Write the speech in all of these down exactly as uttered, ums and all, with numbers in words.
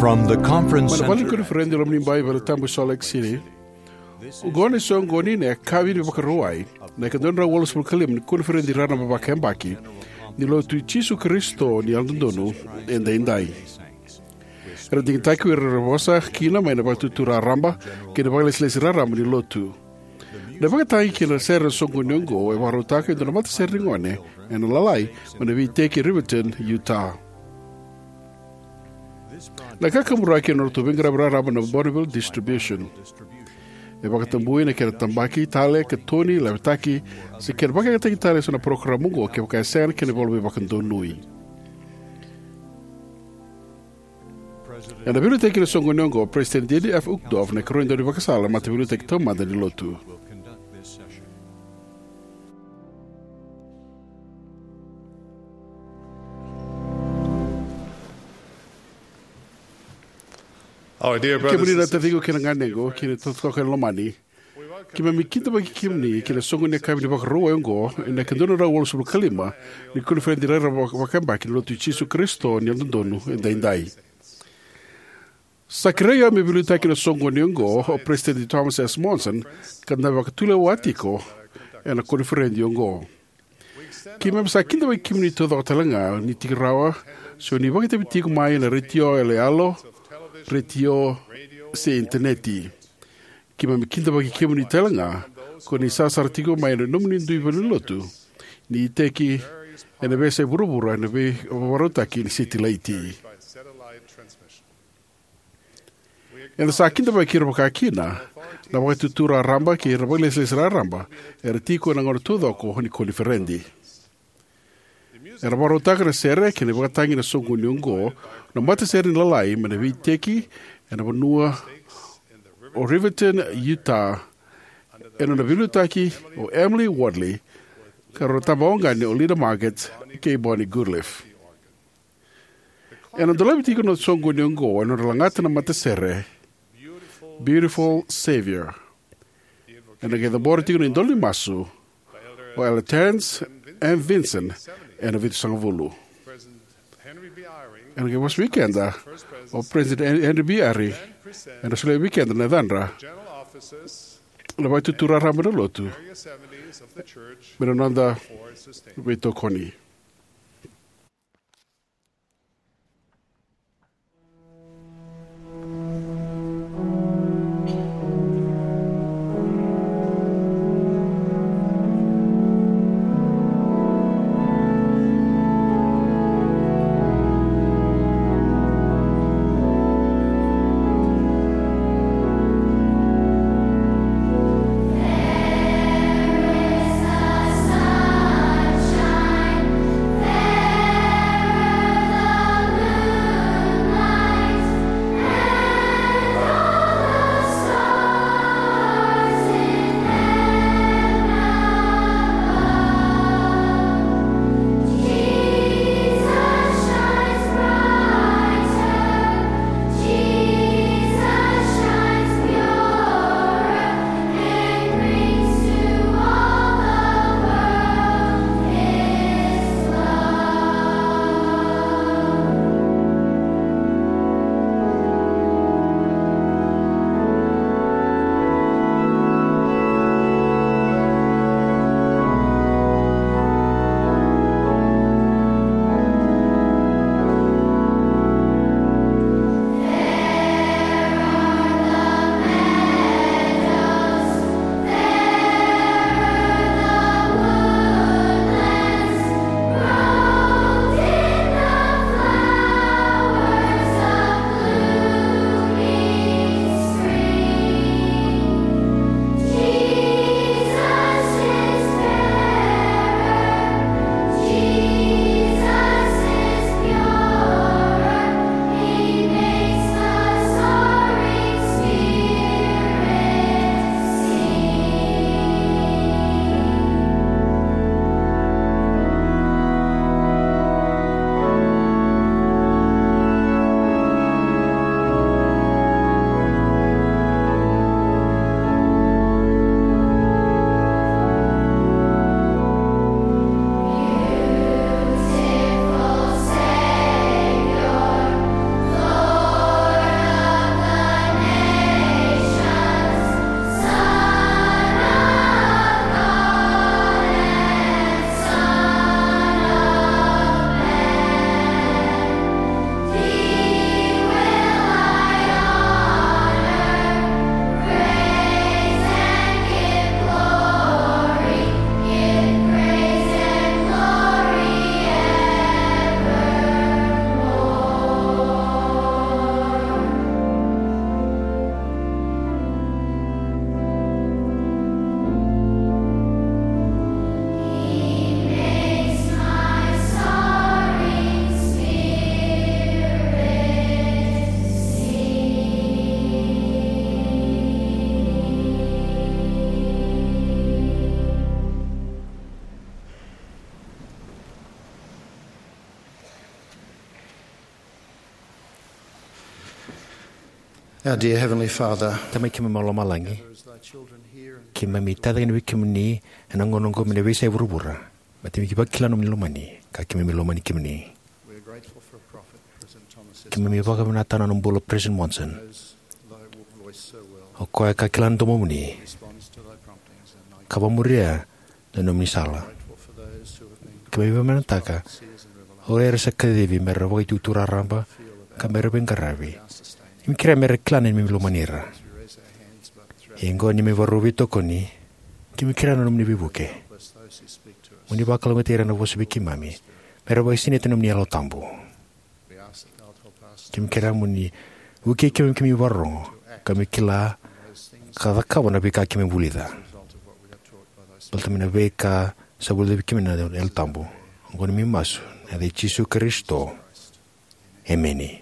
From the conference Mai na center vale ni koniferedi e loma ni bai Valetabu e Salt Lake City. Oqo na isoqoni ni yakavi ni Vakarauwai, na ika dua na drau walusagavulu ka lima ni koniferedi raraba vakayabaki ni Lotu i Jisu Karisito ni Yalododonu Edaidai. Era digitaki ko ira era vosa kina mai na Vakaitutu Raraba kei na vakalesilesi raraba ni Lotu. Na ivakatagi kei na sere ena soqoni oqo e vakarautaka e dua na matasere ni gone ena Lalai mai na veiteki e Riverton, Utah. Na kakaburaki ena nodratou veiqaravi raraba na Bonneville Distribution. E vakatabui na kena tabaki tale, katoni, lavetaki, se kena vakayagataki tale eso na parokaramu oqo kevaka e sega na kena ivola veivakadonui. Ena veiliutaki ena soqoni oqo o President Dieter F. Uchtdorf, na ikarua ni daunivakasala ena Mataveiliutaki Taumada ni Lotu. Our dear brothers Kemuni na and sisters, taciqu kei na ganequ, kei na totoka ena lomani. Keimami kidavaki kemuni ki na soqoni ni yakavi ni Vakarauwai oqo, ena ika dua na drau walusagavulu ka lima ni koniferedi raraba vakayabaki ni Lotu i Jisu Karisito ni Yalododonu Edaidai. Sa kerei au me veiliutaki ena soqoni oqo o President Thomas S. Monson, ka da vakatulewa tiko ena koniferedi oqo. Keimami sa kidavaki kemuni taucoko tale ga ni tiko rawa, se o ni vakaitavi tiko mai ena retio yaloyalo, retio, se initaneti. Keimami kidavaki kemuni tale ga ko ni sarasara tiko mai ena nomuni dui valenilotu ni iteki ena veiyasai vuravura ena veivakarautaki ni setilaiti. Eda sa kidavaki ira vakakina na Vakaitutu Raraba kei ira na vakalesilesi raraba era tiko ena gauna taucoko ni koniferedi. Era vakarautaka na sere kei na ivakatagi ena soqoni oqo na matasere ni Lalai mai na veiteki ena vanua o Riverton, Utah, ena nona veiliutaki o Emily Wardley, ka rau na tabawauqani o Linda Marget kei Bonnie Goodliff. Ena dolavi tiko na soqoni oqo ena nodra lagata na matasere Beautiful Savior. Ena qai cabora tiko na idola ni masu o Elder Terence M. Vinson ena vitusagavulu. Ena qai vosa vei keda o President Henry B. Eyring, ena solia vei keda na yacadra na Vakaitutu Raraba ni Lotu me na noda veitokoni. Our dear Heavenly Father, Tamai keimami mai lomalagi, keimami tacake yani vei kemuni ena gauna oqo mai na veiyasai vuravura, baleta keimami vakila na nomuni lomani ka keimami lomani kemuni. Keimami vakavinavinakataka na nona bula o President Monson. O koya ka kila na domomuni ka vakamuria na nomuni sala. Keimami vakavinavinakataka o ira era sa kacivi me ra vakaitutu raraba ka me ra veiqaravi. Keimami kerea me ra kila na neimami lomani ira. Ia oqo ni keimami vakarau veitokoni, keimami kerea na nomuni veivuke. Mo ni vakalougatataki ira na vosa vei keimami me ra vakasinaiti ena nomuni Yalo Tabu. Keimami kerea mo ni vukei keimami, keimami vakarorogo ka keimami kila ka cakava na veika keimami vulica, baleta mai na veika sa vulica vei keimami na Yalo Tabu. Oqo na neimami masu ena yaca i Jisu Karisito. Emeni.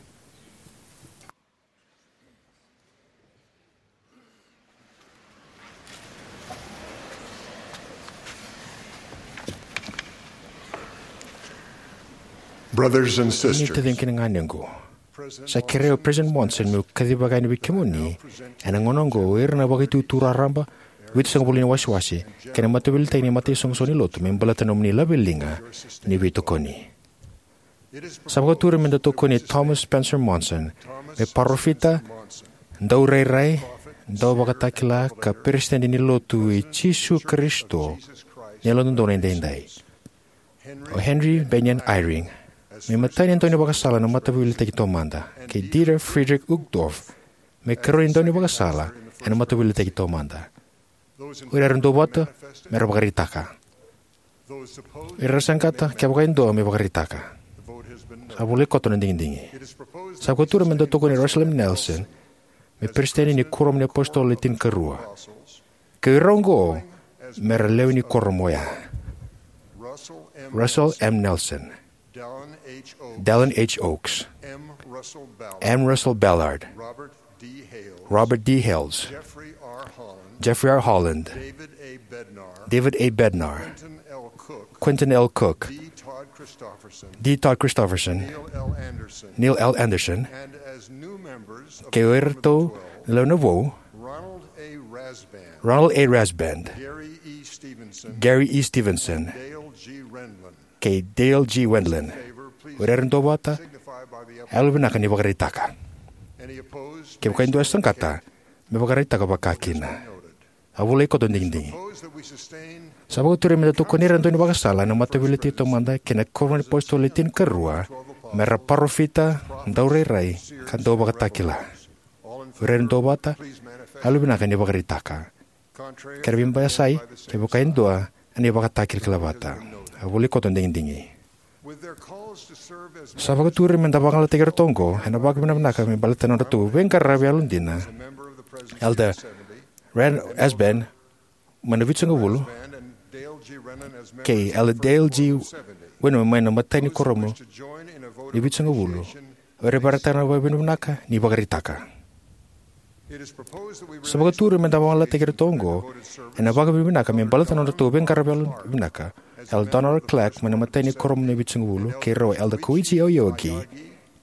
Brothers and Ni sisters, taciqu kei na ganequ, sa kerei au o President Monson meu kacivaka yani vei kemuni ena gauna oqo o ira na vakaitutu raraba, vitusagavulu ni wasewase kei na mataveiliutaki ni mataisoqosoqo ni lotu me baleta na nomuni laveliga ni veitokoni. Sa vakaturi me da tokoni Thomas Spencer Monson me parofita, daurairai, dauvakatakila ka peresitedi ni Lotu i Jisu Karisito ni Yalododonu Edaidai, o Henry Bennion Eyring me imatai ni daunivakasala ena Mataveiliutaki Taumada, kei Dieter Friedrich Uchtdorf me ikarua ni daunivakasala ena Mataveiliutaki Taumada. O ira era duavata me ra vakaraitaka. O ira era saqata, kevaka e dua, me vakaraitaka. Sa volai koto na digidigi. Sa vakaturi me da tokoni Russell M. Nelson me peresitedi ni Kuoramu ni iApositolo Le Tinikarua, kei ira oqo me ra lewe ni kuoramu oya: Russell M. Nelson, Dallin H. Oaks, M. Russell Ballard, Robert D. Hales, Jeffrey R. Holland, David A. Bednar, Quentin L. Cook, D. Todd Christofferson, Neil L. Andersen, kei iratou na lewe na vou, Ronald A. Rasband, Gary E. Stevenson, kei Dale G. Wendland. O ira era duavata, yalovinaka ni vakaraitaka. Kevaka e dua e saqata, me vakaraitaka vakakina. A volai koto na digidigi. Sa vakaturi me da tokoni ira na daunivakasala ena Mataveiliutaki Taumada kei na Kuoramu ni iApositolo Le Tinikarua me ra parofita, daurairai ka dauvakatakila. O ira era duavata, yalovinaka ni vakaraitaka. Ke ra veibasai, kevaka e dua, ena ivakatakilakila vata. A volai koto na digidigi. Sa vakaturi me da vagalalataki iratou oqo ena vakavinavinaka me baleta na nodratou veiqaravi yalodina, Elder Ron Rasband mai na Vitusagavulu kei Elder Dale G. Wendland mai na imatai ni Kuoramu ni Vitusagavulu. O ira era vakaraitaka na vakavinavinaka ni vakaraitaka. Sa vakaturi me da vagalalataki iratou oqo ena vakavinavinaka me baleta na nodratou veiqaravi yalovinaka, Elder Donald R. Clark mai na imatai ni Kuoramu ni Vitusagavulu, kei rau o Elder Koichi Aoyagi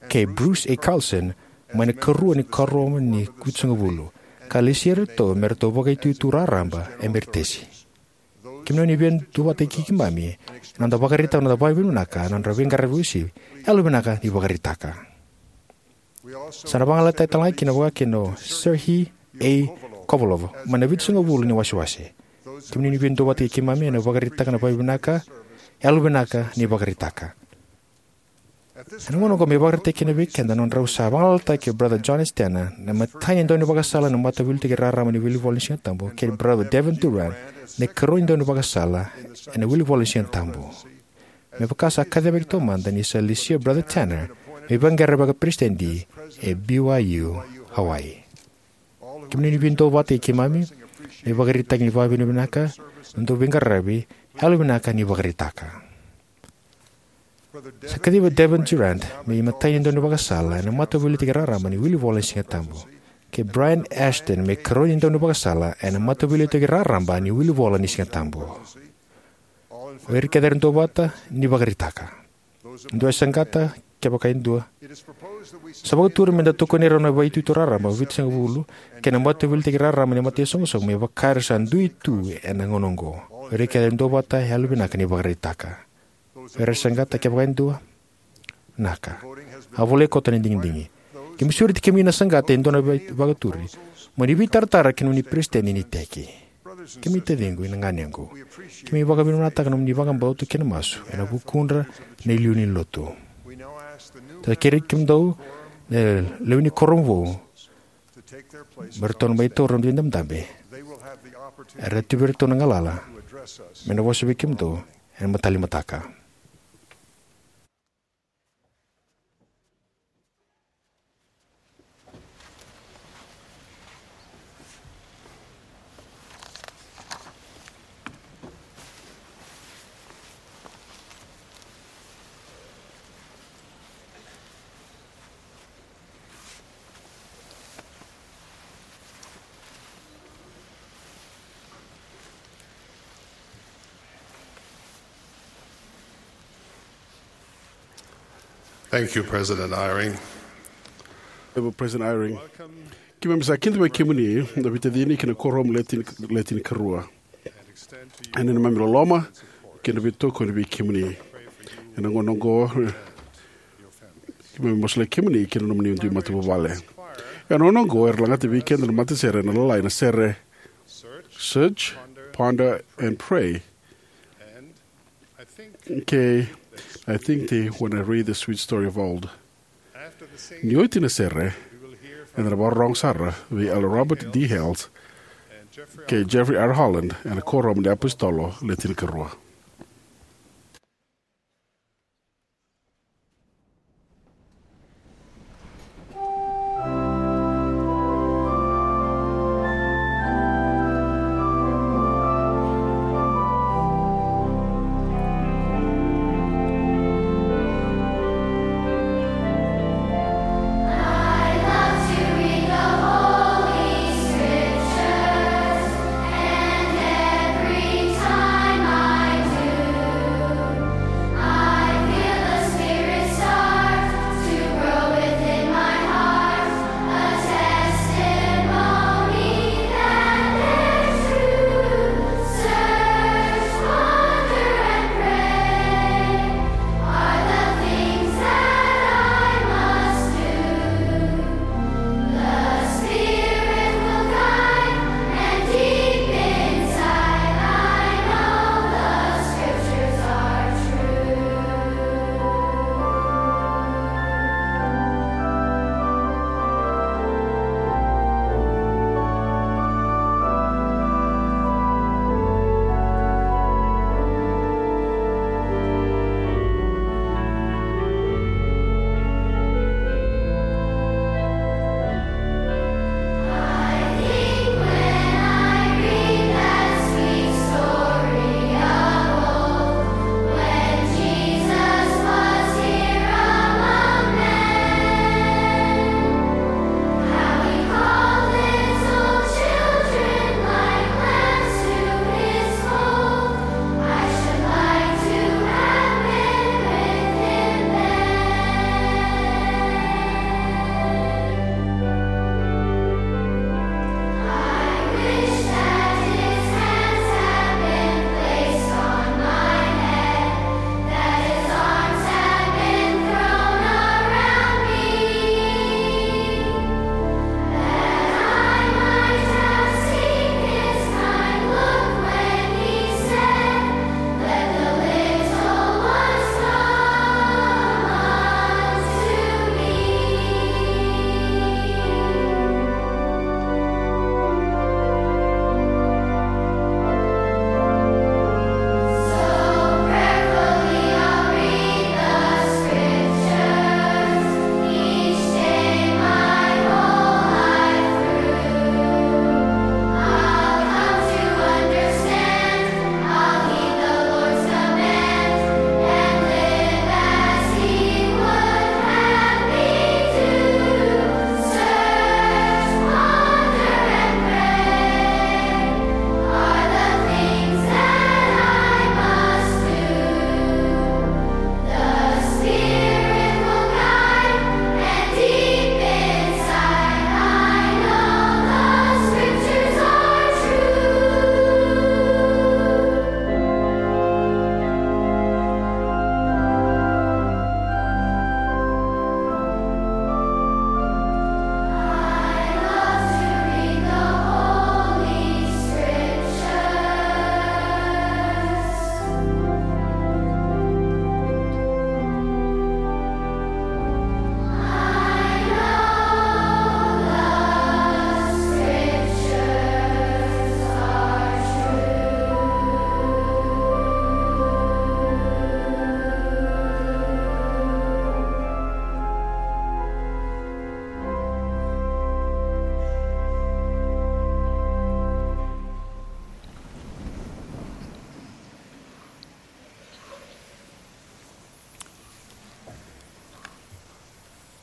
kei Bruce A. Carlson mai na ikarua ni Kuoramu ni Vitusagavulu, ka lesia iratou me ratou vakaitutu raraba emeritesi. Kemuni o ni via duavata kei keimami ena noda vakaraitaka na noda vakavinavinaka ena nodra veiqaravi uasivi, yalovinaka ni vakaraitaka. Sa na vagalalataki talega kina vakakina o Serhiy A. Kovalov mai na Vitusagavulu ni wasewase. Kemuni o ni via duavata kei keimami ena vakaraitaka na vakavinavinaka, yalovinaka ni vakaraitaka. Ena gauna oqo me vakaraitaki kina vei keda na nodrau sa vagalalataki o Brother John S. Tanner na imatai ni daunivakasala ena Mataveiliutaki Raraba ni Wilivola ni Sigatabu, kei Brother Devin Durrant na ikarua ni daunivakasala ena Wilivola ni Sigatabu. Me vaka sa kacivaki taumada, ni sa lesia o Brother Tanner me vaqara vakaperesitedi e B Y U Hawaii. Kemuni o ni via duavata kei keimami ena ivakaraitaki ni vakavinavinaka, na nodrau veiqaravi, yalovinaka ni vakaraitaka. Sa kacivi Devin Durrant me imatai ni daunivakasala ena Mataveiliutaki Raraba ni Wilivola ni Sigatabu, kei Brian Ashton me ikarua ni daunivakasala ena Mataveiliutaki Raraba ni Wilivola ni Sigatabu. O ira kece era duavata, ni vakaraitaka. Dua e saqata, kevaka e dua. Sa vakaturi me da tokoni rau na vakaitutu raraba vitusagavulu kei na mataveiliutaki raraba ni mataisoqosoqo me vaka era sa dui tu ena gauna oqo. Ira kece era duavata, yalovinaka ni vakaraitaka. Era saqata, kevaka e dua. Naka. A volai koto na digidigi. Keimami sureti kemuni na saqata e dua na vei-, vakaturi. Mo ni veitaratara kei na nomuni peresitedi ni iteki. Kemuni taciqu, ira na ganequ. Keimami vakavinavinakataka na nomuni vakabauta kei na masu ena vukudra na iliuliu ni lotu. Da kerei kemudou na lewe ni kuoramu vou me ratou na mai taura na noda idabedabe. Era tu vei iratou na galala me na vosa vei kemudou ena imatai ni mataka. Thank you, President Eyring. Honorable President Eyring. Keimami sa kidavaki kemuni na veitacini kei na kuoramu le tini, le tinikarua. Ena neimami loloma kei na veitokoni vei kemuni. Ena gauna oqo, keimami masulaki kemuni kei na nomuni dui matavuvale. Ena gauna oqo, era lagata vei keda na matasere ena lalai na sere Search, Ponder, and Pray. Kei, I think they, when I read the sweet story of old. Ni oti na sere, eda na vakarorogo sara vei Elder Robert D. Hales kei Jeffrey R. Holland ena Kuoramu ni iApositolo le tinikarua.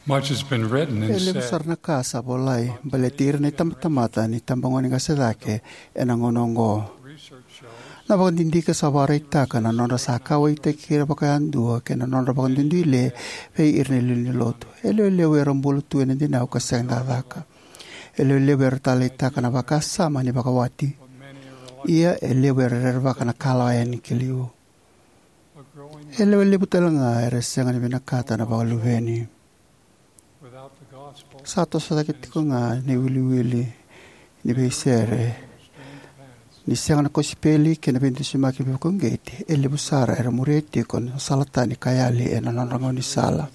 Much has been written and E levu said. sara na ka sa volai baleti ira na itabatamata ni tabagone qase cake ena gauna oqo. Research shows Na vakadidike sa vakaraitaka na nodra sa kauwaitaki ira vakayadua kei na nodra vakaduiduile vei ira na iliuliu ni lotu. E lewe levu era bula tu ena dinau ka sega ni cakacaka. E lewe levu era taleitaka na vakasama ni vakawati. Ia e levu era rerevaka na kalawa yani ki liu. E lewe levu tale ga era sega ni vinakata na vakaluveni. Sa toso cake tiko ga na iwiliwili ni veisere. Ni sega na kosipeli kei na veidusimaki veivakauqeti, e levu sara era muria tiko na sala tani ka yali ena nodra gaunisala.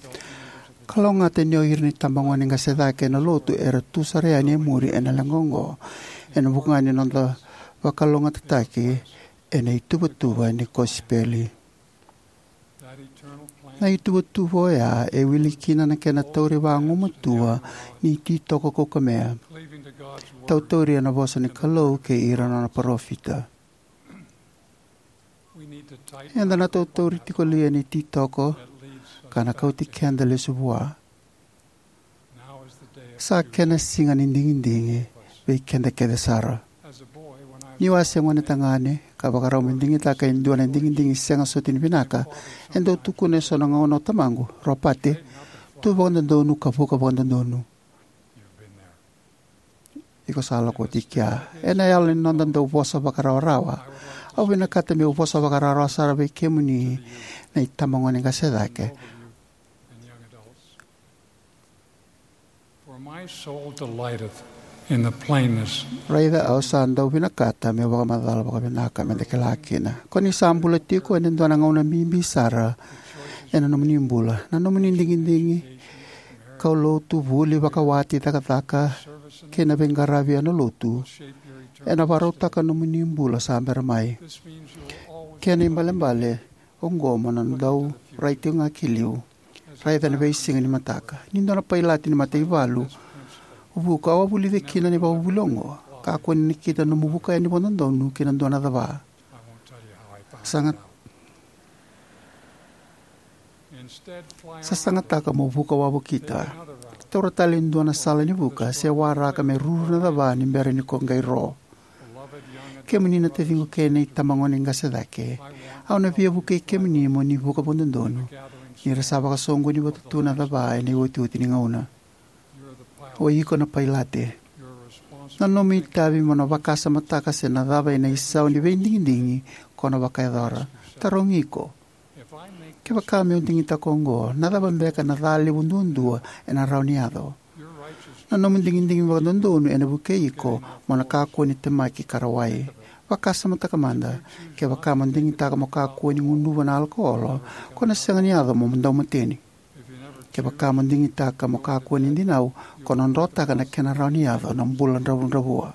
Kalougata ni o ira na itabagone qase cake ena lotu era tu sara yani e muri ena leqa oqo, ena vuku ga ni noda vakalougatataki ena ituvatuva ni kosipeli. Na ituvatuva oya e wili kina na kena tauri vagumatua ni ititoko kaukamea, tautauri ena vosa ni Kalou kei ira na nona parofita. Eda na tautauri tiko li ena ititoko ka na kauti keda lesu vua? Sa kena siga ni digidigi vei keda kece sara. Niu a se gone tagane ka vakarau me digitaka e dua na digidigi sega soti ni vinaka, e dau tukuna eso na gauna o tamaqu, "Ropate, tu vakadodonu ka vuka vakadodonu." Iko sa lako oti kea. Ena yalo ni noda dau vosa vakarawarawa, au vinakata meu vosa vakarawarawa sara vei kemuni na itabagone qase cake. For my soul delighteth in the plainness. Raica, au sa dau vinakata meu vakamacala vakavinaka me da kila kina. Ko ni sa bula tiko ena dua na gauna bibi sara ena nomuni bula. Na nomuni digidigi kau lotu, vuli, vakawati, cakacaka kei na veiqaravi ena lotu ena vakarautaka nomuni bula sa bera mai. Kena ibalebale oqo mo na dau rai tiko ga ki liu. Raica na veisiga ni mataka. Ni dua na pailate ni mataivalu vuka, au a vulica kina na ivakavuvuli oqo. Kakua ni nakita nomu vuka yani vakadodonu ki na dua na cava. Saga, sasagataka mo vuka wavokita. Taura tale e dua na sala ni vuka se waraka me ruru na cava ni bera ni ko qai ro. Kemuni na taciqu kei na itabagone qase cake, au na via vukei kemuni mo ni vuka vakadodonu ni ra sa vakasoqoni vata tu na cava ena iotioti ni gauna. O iko na pailate. Na nomu itavi mo na vakasamataka se na cava ena isau ni veidigidigi ko na vakayacora. Tarogi iko, "Kevaka meu digitaka oqo, na cava beka na ca levu duadua ena rawa ni yaco?" Na nomu digidigi vakadodonu ena vukei iko mo na kakua ni temaki ka rawai. Vakasamataka mada, kevaka mo digitaka mo kakua ni gunuva na alokolo, ko na sega ni yaco mo daumateni. Kevaka mo digitaka mo kakua ni dinau, ko na drotaka na kena rawa ni yaco na bula dravudravua.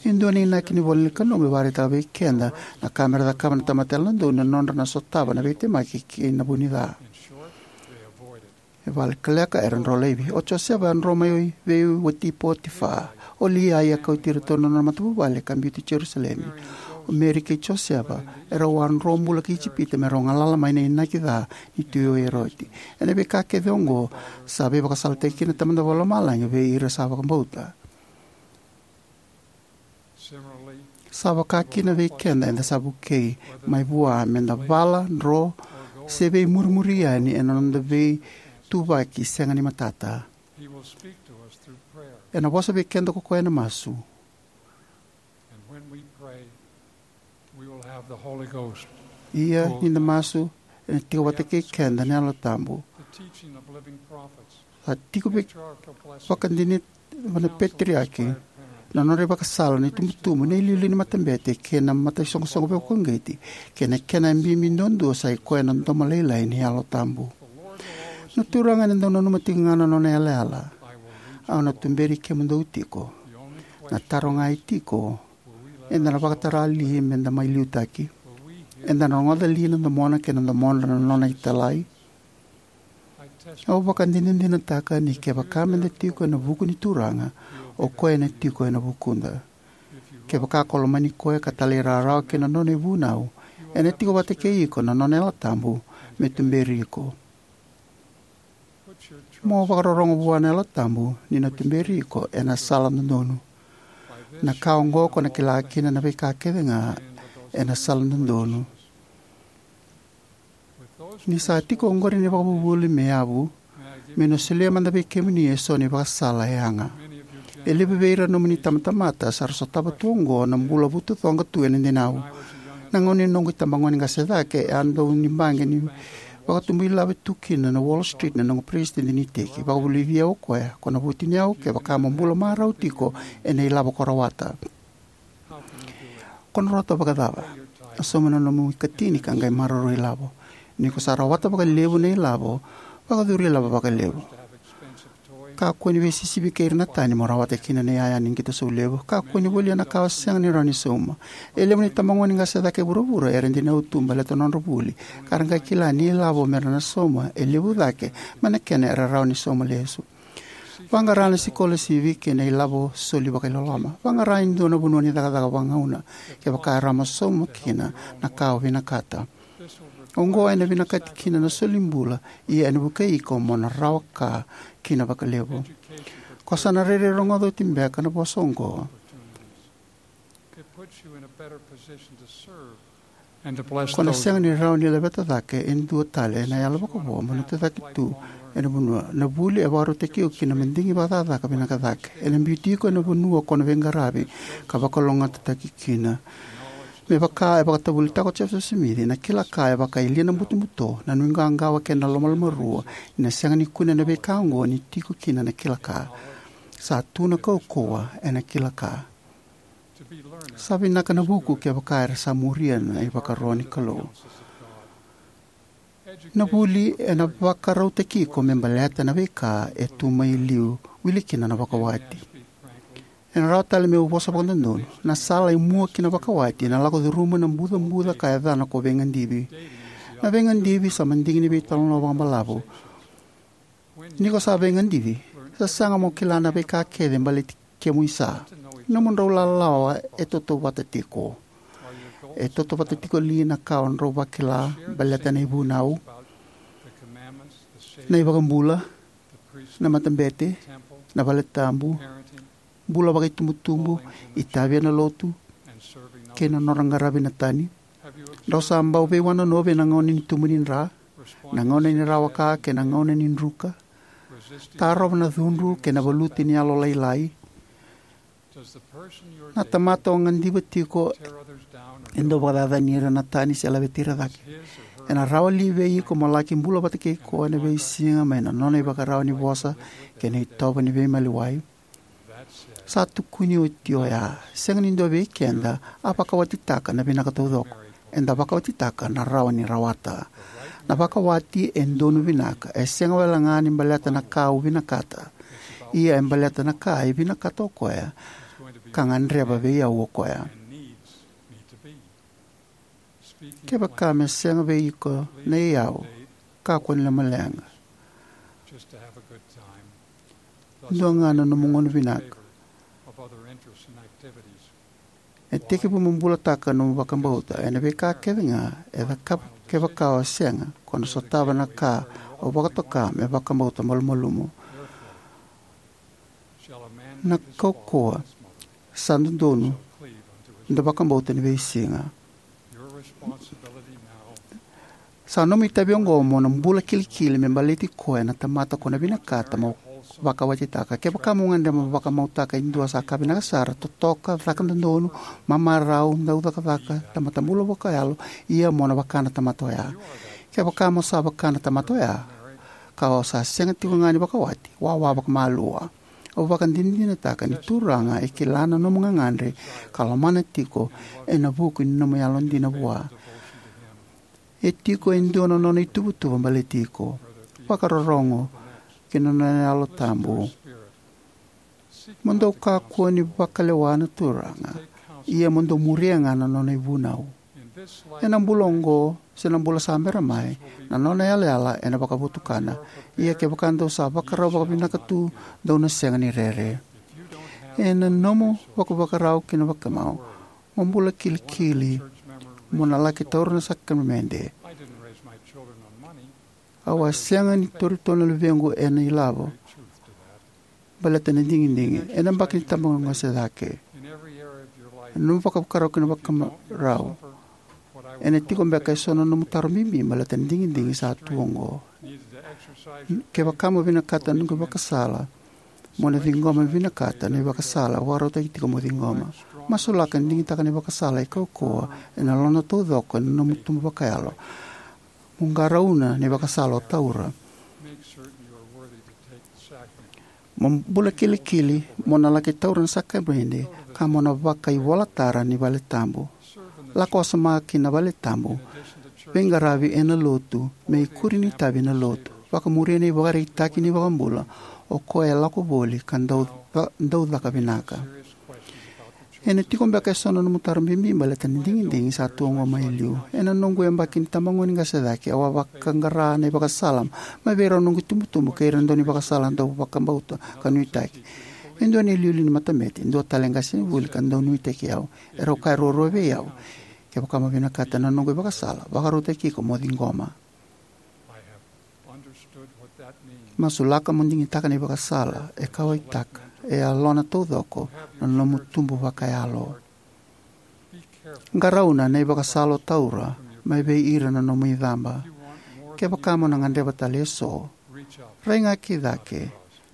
E dua na inaki ni ivola ni Kalou me vakaraitaka vei keda na ka me ra cakava na tamata yalododonu ena nodra na sotava na veitemaki kei na vu ni ca. E vakalekaleka era dro laivi. O Josefa a dro mai vei wati Potifa. O Liai a kauti iratou na nona matavuvale ka biuti Jerusalemi. O Meri kei Josefa erau a dro bula ki Ijipita me rau galala mai na inaki ca ni Tui o Eroti. Ena veika kece oqo sa veivakasalataki kina na Tamada Vakalomalagi vei ira sa vakabauta. Sa vaka kina vei keda, eda sa vukei mai vua me da vala, dro, se veimurimuri yani ena noda veituvaki sega ni matata. Ena vosa vei keda ko koya ena masu. Ia ni da masu, ena tiko vata kei keda na Yalo Tabu. Sa tiko vei vakadinati na peteriaki na nodra ivakasala na itubutubu, na iliuliu ni matabete kei na mataisoqosoqo veivakauqeti, kei na kena bibi duadua sa i koya na domo lailai ni Yalo Tabu. Na Turaga ena dau nanuma tiko ga na nona yalayala. Au na tuberi kemudou tiko. Na taro ga e tiko, eda na vakatara li me da mai liutaki? Eda na rogoca li na domona kei na domodra na nona italai? Au vakadinadinataka ni kevaka me da tiko ena vuku ni Turaga, o koya ena tiko ena vukuda. Kevaka ko lomani koya ka talairawarawa ki na nona ivunau, ena tiko vata kei iko na nona Yalo Tabu me tuberi iko. Mo vakarorogo vua na Yalo Tabu ni na tuberi iko ena sala dodonu. Na ka oqo ko na kila kina na veika kece ga ena sala dodonu. Ni sa tiko oqori na ivakavuvuli me yavu, me na solia mada vei kemuni eso na ivakasala e yaga. E levu vei ira nomuni tamatamata sa ra sotava tu oqo na bula vutucoqa tu ena dinau. Na gauna ni noqu itabagone qase cake, e a dau ni baqe ni vakatubu ilave tu kina na Wall Street na noqu peresitedi ni iteki. Vakavulici au o koya, ko na vutuniyau kevaka mo bula marau tiko ena ilavo ko rawata. Ko na rawata vakacava? A sauma na nomu ikatini ka qai maroroi ilavo. Ni ko sa rawata vakalevu na ilavo, vakacuri ilavo vakalevu. Kakua ni veisisivi kei ira na tani mo rawata kina na iyaya ni qito saulevu. Kakua ni volia na ka o sega ni rawa ni sauma. E levu na itabagone qase cake e vuravura era dinau tu baleta na nodra vuli, ka ra qai kila ni ilavo me ra na sauma e levu cake mai na kena era rawa ni sauma lesu. Vaqara na sikolasivi kei na ilavo soli vakailoloma. Vaqara e dua na vanua ni cakacaka vagauna kevaka e rawa mo sauma kina na ka o vinakata. Oqo ena vinakati kina na soli bula, ia ena vukei iko mo na rawa ka kina vakalevu. Ko sa na rairai rogoca oti beka na vosa oqo. Ko na sega ni rawa ni laveta cake e dua tale ena yalo vakavo mo na tucake tu ena vanua. Na vuli e vakarautaki iko ki na madigi vakacakacaka vinaka cake. Ena biuti iko ena vanua ko na veiqaravi ka vakalougatataki kina. Me vaka e vakatavulitaka o Joseph Smith, na kila ka e vaka e lia na butobuto, na nuiqawaqawa kei na lomalomarua, ni na sega ni kune na veika oqo ni tiko kina na kila ka. Sa tu na kaukauwa ena kila ka. Sa vinaka na vuku kevaka era sa muria na ivakaro ni Kalou. Na vuli ena vakarautaki iko me baleta na veika e tu mai liu, wili kina na vakawati. Ena rawa tale meu vosa vakadodonu, na sala e mua ki na vakawati ena lako curuma na bucabuca ka yacana ko veigadivi. Na veigadivi sa madigi ni veitalanoa vakabalavu. Ni ko sa veigadivi, sa sega mo kila na veika kece baleti kemu isa. Nomudrau lalawa e tautauvata tiko. E tautauvata tiko li na ka o drau vakila baleta na ivunau, na iVakabula, na matabete, na valetabu, bula vakaitubutubu, itavi ena lotu, kei na nodra qaravi na tani? Drau sa bau veiwanonovi ena gauna ni tubu ni dra, na gauna ni rawa ka kei na gauna ni druka? Tarova na cudru kei na valuti ni yalolailai? Na tamata o gadiva tiko e dau vakacacani ira na tani se laveti ira cake. Ena rawa li vei iko mo laki bula vata kei koya ena veisiga mai na nona ivakarau ni vosa kei na itovo ni veimaliwai? Sa tukuni oti oya, sega ni dua vei keda a vakawatitaka na vinaka taucoko. Eda vakawatitaka na rawa ni rawata. Na vakawati e donu vinaka, e sega wale ga ni baleta na ka au vinakata. Ia e baleta na ka e vinakata o koya, ka gadreva vei au o koya. Kevaka me sega vei iko na iyau, kakua ni lomaleqa. Dua ga na nomu gauna vinaka. E tekivu mo bulataka nomu vakabauta ena veika kece ga e cakava. Kevaka o sega, ko na sotava na ka o vakatoka me vakabauta malumalumu. Na kaukauwa sa dodonu da vakabauta ni veisiga. Sa nomu itavi oqo mo na bula kilikili me baleti koya na tamata ko na vinakata mo vakawatitaka. Kevaka mo gadreva mo vakamautaka e dua sa ka vinaka sara, totoka, caka dodonu, mamarau, dau cakacaka, tamata bula vakayalo, ia mo na vaka na tamata oya. Kevaka mo sa vaka na tamata oya, ka o sa sega tiko ga ni vakawati, wawa vakamalua. Au vakadinadinataka ni Turaga e kila na nomu gagadre ka lomana tiko ena vuku ni nomu yalodina vua. E tiko e dua na nona ituvatuva baleti iko. Vakarorogo ki na nona Yalo Tabu. Mo dou kakua ni vakalewa na Turaga, ia mo dou muria ga na nona ivunau. Ena bula oqo se na bula sa bera mai, na nona yalayala ena vakavotukana. Ia kevaka dou sa vakarau vakavinaka tu, dou na sega ni rere. Ena nomu vakavakarau kei na vakamau, mo bula kilikili mo na laki taura na sakaramede. Au a sega ni tauri tolu na luvequ ena ilavo baleta na digidigi ena yabaki ni tabagone qase cake. Ena nomu vakavakarau kei na vakamarau, ena tiko beka eso na nomu taro bibi baleta na digidigi sa tu oqo? Kevaka mo vinakata na noqu ivakasala, mo na ciqoma vinakata na ivakasala au vakarautaki tiko mo ciqoma. Masulaka ni digitaka na ivakasala e kaukauwa ena lona taucoko ena nomu tubu vakayalo. Mo qarauna na ivakasala o taura. Mo bula kilikili mo na laki taura na sakaramede ka mo na vakaivolatara ni valetabu. Lako wasoma ki na valetabu. Veiqaravi ena lotu me ikuri ni itavi ena lotu. Vakamuria na ivakaraitaki ni iVakabula, o koya e lako voli ka dau ca-, dau caka vinaka. Ena tiko beka eso na nomu taro bibi baleta na digidigi sa tu oqo mai liu? Ena noqu yabaki ni tabagone qase cake, au a vakaqara na ivakasala mai vei rau noqu itubutubu kei ira na daunivakasala dau vakabauta ka nuitaki. E dua na iliuliu ni matabete, e dua tale na qasenivuli ka dau nuitaki au. Erau kaya ruarua vei au, kevaka mo vinakata na noqu ivakasala, vakarautaki iko mo ciqoma. Masulaka mo digitaka na ivakasala e kauwaitaka e yalona taucoko na nomu tubu vakayalo. Qarauna na ivakasala o taura mai vei ira na nomu icaba. Kevaka mo na gadreva tale eso, rai ga ki cake,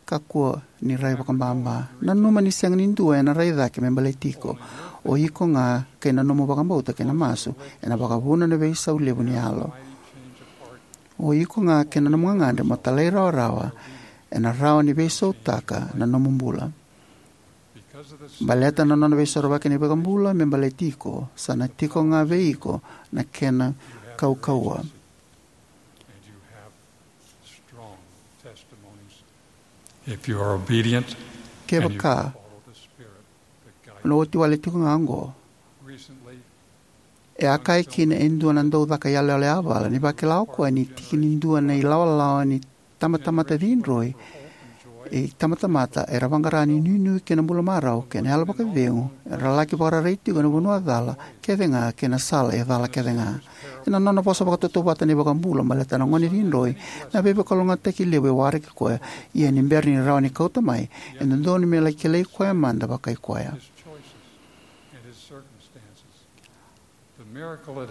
kakua ni rai vakababa. Nanuma ni sega ni dua ena rai cake me baleti iko. O iko ga kei na nomu vakabauta kei na masu ena vakavuna na veisau levu ni yalo. O iko ga kei na nomu gagadre mo talairawarawa ena rawa ni veisautaka na nomu bula. Baleta na nona veisorovaki na iVakabula me baleti iko, sa na tiko ga vei iko na kena kaukauwa. If you are obedient and you Kevaka follow the Spirit that guides na oti wale tiko ga oqo. Recently, E a kaya kina e dua na dau caka iyaloyalo yavala ni vakila o koya ni tiki ni dua na ilawalawa ni tamatamata cidroi, e tamatamata era vaqara ni nuinui kei na bula marau kei na yalo vakacegu, era laki vakararai tiko ena vanua cala kece ga kei na sala e cala kece ga. Ena nona vosa vakatautauvata na iVakabula baleta na gone cidroi, na veivakalougatataki levu e waraki koya, ia ni bera ni rawa ni kauta mai, e dodonu me laki kilai koya mada vakai koya.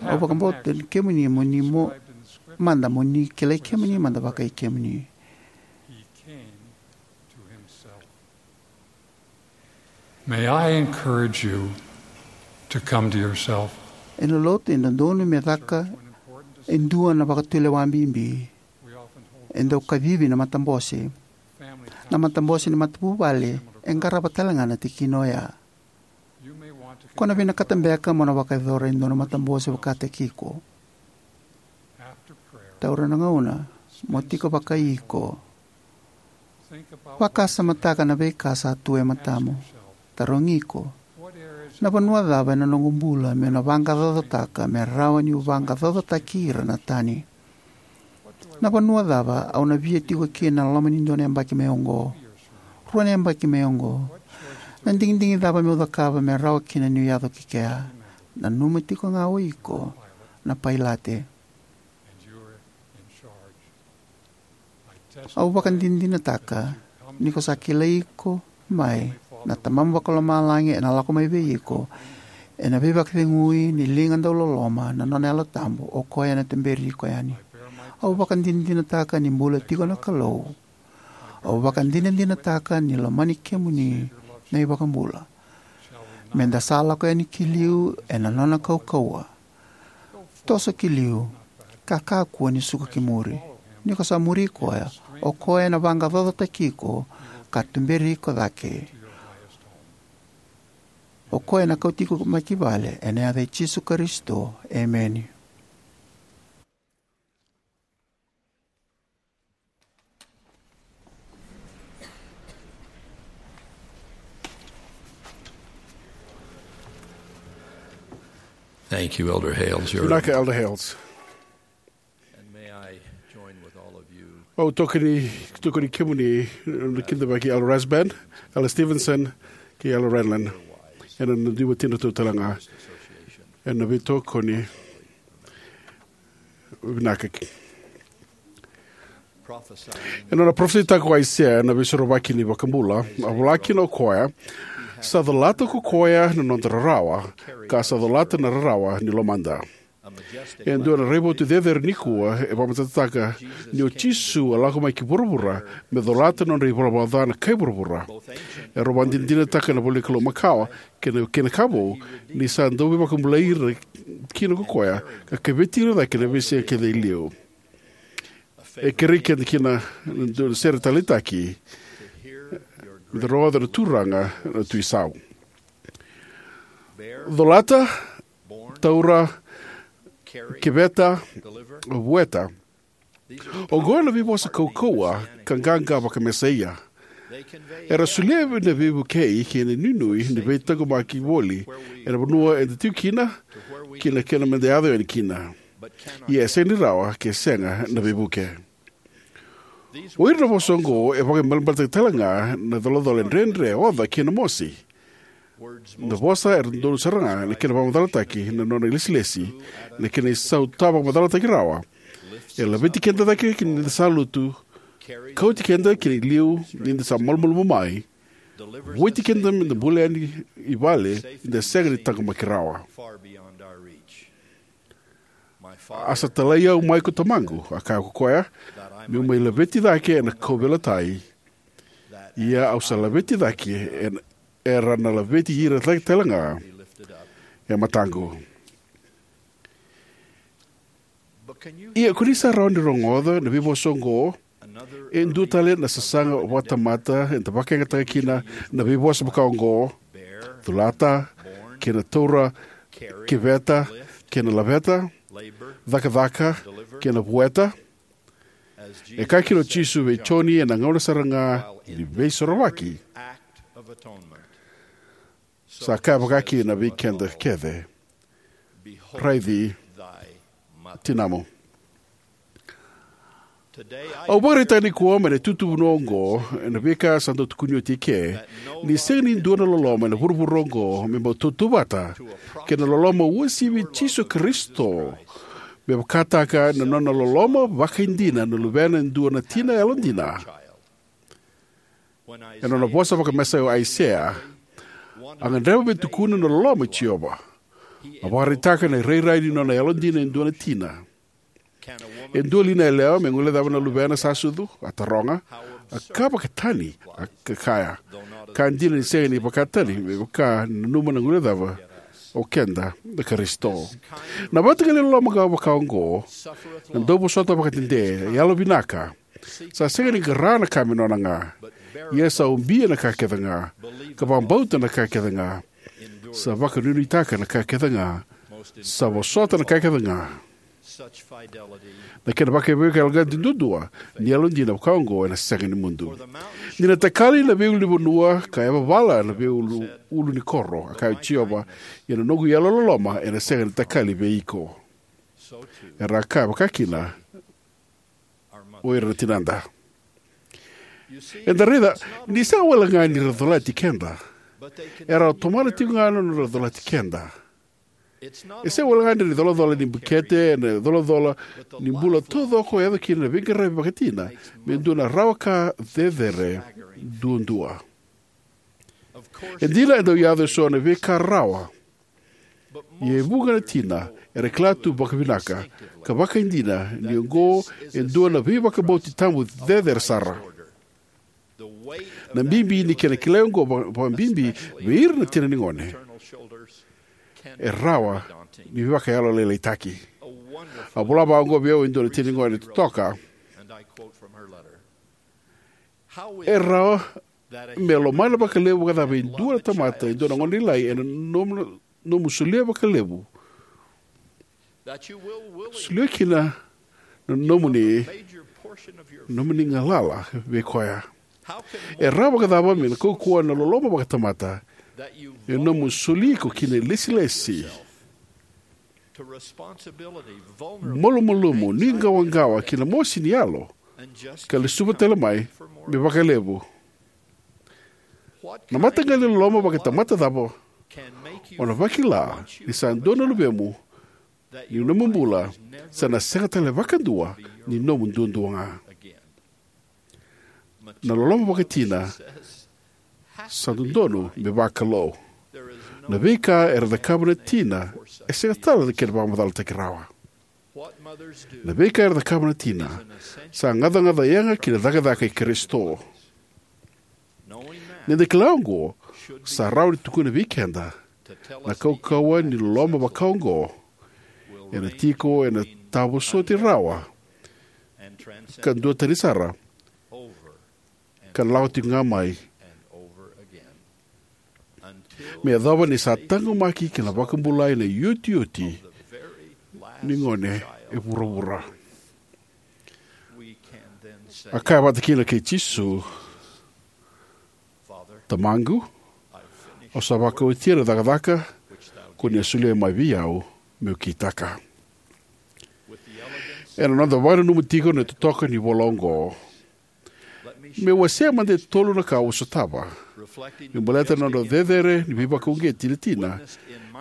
Au vakabauta ni kemuni mo ni mo mada mo ni kilai kemuni mada vakai kemuni. May I encourage you to come to yourself. Ena lotu e dodonu me caka e dua na vakatulewa bibi. E dau kacivi na matabose. Na matabose ni matavuvale e qarava tale ga na tikina oya. Ko na vinakata beka mo na vakayacora e dua na matabose vakataki iko. Taura na gauna mo tiko vakai iko. Vakasamataka na veika sa tu e matamu. Tarogi iko, na vanua cava ena noqu bula meu na vaqaqacotaka me rawa niu vaqaqacotaki ira na tani? Na vanua cava au na via tiko kina ena loma ni dua na yabaki mai oqo, rua na yabaki mai oqo? Na digidigi cava meu cakava me rawa kina niu yaco ki kea? Nanuma tiko ga o iko na pailate. Au vakadinadinataka ni ko sa kilai iko mai na Tamamu Vakalomalagi ena lako mai vei iko ena veivakacegui ni liga dauloloma na nona Yalo Tabu, o koya ena tuberi iko yani. Au vakadinadinataka ni bula tiko na Kalou. Au vakadinadinataka ni lomani kemuni na iVakabula. Meda sa lako yani ki liu ena nona kaukauwa. Toso ki liu, ka kakua ni suka ki muri. Ni ko sa muri koya, o koya ena vaqaqacotaki iko ka tuberi iko cake. O koya ena kauti iko mai ki vale, ena yaca i Jisu Karisito. Emeni. Thank you, Elder Hales. You're Vinaka, Elder Hales. And may I join with all of you. Au tokoni, tokoni kemuni, na kidavaki Elder Rasband, Elder Stevenson, kei Elder Renlund. Ena nodra tikivi talega. Ena veitokoni vinaka. Ena nona parofisaitaka o Aisea na Veisorovaki ni iVakabula, a vola kina o koya: "Sa colata ko koya na noda rarawa, ka sa colata na rarawa ni lomada." E dua na raivotu cecere nikua e vakamatatataka ni o Jisu a lako mai ki vuravura me colata na nodra ivalavala ca na kai vuravura. Erau vakadinadinataka na ivolanikalou makawa kei na, kei na ka vou, ni sa dau veivakabulai ira kina ko koya, ka keveti ira cake ena veisiga kece e liu. E kerei keda kina na dua na sere taleitaki: "Me da rogoca na Turaga na Tui Sau." Colata, taura, keveta, vueta. Oqo na veivosa kaukauwa ka qaqa vakamesaia. Era solia na veivukei kei na inuinui ni veitaqomaki voli ena vanua eda tiko kina, kei na kena meda yaco yani kina. Ia e sega ni rawa ke sega na veivuke. O ira na vosa oqo e vakaibalebale tale ga na icolacola dredre, oca kei na mosi. Na vosa era dodonu sara ga na kena vakamacalataki na nona ilesilesi, na kena isau tawavakamacalataki rawa. E laveti keda cake ki na sa lutu, kauti keda ki na iliu ni da sa malumalumu mai, vueti keda me da bula yani i vale ni da sega ni taqomaki rawa. "A sa talai au mai ko Tamaqu," a kaya ko koya, "meu mai laveti cake ena kauveilatai. Ia au sa laveti cake, ena, era na laveti ira cake tale ga e mataqu." Ia ko ni sa rawa ni rogoca na veivosa oqo? E dua tale na sasaga vakatamata eda vakayagataka kina na veivosa vaka oqo: colata, kei na taura, keveta, kei na laveta, cakacaka, kei na vueta. E kaya kina o Jisu vei Joni ena gauna sara ga ni Veisorovaki. Sa kaya vaka kina vei keda kece: "Raici tinamu." Au vakaraitaka nikua mai na itutu vanua oqo, ena veika sa dau tukuni oti eke, ni sega ni dua na loloma ena vuravura oqo me bau tautauvata kei na loloma uasivi i Jisu Karisito, me vakataka na nona loloma vakaidina na luvena e dua na tina yalodina. Ena nona vosa vakamesaia o Aisea, a gadreva me tukuna na loloma i Jiova. A vakaraitaka na irairai ni nona yalodina e dua na tina. "E dua li na yalewa me guilecava na luvena sa sucu?" a taroga. "A ka vakatani," a ka kaya. "Ka dina ni sega ni vakatani, me vaka ni nanuma na guilecava o keda na Karisito." Na mataqali loloma vaka oqo, na dauvosota vakadede, yalovinaka, sa sega ni qara na ka me nona ga, ia sa ubia na ka kece ga, ka vakabauta na ka kece ga, sa vakanuinuitaka na ka kece ga, sa vosota na ka kece ga. Na kena vakaivakayaloqaqataki duadua ni yalodina vaka oqo ena sega ni mudu. Ni na takali na veiulunivanua ka yavavala na veiulu, ulu ni koro, a kaya o Jiova, ia na noqu yalololoma ena sega ni takali vei iko. Era a kaya vaka kina o ira na tinada. Eda raica ni sega wale ga ni ra colati keda. Era tomana tiko ga na nodra colati keda. E sega wale ga ni ra icolacola ni bukete, na icolacola ni bula taucoko e yaco kina na veiqaravi vakatina me dua na rawa ka cecere duadua. E dina e dau yaco eso na veika rarawa. Ia e vuqa na tina era kila tu vakavinaka ka vakaidina ni oqo e dua na veivakabauti tabu cecere sara. Na bibi ni kena kilai oqo va-, vakabibi vei ira na tina ni gone e rawa ni veivakayalolailaitaki. A vola vaka oqo vei au e dua na tina ni gone totoka: "E rawa me lomana vakalevu vakacava e dua na tamata e dua na gone lailai ena nomu, nomu solia vakalevu, solia kina na nomuni, nomuni galala vei koya? E rawa vakacava me na kaukauwa na loloma vakatamata e nomu soli iko ki na ilesilesi, malumalumu, nuiqawaqawa kei na mosi ni yalo, ka lesuva tale mai me vakalevu? Na mataqali loloma vakatamata cava o na vakila ni sa dua na luvemu ni nomu bula sa na sega tale vakadua ni nomu duadua ga?" Na loloma vakatina sa dodonu me vakalou. Na veika era cakava na tina e sega tale na kena vakamacalataki rawa. Na veika era cakava na tina sa gacagaca yaga ki na cakacaka i Karisito. Ni da kila oqo, sa rawa ni tukuna vei keda na kaukauwa ni loloma vakaoqo ena tiko ena tavosoti rawa ka duatani sara ka na lako tiko ga mai me yacova ni sa taqomaki kei na vakabulai na iotioti ni gone e vuravura. A kaya vata kina kei Jisu, "Tamaqu, au sa vakaotia na cakacaka ko ni a solia mai vei au meu kitaka." Ena noda vakananuma tiko na totoka ni vola oqo, meu wasea mada e tolu na ka au sotava me baleta na nodra cecere ni veivakauqeti na tina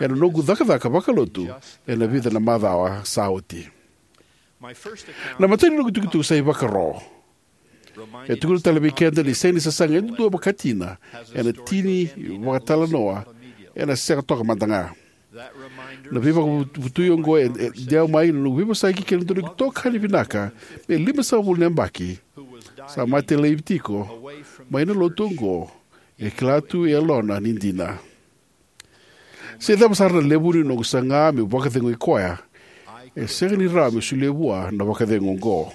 ena noqu cakacaka vakalotu ena vica na macawa sa oti. Na imatai ni noqu itukutuku sa ivakaro. E tukuna tale vei keda ni sega ni sasaga e dua vakatina ena tini vakatalanoa ena sega toka mada ga. Na veivakavutui oqo e, e dewa mai na noqu veivosaki kei na dua na itokani vinaka me limasagavulu na yabaki sa mate laivi tiko mai na lotu oqo, e kila tu e yalona ni dina. Se cava sara na levu ni noqu saga meu vakacegui koya, e sega ni rawa meu solia vua na vakacegu oqo.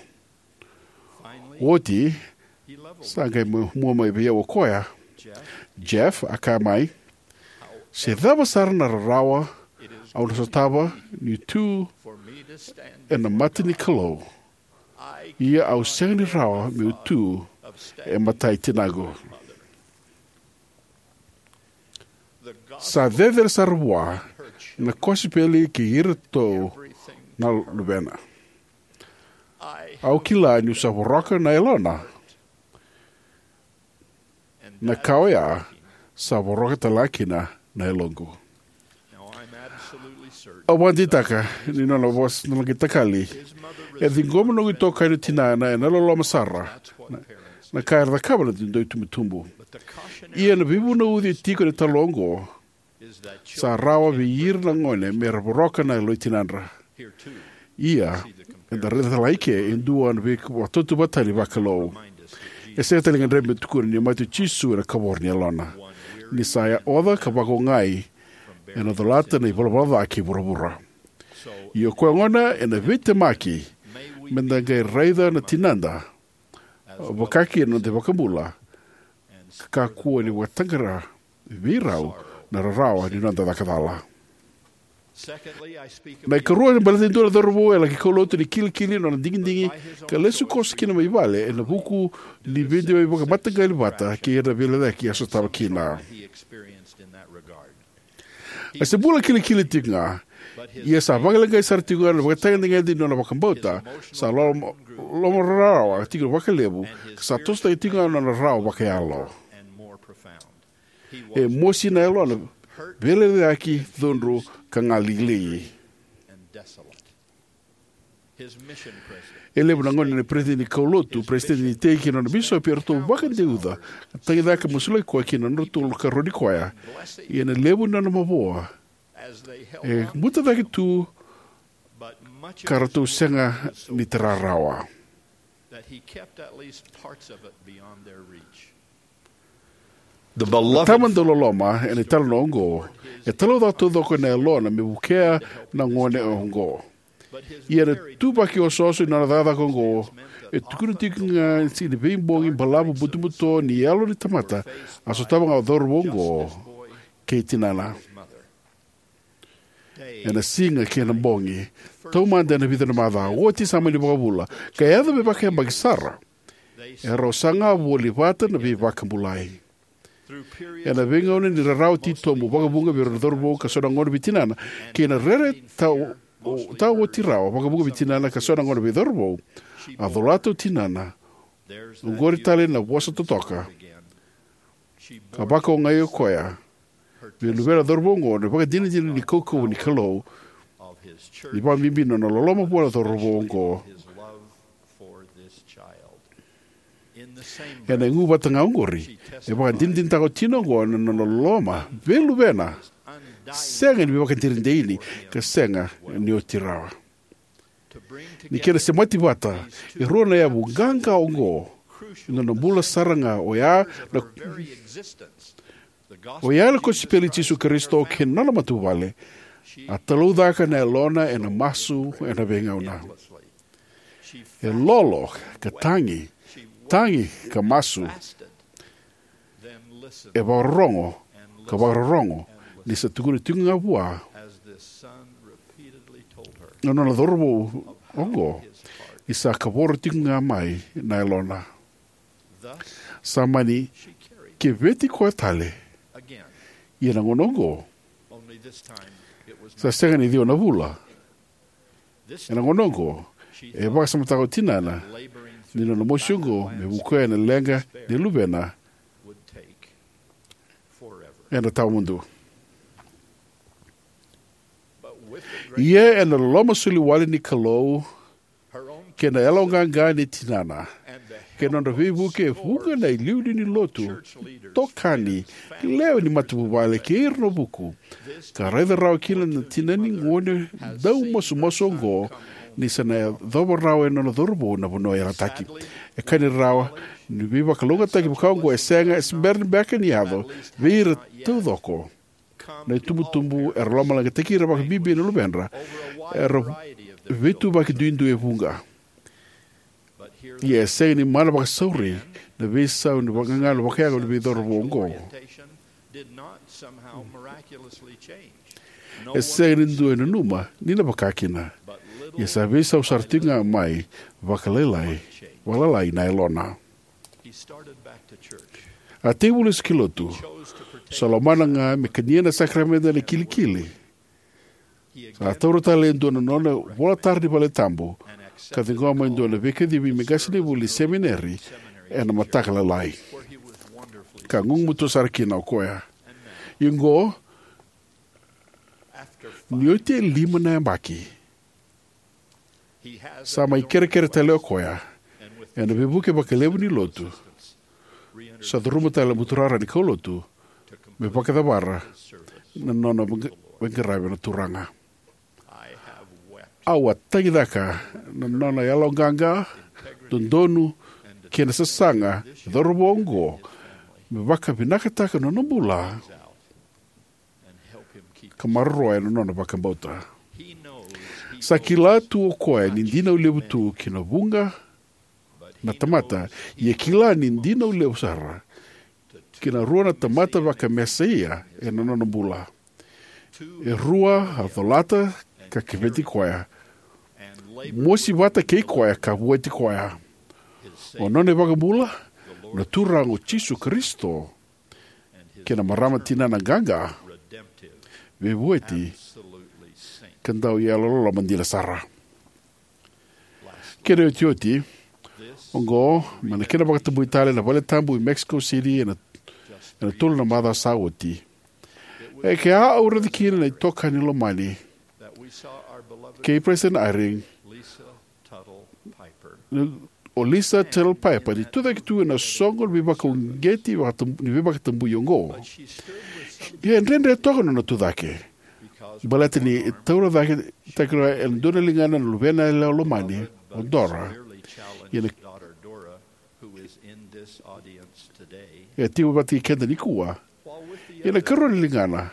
Oti, sa qai mu-, mua mai vei au o koya. "Jeff," a kaya mai, "se cava sara na rarawa au na sotava niu tu ena mata ni Kalou, ia au sega ni rawa meu tu e matai tinaqu." Sa cecere sara vua na kosipeli kei iratou na luvena. Au kila niu sa voroka na yalona, na ka oya sa voroka tale ga kina na yaloqu. Au vakadeitaka ni nona vosa na laqai takali, e ciqoma na noqu itokani o tinana ena loloma sara. Na, na ka era cakava na dau itubutubu. Ia na veivunauci e tiko ena italanoa oqo, sa rawa vei ira na gone mera voroka na yalo i tinadra. Ia, eda raica tale ga i ke e dua na veivakatautauvatataki vakalou. E sega tale ni gadrevi me tukuna ni mate o Jisu ena kavoro ni yalona, ni sa oca ka vakaogai ena colata na ivalavala ca kei vuravura. Ia o koya gona ena veitemaki meda qai raica na tinada, vakakina na noda iVakabula, ka kakua ni vakataqara vei rau na rarawa ni noda cakacala. Na ikarua, e baleta e dua na cauravou e laki kaulotu ena kilikili ni nona digidigi ka lesu koso kina mai vale ena vuku ni veideitaki vakamataqali vata kei ira na veilecayaki a sotava kina. A se bula kilikili tiko ga, ia sa vakaleqai sara tiko ga na ivakatagedegede ni nona vakabauta, sa loma, lomararawa tiko vakalevu, ka sa tosotaki tiko ga na nona rarawa vakayalo. E mosi na yalona, veilecayaki, cudru, ka galili. E levu na gauna na peresitedi ni kaulotu, peresitedi ni iteki, kei na nona bisopi eratou vakadeuca ka tagicaka ka masulaki koya kei na nodratou karoni koya. Ia na levu ni nona mavoa e buta cake tu ka ratou sega ni tara rawa. Na tama dauloloma ena italanoa oqo e talaucaka taucoko na yalona me vukea na gone oqo. Ia na ituvaki osooso ni nona cakacaka oqo e tukuna tiko ga ni sa veibogi balavu butobuto ni yalo ni tamata a sotava ga o cauravou oqo kei tinana. Ena siga kei na bogi, taumada ena vica na macawa, oti sa mani vakavula ka yaco me vakayabaki sara, erau saga voli vata na veivakabulai. Ena veigauna ni rarawa titobu vakavuqa vei ira na cauravou ka so na gauna vei tinana, kei na rere tau, tau oti rawa vakavuqa vei tinana ka so na gauna vei cauravou, a colata o tinana. Oqori tale na vosa totoka, ka vakaogai o koya vei luvena cauravou oqo na ivakadinadina ni kaukauwa ni Kalou, ni vakabibi na nona loloma vua na cauravou oqo. Ena igu vata ga oqori, e vakadinadinataka o tina oqo na nona loloma vei luvena, sega ni veivakadinadinataki, ka sega ni oti rawa. Ni kena semati vata e rua na yavu qaqa oqo, ena nona bula sara ga, o ya na, o ya na kosipeli i Jisu Karisito kei na nona matavuvale. A talaucaka na yalona ena masu ena veigauna. E lolo ka tagi, tagi ka masu. E vakarorogo ka vakarorogo, ni sa tukuna tiko ga vua na nona cauravou oqo ni sa kavoro tiko ga mai na yalona. Sa mani keveti koya tale. Ia na gauna oqo, sa sega ni ciwa na vula. Ena gauna oqo, e vakasamataka o tinana ni nona mosi oqo me vukea na leqa ni luvena ena tawamudu. Ia ena loloma soli wale ni Kalou, kei na yaloqaqa ni tinana, kei na nodra veivuke e vuqa na iliuliu ni lotu, itokani, lewe ni matavuvale kei ira na vuku, ka raica rawa kina na tina ni gone daumasumasu oqo ni sa na yacova rawa e nona cauravou na vanua yalataki. E kani rawa ni veivakalougatataki vaka oqo e sega, e se bera beka ni yaco vei ira taucoko. Na itubutubu era lomaleqataki ira vakabibi na luvedra, era veituvaki duidui e vuqa. Ia e sega ni mana vakasauri na veisau ni vagagalo vakayago ni veicauravou oqo. E sega ni dua e nanuma ni na vaka kina. Ia sa veisau sara tiko ga mai vakalailai, vakalalai na yalona. A tekivu lesu ki lotu, sa lomana ga me kania na sakaramede ena kilikili. Sa taura tale e dua na nona ivolatara ni valetabu, ka ciqoma e dua na veikacivi me qasenivuli semineri ena mataka lailai. Ka gugumatua sara kina o koya. Ia oqo, ni oti e lima na yabaki, sa mai kerekere tale o koya, ena veivuke vakalevu ni lotu, sa curuma tale na buturara ni kaulotu me vakacavara na nona veiqaravi na Turaga. Au a tagicaka na nona yaloqaqa, dodonu, kei na sasaga na cauravou oqo me vakavinakataka na nona bula ka maroroya na nona vakabauta. Sa kila tu o koya ni dinau levu tu ki na vuqa na tamata, ia kila ni dinau levu sara ki na rua na tamata vakamesaia ena nona bula. E rua a colata ka keveti koya, mosi vata kei koya ka vueti koya. O nona iVakabula, na Turaga o Jisu Karisito, kei na marama tinana qaqa, veivueti, ka dau yalololoma dina sara. Kena iotioti, oqo mai na kena vakatabui tale na valetabu i Mexico City ena, ena tolu na macawa sa oti. E ke a au raica kina na itokani lomani kei President Eyring, o Lisa Tuttle Piper, ni tucake tu ena soqo ni veivakauqeti vakatab-, ni veivakatabui oqo. Ia e dredre toka na nona tucake, baleta ni e taura cake, cake rawa ena dua na ligana na luvena yalewa lomani, o Dora. Ia na, e tiko vata kei keda nikua. Ia na ikarua ni ligana,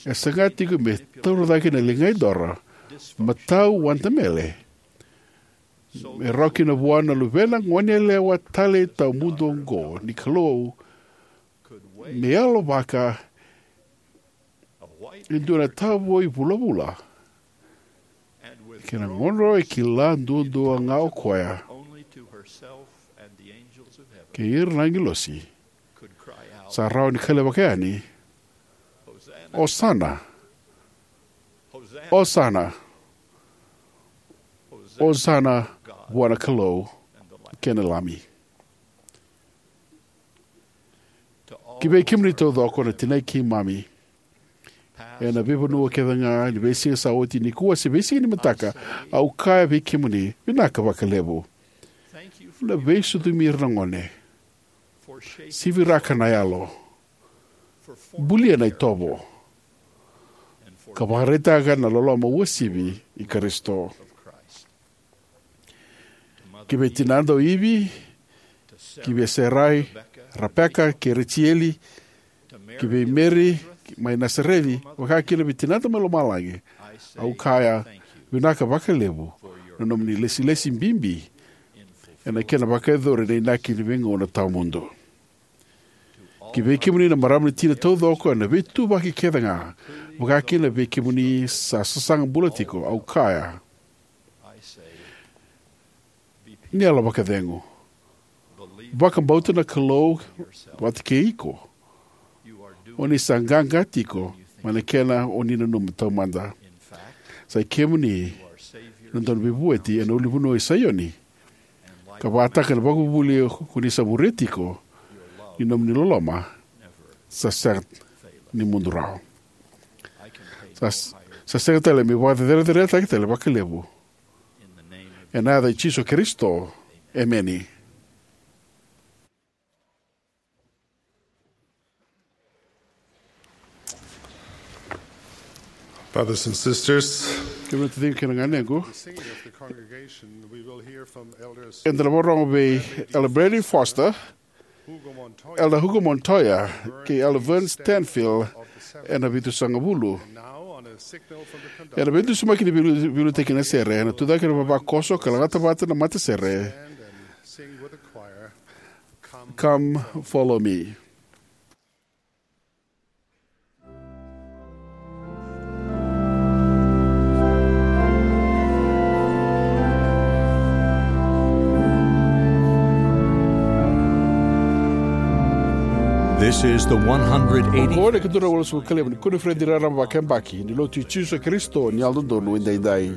e saga tiko me taura cake na ligai Dora, matau Wanda Mele, me rawa kina vua na luvena goneyalewa talei tawamudu oqo ni Kalou me yalovaka e dua na tavoi vulavula. Kei na gauna e kila duadua ga o koya kei ira na agilosi sa rawa ni kailavaka yani, "Osana! Osana! Osana vua na Kalou kei na Lami!" Ki vei kemuni taucoko na tinai keimami ena veivanua kece ga, ni veisiga sa oti, nikua se veisiga ni mataka, au kaya vei kemuni, vinaka vakalevu. na veisucumi ira na gone, siviraka na yalo, bulia na itovo, ka vakaraitaka na loloma uasivi i Karisito. Ki vei tinada o Ivi, ki vei Serai, Repeka kei Rejeli, ki vei Meri mai Nasareci, vaka kina vei tinada mai lomalagi, au kaya, vinaka vakalevu na nomuni lesilesi bibi ena kena vakayacori na inaki ni veigauna tawamudu. Ki vei kemuni na marama ni tina taucoko ena veituvaki kece ga, vaka kina vei kemuni sa sasaga bula tiko, au kaya, ni yalo vakacegu. Vakabauta na Kalou vata kei iko. O ni sa qaqa tiko mai na kena o ni nanuma taumada. Sa i kemuni na dau veivueti ena ulunivanua i Saioni, ka vakataka na vakavuvuli ko ni sa muria tiko, ni nomuni loloma sa sega ni mudu rawa. Sa, sa sega tale me vakacereceretaki tale vakalevu. Ena yaca i Jisu Karisito, emeni. Brothers and sisters, kemuni na taciqu kei na ganequ, eda na vakarorogo vei Elder Brady Foster, Elder Hugo Montoya kei Elder Vern Stanfield ena vitusagavulu. Ena veidusimaki ni veilu-, veiliutaki na sere, ena tucake na vavakoso ka lagata vata na matasere. Come, follow me. This is the one hundred eighty. Oqo na ikadua na walusagavulu ka lima ni koniferedi raraba vakayabaki ni Lotu i Jisu Karisito ni Yalododonu Edaidai.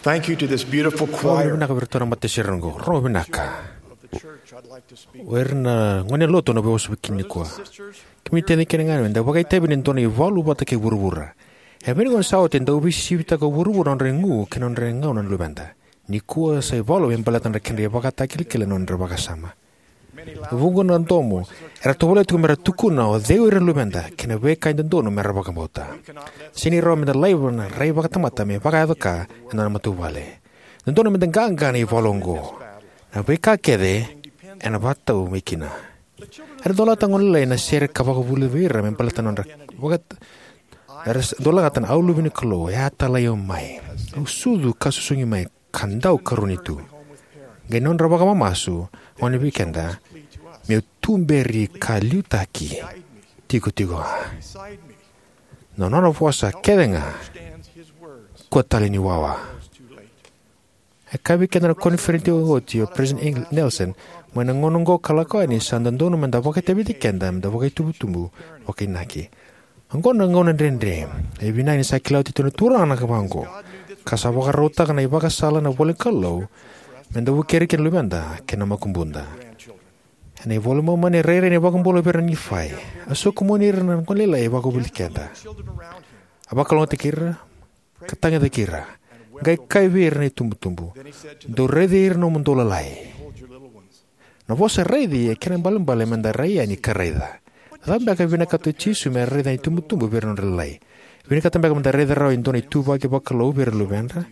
Thank you to this beautiful choir. Vinaka vei iratou na matasere oqo. Rogo vinaka. O ira na gone lotu na veiwasavaki nikua. Kemuni taciqu kei na ganequ, eda vakaitavi ni dua na ivalu vata kei vuravura. E vei ni gauna sa oti e dau veisisivitaka o vuravura na nodra igu kei na nodra gauna na luveda. Nikua sa ivalu me baleta na kedra ivakatakilakila na nodra vakasama. Vuqa na domo era tovolea tiko mera tukuna o cei o ira na luveda kei na veika e dodonu mera vakabauta. Sega ni rawa meda laiva na rai vakatamata me vakayaco ka ena nona matavuvale. Dodonu meda qaqa ena ivalu oqo. Na veika kece ena vakatau mai kina. Era dolata na gone lailai na sere ka vakavulica vei ira me baleta na nodra vaka-, era s-, dau lagata na, "Au luve ni Kalou, e a talai au mai. Au sucu ka susugi mai, ka dau karoni tu." Qai nodra vakamamasu, gone vei keda, "Meu tuberi ka liutaki tikotiko ga." Na nona vosa kece ga, kua tale ni wawa. E kaya vei keda na koniferedi oti o President Eng-, Nelson, mai na gauna oqo ka lako yani sa dodonu meda vakaitaviti keda, meda vakaitubutubu, vakainaki. Oqo na gauna dredre, e vinaka ni sa kila oti tu na Turaga na ka vaqo, ka sa vakarautaka na ivakasala na ivola ni Kalou, meda vukei ira kina na luveda, kei na makubuda. Ena iVola i Momani e rairai na iVakabula vei ira na Nifai. A sokumuni ira na gone lailai e vakavuli keda. A vakalougatataki ira, ka tagicaki ira. Qai kaya vei ira na itubutubu, "Dou raici ira na nomudou lalai." Na vosa raici e kena ibalebale meda rai yani ka raica. Na cava beka e vinakata o Jisu me raica na itubutubu vei ira na nodra lalai? Vinakata beka meda raica rawa e dua na ituvaki vakalou vei ira na luvedra?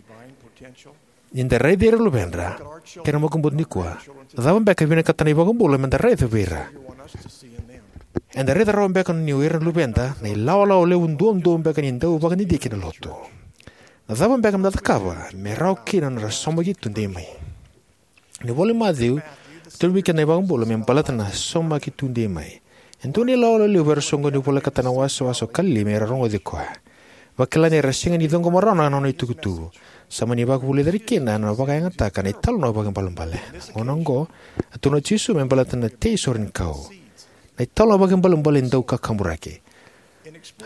Ni da raici ira na luvedra kei na makubuda nikua, na cava beka e vinakata na iVakabula meda raica vei ira? Eda raica rawa beka ni o ira na luveda na ilawalawa levu duadua beka ni dau vakadidike na lotu? Na cava beka meda cakava me rawa kina na nodra saumaki tudei mai? Ni vola i Maciu, tukuna vei keda na iVakabula me baleta na saumaki tudei mai. E dua na ilawalawa levu era soqoni ni volekata na wasewase o Kalili me ra rogoci koya. Vakila ni era sega ni ciqoma rawa na nona itukutuku. Sa mani vakavulica ira kina na vakayagataka na italanoa vakaibalebale. Gauna oqo, a tukuna o Jisu me baleta na tei sorenikau. Na italanoa vakaibalebale dau kakaburaki.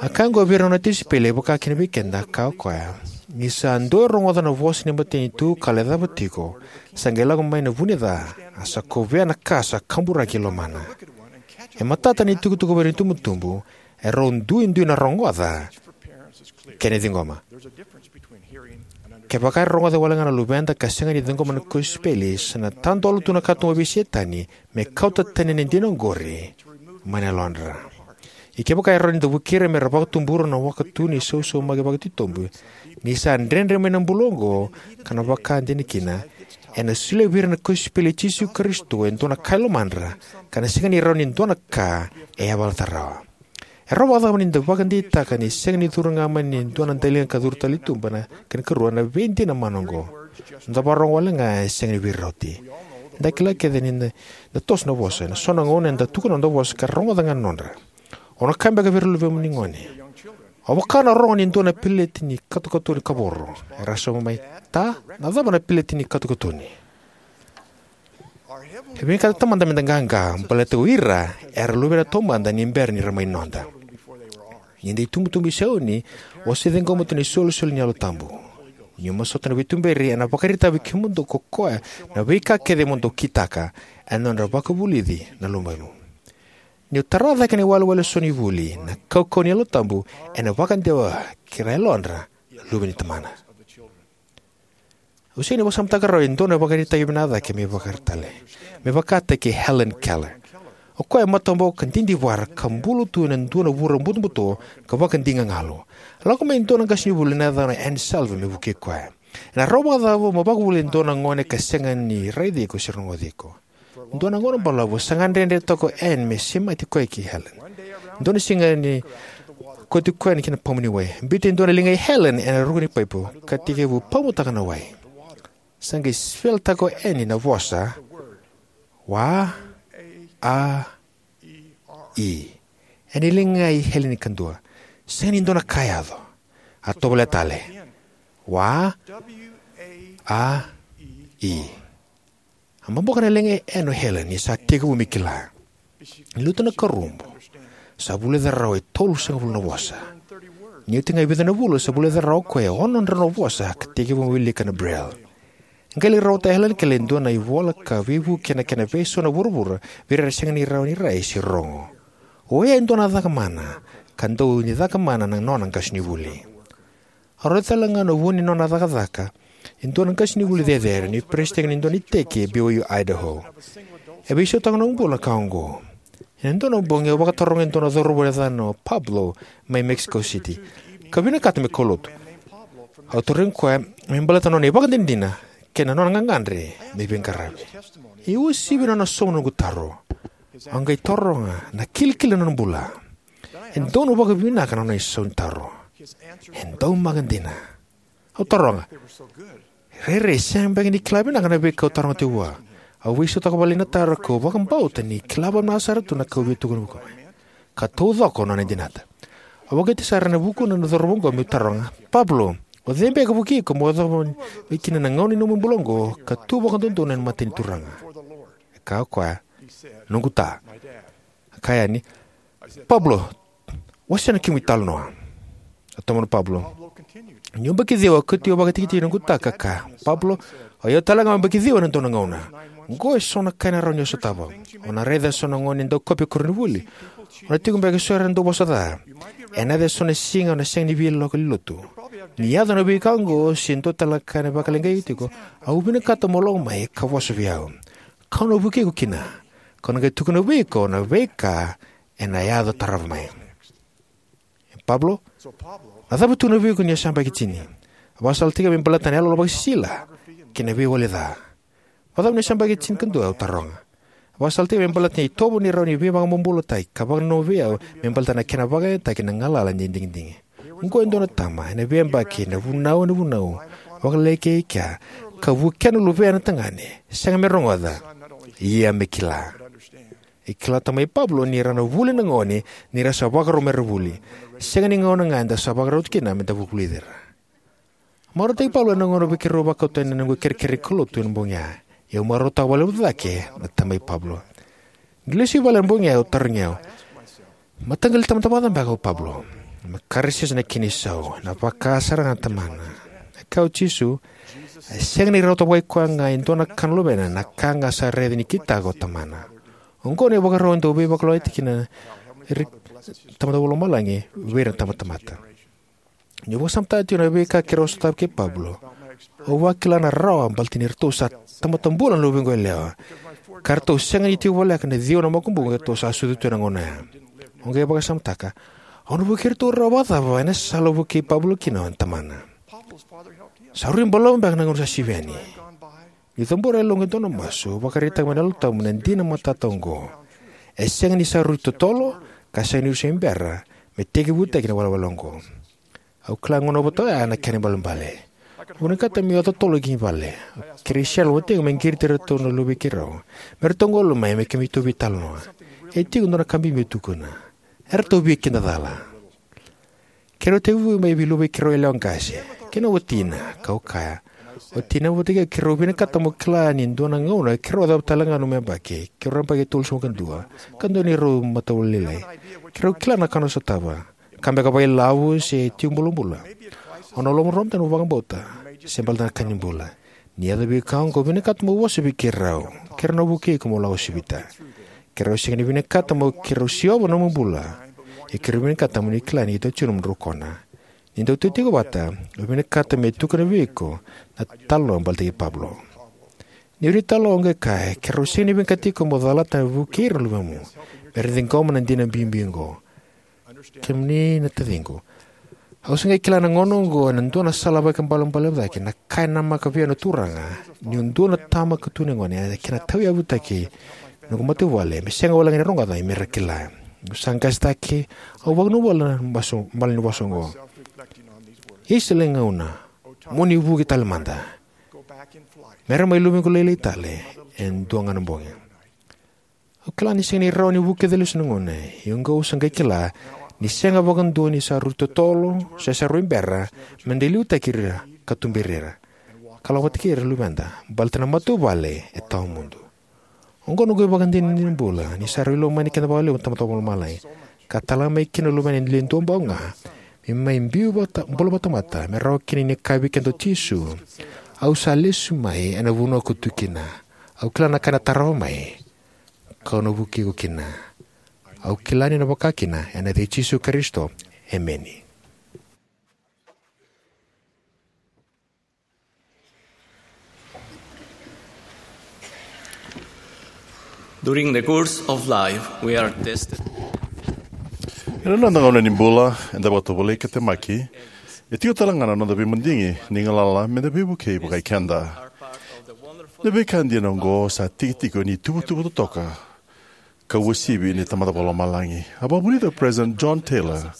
A kaya oqo vei ira na nona tisaipeli, e vaka kina vei keda, a kaya o koya, "Ni sa dou rogoca na vosa ni matanitu ka lecava tiko, sa qai lako mai na vu ni ca, a sa kovea na ka sa kaburaki e lomana." E matata na itukutuku vei ira na itubutubu, e rau duidui na rogoca kei na ciqoma. Kevaka era rogoca wale ga na luveda ka sega ni ciqoma na kosipeli, sa na tadola tu na katuba vei Setani me kauta tani na dina oqori mai na yalodra. Ia kevaka e rawa ni da vukei ira me ra vakatubura na waka tu ni sausaumaki vakatitobu, ni sa dredre mai na bula oqo ka na vaka dina kina, ena solia vei ira na kosipeli i Jisu Karisito e dua na ka e lomadra, ka na sega ni rawa ni dua na ka e yavalata rawa. E rawa vakacava ni da vakadeitaka ni sega ni curu ga mai ni dua na daliga ka curu tale i tuba? Na kena ikarua, na veidina mana oqo. Da vakarorogo wale ga, e sega ni veirauti. Da kila kece ni da, da toso na vosa. Ena so na gauna eda tukuna na noda vosa ka ra rogoca ga na nodra. Au na kaya beka vei ira na luvemuni gone, au vaka na rogo ni dua na peleti ni katokatoni kavoro. Era sauma mai, "Ta, na cava na peleti ni katokatoni?" E vinakata na Tamada meda qaqa, baleta o ira era luvena taumada ni bera ni ra mai noda. Ni da itubutubu i Saioni, o sa ciqoma tu na isolisoli ni Yalo Tabu. Niu masuta na veituberi, ena vakaraitaka vei kemudou ko koya na veika kece mo dou kitaka ena nodra vakavulici na luvemu. Niu tara cake na iwalewale eso ni vuli, na kaukauwa ni Yalo Tabu ena vakadewa ki ra yalodra na luve ni Tamana. Au sega ni vakasamataka rawa e dua na ivakaraitaki vinaka cake me vakatale, me vakataki Helen Keller. O koya e mataboko ka didivara ka bulu tu ena dua na vura butobuto ka vakadigagalu. Lako mai e dua na qasenivuli na yacana o Anne Sullivan me vukei koya. Ena rawa vakacava mo vakavuli e dua na gone ka sega ni raici iko se rogoci iko? Dua na gauna balavu sa gadredre toka o Anne me semati koya kei Helen. Dua na siga ni kauti koya ki na pamu ni wai. Biuta e dua na ligai Helen ena ruku ni paipo ka tekivu pamutaka na wai. Sa qai sipelitaka o Anne na vosa, "Wa, a, i." Ena ligai Helen kadua. Sega ni dua na ka e yaco. A tovolea tale. "Wa, a, i." A boboko na ligai Anne o Helen ni sa tekivu me kila. Ni lutu na karubu, sa vulica rawa e tolusagavulu na vosa. Ni oti ga e vica na vula, sa vulica rawa o koya e ono na drau na vosa ka tekivu me wilika na Braille. E qai lai rawata o Helen Keller e dua na ivola ka veivuke ena kena veisau na vuravura vei ira era sega ni rawa ni rai se rogo. Oya e dua na caka mana, ka dau ni caka mana na nona qasenivuli. A rauta tale ga na vu ni nona cakacaka e dua na qasenivuli cecere ni peresitedi ni dua na iteki e B Y U Idaho. E veisautaka na noqu bula na ka oqo. Ena dua na bogi au vakataroga e dua na cauravou yacana o Pablo mai Mexico City, ka vinakata me kaulotu. Au tarogi koya me baleta na nona ivakadinadina kei na nona gagadre me veiqaravi. E uasivi na nona sauma na noqu taro. Au qai taroga na kilikili ni nona bula. E donu vakavinaka na nona isau ni taro. E daumaka dina. Au taroga, rairai, sega beka ni kila vinaka na veika au taroga tiko vua. Au veisautaka vakalailai na taro, kau vakabauta ni kila vakavinaka sara tu na ka au via tukuna vua, ka taucoko na nona dinata. Au vakauqeti sara ena vukuna na cauravou oqo meu taroga, "Pablo, o cei beka e vukei iko mo yacova mai kina na gauna ni nomu bula oqo ka tu vakadodonu ena mata ni Turaga?" E kaya o koya, "Noqu ta." A kaya yani, "Pablo, wasea na kemu italanoa." A tomana o Pablo, "Niu yabaki ciwa, au kauti au vakatikitiki noqu ta ka kaya, 'Pablo, o au talega au yabaki ciwa ena dua na gauna. Oqo eso na ka ena rawa ni o sotava. O na raica eso na gone e dau kopi koronivuli. O na tiko beka eso era dau vosa ca. Ena yaco eso na siga o na sega ni via lako i lotu. Ni yaco na veika oqo se dua tale na ka ena vakaleqai iko tiko, au vinakata mo lako mai ka vosa vei au. Kau na vukei iko kina. Kau na qai tukuna vei iko na veika ena yaco tarava mai.'" "Pablo, na cava e tukuna vei iko ni o sa yabaki tini?" A vakasalataki au me baleta na iyaloyalo vakasisila kei na veiwali ca. "Vakacava ni o sa yabaki tinikadua?" au taroga. A vakasalataki au me baleta na itovo ni rawa ni veivakabobulataki ka vakananuma vei au me baleta na kena vakayagataki na galala ni digidigi. "Oqo e dua na tama ena veiyabaki, na vunau ena vunau, vakaleleka e kea, ka vukea na luvena tagane, sega me rogoca, ia me kila." E kila tamai Pablo ni ra na vuli na gone ni ra sa vakarau me ra vuli. Sega ni gauna ga eda sa vakarau tu kina me da vulici ira. Marautaki Pablo ena gauna vei keirau vakauta ena noqu kerekere kaulotu ena bogi ya. Ia au marautaka vakalevu cake na tamai Pablo. Niu lesu i vale ena bogi ya, au tarogi au, "Mataqali tamata vakaca beka o Pablo?" Me karisisa na kena isau, na vaka sara ga na tamana. E kaya o Jisu, "E sega ni rawata vakai koya ga e dua na ka na luvena na ka ga sa raica ni kitaka o tamana." Oqo na ivakarau e dau veivakalougatataki kina na tamata vakalomalagi vei ira na tabatamata. Niu vakasamataka tiko na veika keirau sotava kei Pablo, au vakila na rawa baleta ni ratou sa tamata bula na luvequ yalewa, ka ratou sega ni tiko voleka na ciwa na makubuqu eratou sa sucu tu ena gauna ya. Au qai vakasamataka, "Au na vukei iratou rawa vakacava ena sala au vukei Pablo kina na tamana?" Sa rui balavu beka na gauna sa sivi yani. Niu cabora e yaloqu e dua na masu, au vakaraitaka mai na Yalo Tabu na dina matata oqo. E sega ni sa rui totolo, ka sega ni rui se bera me tekivutaki na walewale oqo. Au kila na gauna vata oya na kena ibalebale. Au vinakata meu yaco totolo ki vale. Kerei Cheryl, o Tegu, me qiriti iratou na luvei keirau me ratou qolo mai me keitou veitalanoa. E tiko e dua na ka bibi meu tukuna. Eratou via kidacala. Keirau tekivu mai vei luvei keirau yalewa qase kei na watina, kau kaya, "O tina, vata kei au, keirau vinakata mo kila ni dua na gauna keirau yacova tale ga na nomu yabaki, keirau yabaki e tolusagavulu ka dua, ka dua neirau matavuvale lailai. Keirau kila na ka o na sotava. Ka beka vakailavo se tiko bulabula. O na lomalomarua na nomu vakabauta, se baleta na ka ni bula. Ni yaco vei iko oqo, au vinakata mo vosa vei keirau. Keirau na vukei iko mo lako sivita. Keirau sega ni vinakata mo keirau siova na nomu bula. Ia keirau vinakata mo ni kila ni keitou tiko ena nomudrau kona. Ni dau tu tiko vata, au vinakata me tukuna vei iko na talanoa baleta kei Pablo." Ni rui talanoa, au qai kaya, "Keirau sega ni vinakata tiko mo calata na vukei ira na luvemu me ra ciqoma na dina bibi oqo. Kemuni na taciqu, au se qai kila ena gauna oqo ena dua na sala vakaibalebale cake na ka e namaka vei au na Turaga, niu dua na tama ka tukuna na gone, ena kena tauyavutaki na noqu matavuvale, me sega walega ni rogoca ia me ra kila. Niu sa qasetaki, au vakanuinui voli ena masu, bale ni vosa oqo. Isa, lewe ni gauna, mo ni vuki tale mada. Me ra mai luvequ lailai tale e dua ga na bogi." Au kila ni sega ni rawa ni vukica lesu na gone, ia oqo au sa qai kila ni sega vakadua ni sa rui totolo se sa rui bera me da liutaki ira ka tuberi ira, ka lako vata kei ira na luveda, baleta na matavuvale e tawamudu. Oqo na noqu ivakadinadina ni bula, ni sa rui lomani keda vakalevu na Tamada Vakalomalagi, ka tala mai kina na Luvena e le duabau ga, Me mai biu vata, bula vakatamata, me rawa kina ni kaya vei keda o Jisu, au sa lesu mai ena vanua ko tu kina. Au kila na ka ena tarava mai, kau na vukei iko kina. Au kila ni na vaka kina, ena yaca i Jisu Karisito. Emeni. During the course of life, we are tested. Ena noda gauna ni bula, eda vakatovolei ka temaki. E tiko tale ga na noda veimadigi ni galala me da veivukei vakai keda. Na veika dina oqo sa tikitiki ni tuvatuva totoka ka uasivi ni Tamada Vakalomalagi. A vakavulica o President John Taylor,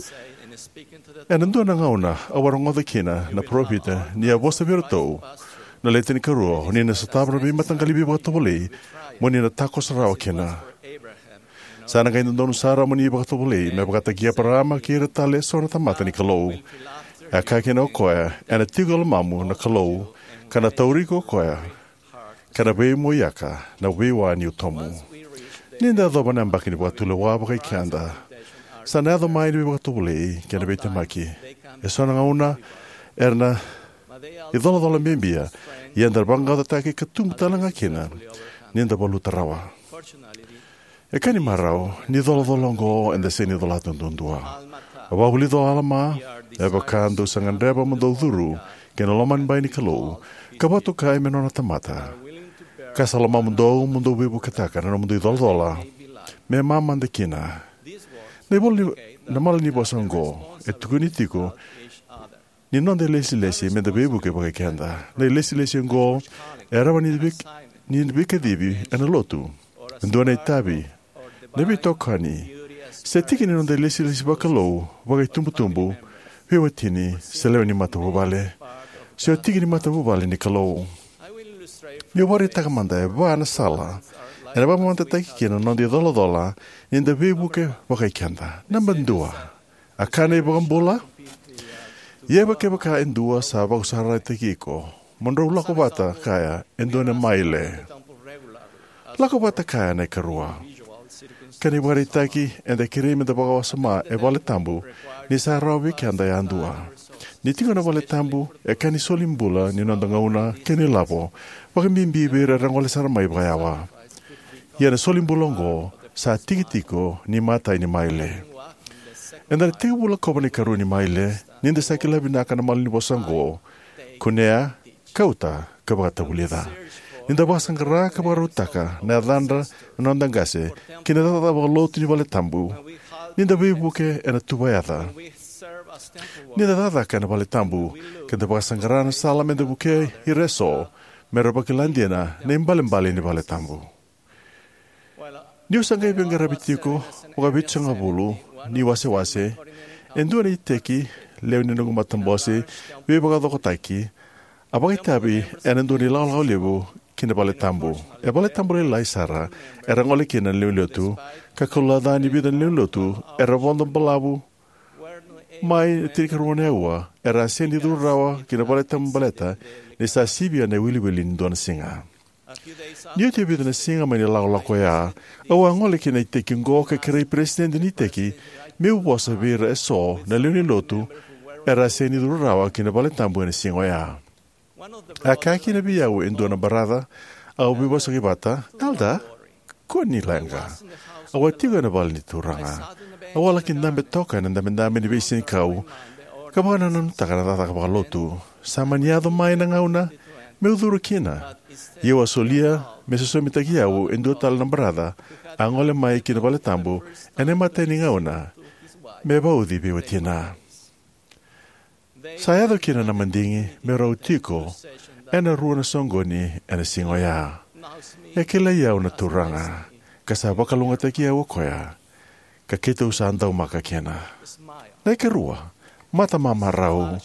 ena dua na gauna au a rogoca kina na parofita ni a vosa vei iratou na Le Tinikarua, o ni na sotava na veimataqali veivakatovolei mo ni na takoso rawa kina. Sa na qai dodonu sara mo ni vakatovolei me vakataki Eparaama kei ira tale eso na tamata ni Kalou. E a kaya kina o koya, ena tiko e lomamu na Kalou, ka na tauri iko o koya, ka na veimoiyaka na veiwa ni utomu. Ni da yacova na yabaki ni vakatulewa vakai keda, sa na yaco mai na veivakatovolei kei na veitemaki. Eso na gauna era na icolacola bibi, ia eda na vaqaqacotaki ka tubu tale ga kina ni da valuta rawa. E ka ni marau, ni colacola oqo eda sega ni colata duadua. A vakavulica o Alama, me vaka dou sa gadreva mo dou curu ki na lomanibai ni Kalou, ka vakatokai me nona tamata, ka sa lomamudou mo dou veivuketaka na nomudou icolacola me mamada kina. Na ivola ni, na malanivosa oqo e tukuni tiko ni noda ilesilesi me da veivuke vakai keda. Na ilesilesi oqo e rawa ni vei-, ni veikacivi ena lotu, e dua na itavi, na veitokani, se tiki ni noda ilesilesi vakalou, vakaitubutubu, veiwatini, se lewe ni matavuvale, se o tiki ni matavuvale ni Kalou. Meu vakaraitaka mada e va na sala ena vakamamadataki kina na noda icolacola ni da veivuke vakai keda. Naba dua, a kaya na iVakabula, ia kevaka e dua sa vakasaurarataki iko, mo drau lako vata kaya e dua na maile. Lako vata kaya na ikarua. Ka ni vakaraitaki, eda kerei me da vakawasoma e valetabu ni sa rawa vei keda yadua. Ni tiko na valetabu e ka ni solibula ni noda gauna kei na ilavo, vakabibi vei ira era gole sara mai vakayawa. Ia na solibula oqo sa tiki tiko ni matai ni maile. Eda na tekivu lakova na ikarua ni maile ni da sa kila vinaka na malanivosa oqo: Kunea, kauta, ka vakatavulica. Ni da vakasaqara ka vakarautaka na yacadra na noda qase ki na cakacaka vakalotu ni valetabu, ni da veivuke ena tuva yaca, ni da cakacaka ena valetabu, ka da vakasaqara na sala me da vukei ira eso me ra vakila dina na ibalebale ni valetabu. Niu sa qai veiqaravi tiko vakavitusagavulu ni wasewase, e dua na iteki lewe ni noqu matabose veivakacokotaki a vakaitavi ena dua na ilakolako levu ki na valetabu. E valetabu lailai sara era gole kina na lewenilotu, ka kalougata ni vica na lewenilotu era vodo balavu mai na tinikarua na aua, era a sega ni curu rawa ki na valetabu baleta ni sa sivia na iwiliwili ni dua na siga. Ni oti e vica na siga mai na ilakolako oya, au a gole ki na iteki oqo ka kerei peresitedi ni iteki meu vosa vei ira eso na lewe ni lotu era a sega ni curu rawa ki na valetabu ena siga oya. A kaya kina vei au e dua na baraca au veivosaki vata, "Elder, kua ni leqa. Au a tiko ena vale ni Turaga. Au a laki dabe toka ena dabedabe ni veisenikau ka vakanananutaka na cakacaka vakalotu. Sa mani yaco mai na gauna meu curu kina, ia au a solia me sosomitaki au e dua tale na baraca a gole mai ki na valetabu ena imatai ni gauna me vauci vei watina." Sa yaco kina na madigi me rau tiko ena rua na soqoni ena siga oya. E kilai au na Turaga, ka sa vakalougatataki au o koya, ka keitou sa daumaka kina. Na ikarua, matamamarau.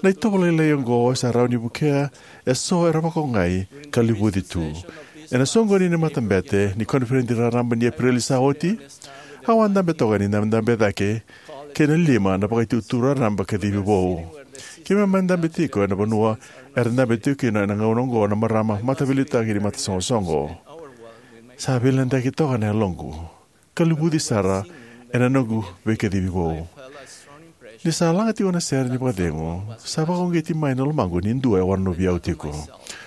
Na itovo lailai oqo e sa rawa ni vukea eso era vakaogai ka luvuci tu. Ena soqoni ni matabete ni koniferedi raraba ni Epereli sa oti, au a dabe toka ni dabedabe cake kei na lima na vakaitutu raraba kacivi vou. Keimami a dabe tiko ena vanua era dabe tiko kina ena gauna oqo na marama mataveiliutaki ni matasoqosoqo. Sa veiladeyaki toka na yaloqu ka luvuci sara ena noqu veikacivi vou. Ni sa laga tiko na sere ni vakacegu, sa vakauqeti mai na lomaqu ni dua e wanonovi au tiko.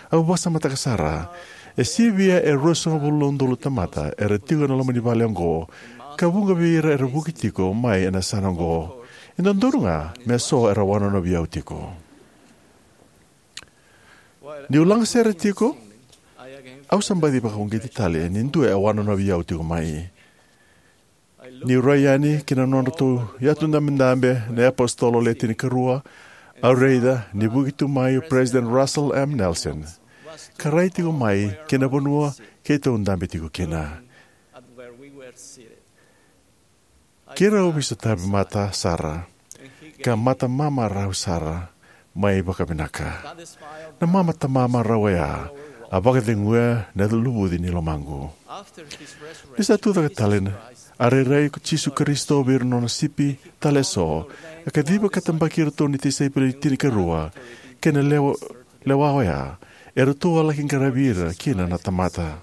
Au vakasamataka sara, e sivia e ruasagavulu na udolu na tamata era tiko ena loma ni vale oqo, ka vuqa vei ira era vuki tiko mai ena yasana oqo. E dodonu ga me so era wanonovi au tiko. Niu laga sere tiko, au sa baci vakauqeti tale ni dua e wanonovi au tiko mai. Niu rai yani ki na nodratou yatu dabedabe na iApositolo Le Tinikarua, au raica ni vuki tu mai o President Russell M. Nelson, ka rai tiko mai ki na vanua keitou dabe tiko kina. Keirau veisotavi mata sara, ka mata mamarau sara mai vakavinaka. Na mata mamarau oya a vakaceguya na luvuci ni lomaqu. Ni sa tucake tale na, a rairai ko Jisu Karisito vei ira na nona sipi tale eso, a kaciva ka tabaki iratou na tisaipeli tinikarua, kei na lewa, lewa oya, eratou a laki qaravi ira kina na tamata.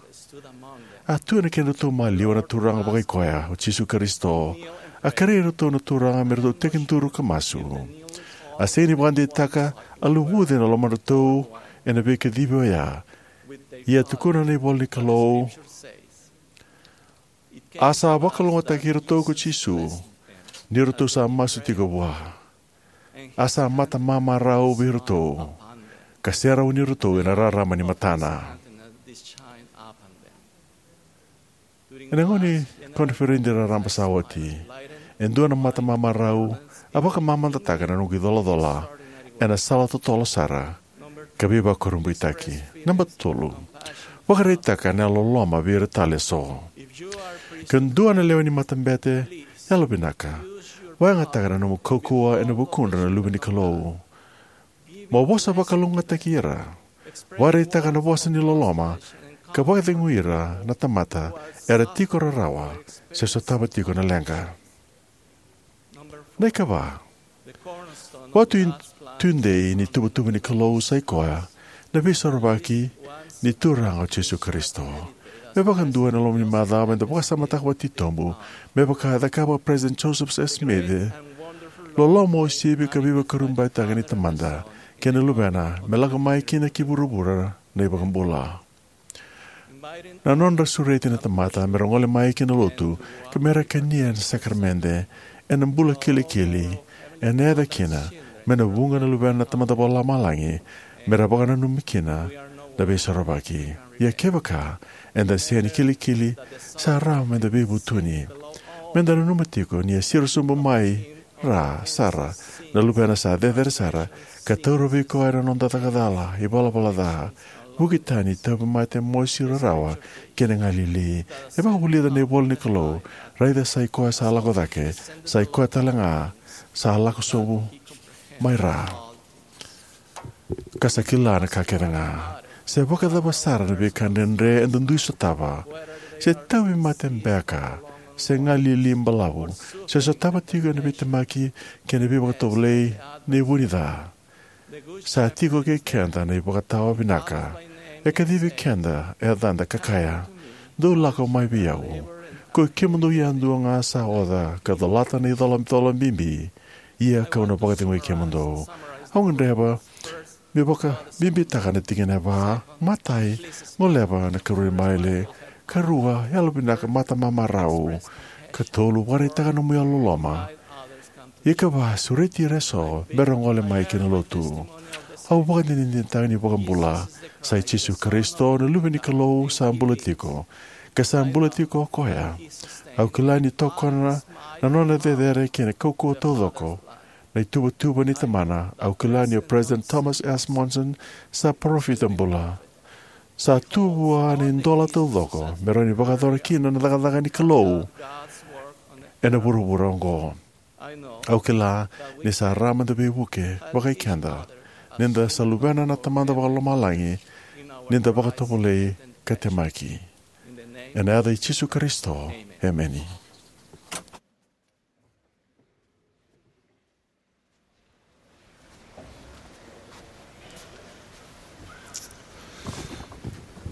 A tu ena kedratou maliwa na Turaga vakaikoya, o Jisu Karisito. A kerei iratou na Turaga me ratou tekiduru ka masu. A sega ni vakadeitaka a luvuci ena lomadratou ena veikacivi oya. Ia tukuna na ivola ni Kalou, a sa vakalougatataki iratou ko Jisu, ni ratou sa masu tiko vua. A sa mata mamarau vei iratou, ka serauni iratou ena rarama ni matana. Ena gauna ni koniferedi raraba sa oti, e dua na mata mamarau a vakamamadataka na noqu icolacola ena sala totolo sara ka veivakurabuitaki. Naba tolu, vakaraitaka na loloma vei ira tale eso. Ke dua na lewe ni matabete, yalovinaka, vakayagataka na nomu kaukauwa ena vukudra na luve ni Kalou. Mo vosa vakalougatataki ira. Vakaraitaka na vosa ni loloma, ka vakacegui ira na tamata era tiko rarawa se sotava tiko na leqa. Na ikava, vatu tudei ni tuvatuva ni Kalou sa i koya na Veisorovaki ni Turaga o Jisu Karisito. Me vakadua ena loma ni macawa meda vakasamataka vakatitobu, me vaka e cakava o President Joseph F. Smith, loloma uasivi ka veivakurabuitaki ni Tamada kei na Luvena me lako mai kina ki vuravura na iVakabula. Na nodra sureti na tamata me ra gole mai ki na lotu ka me ra kania na sakaramede ena bula kilikili, ena yaco kina me na vuqa na luvena na Tamada Vakalomalagi me ra vakananumi kina na Veisorovaki. Ia kevaka eda sega ni kilikili, sa rawa meda veivutuni. Meda nanuma tiko ni a siro sobu mai ra sara na Luvena sa cecere sara, ka taura vei koya na noda caka cala, ivalavala ca, vuki tani, tauvimate, mosi, rarawa kei na galili. E vakavulica na ivola ni Kalou, raica sa i koya sa lako cake, sa i koya tale ga sa lako sobu mai ra, ka sa kila na ka kece ga. Se vakacava sara na veika dredre eda dui sotava, se tauvimate beka, se galili balavu, se sotava tiko na veitemaki kei na veivakatovolei nei vu ni ca, sa tiko kei keda na ivakatawa vinaka. E kacivi keda e yacada ka kaya, dou lako mai vei au, koi kemudou yadua ga sa oca ka colata na icolacola bibi, ia kau na vakacegui kemudou. Au gadreva meu vakabibitaka na tikina e va. Matai, goleva na ikarua ni maile. Karua, yalovinaka, mata mamarau. Katolu, vakaraitaka nomu yalololoma. Ikava, sureti ira eso me ra gole mai ki na lotu. Au vakadinadinataka ni iVakabula sa i Jisu Karisito na Luve ni Kalou sa bula tiko, ka sa bula tiko o koya. Au kila ni tokona na nona cecere kei na kaukauwa taucoko na ituvatuva ni Tamana. Au kila ni o President Thomas S. Monson sa parofita bula. Sa tu vua na idola taucoko me rawa ni vakayacora kina na cakacaka ni Kalou ena vuravura oqo. Au kila ni sa rawa meda veivuke vakai keda, ni da sa luvena na Tamada Vakalomalagi, ni da vakatovolei ka temaki. Ena yaca i Jisu Karisito, emeni.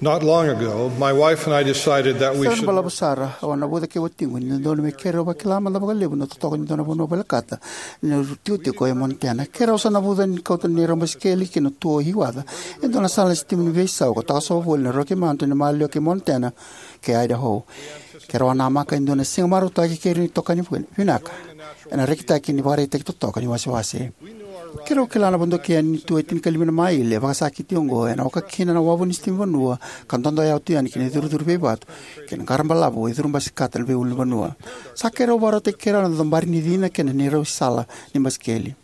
Not long ago, my wife and I decided that we Sa should balavu sara, au a navuca kei watiqu ni dodonu me keirau vakila mada vakalevu na totoka ni dua na vanua volekata ni tikotiko e Montana. Keirau sa navuca ni kauta na neirau basikeli ki na tuo i waca, e dua na sala ni sitima ni veisau ka takosova voli na Rocky Mountain, na maliwa kei Montana kei Idaho. Keirau a namaka e dua na siga marautaki kei ira na itokani vinaka ena rekitaki ni vakaraitaki totoka ni wasewase. Keirau kila na vodoki yani ni tuo e tinikalima na maile vakasakiti oqo ena oka kina na wavu ni sitima vanua ka dodoya tu yani ki na icurucuru veivatu kei na qara balavu e curu basikata na veiulunivanua. Sa keirau vakarautaki keirau na dobari ni cina kei na neirau sala ni basikeli.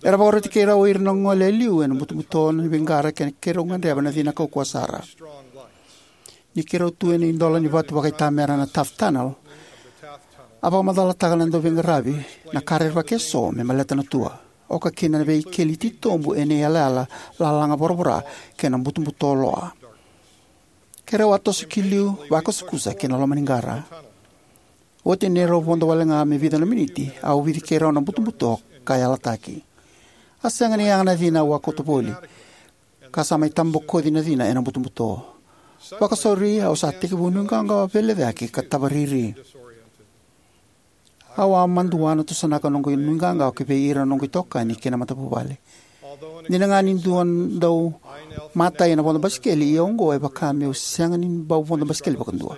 Era vakaroti keirau o ira na gole e liu ena butobuto ni veiqara kei na keirau gadreva na cina kaukauwa sara. Ni keirau tu ena idola ni vatu vakaitamera na Taft Tunnel, a vakamacalataka na dauveiqaravi na ka rerevaki eso me baleta na tua, oka kina na veikeli titobu ena iyalayala lalaga voravora kei na butobuto loa. Keirau a toso ki liu, vakusakusa ki na loma ni qara. Oti neirau vodo wale ga me vica na miniti, a ovici keirau na butobuto ka yalataki. A sega ni yaga na cina au a kauta voli, ka sa mai tabokoci na cina ena butobuto. Vakasauri, au sa tekivu nuiqawaqawa veilecayaki ka tavariri. Au a madua na tusanaka noqu nuiqawaqawa ki vei ira noqu itokani kei na matavuvale. Dina ga ni dua dau matai ena vodo basikeli, ia oqo e vaka meu sega ni bau vodo basikeli vakadua.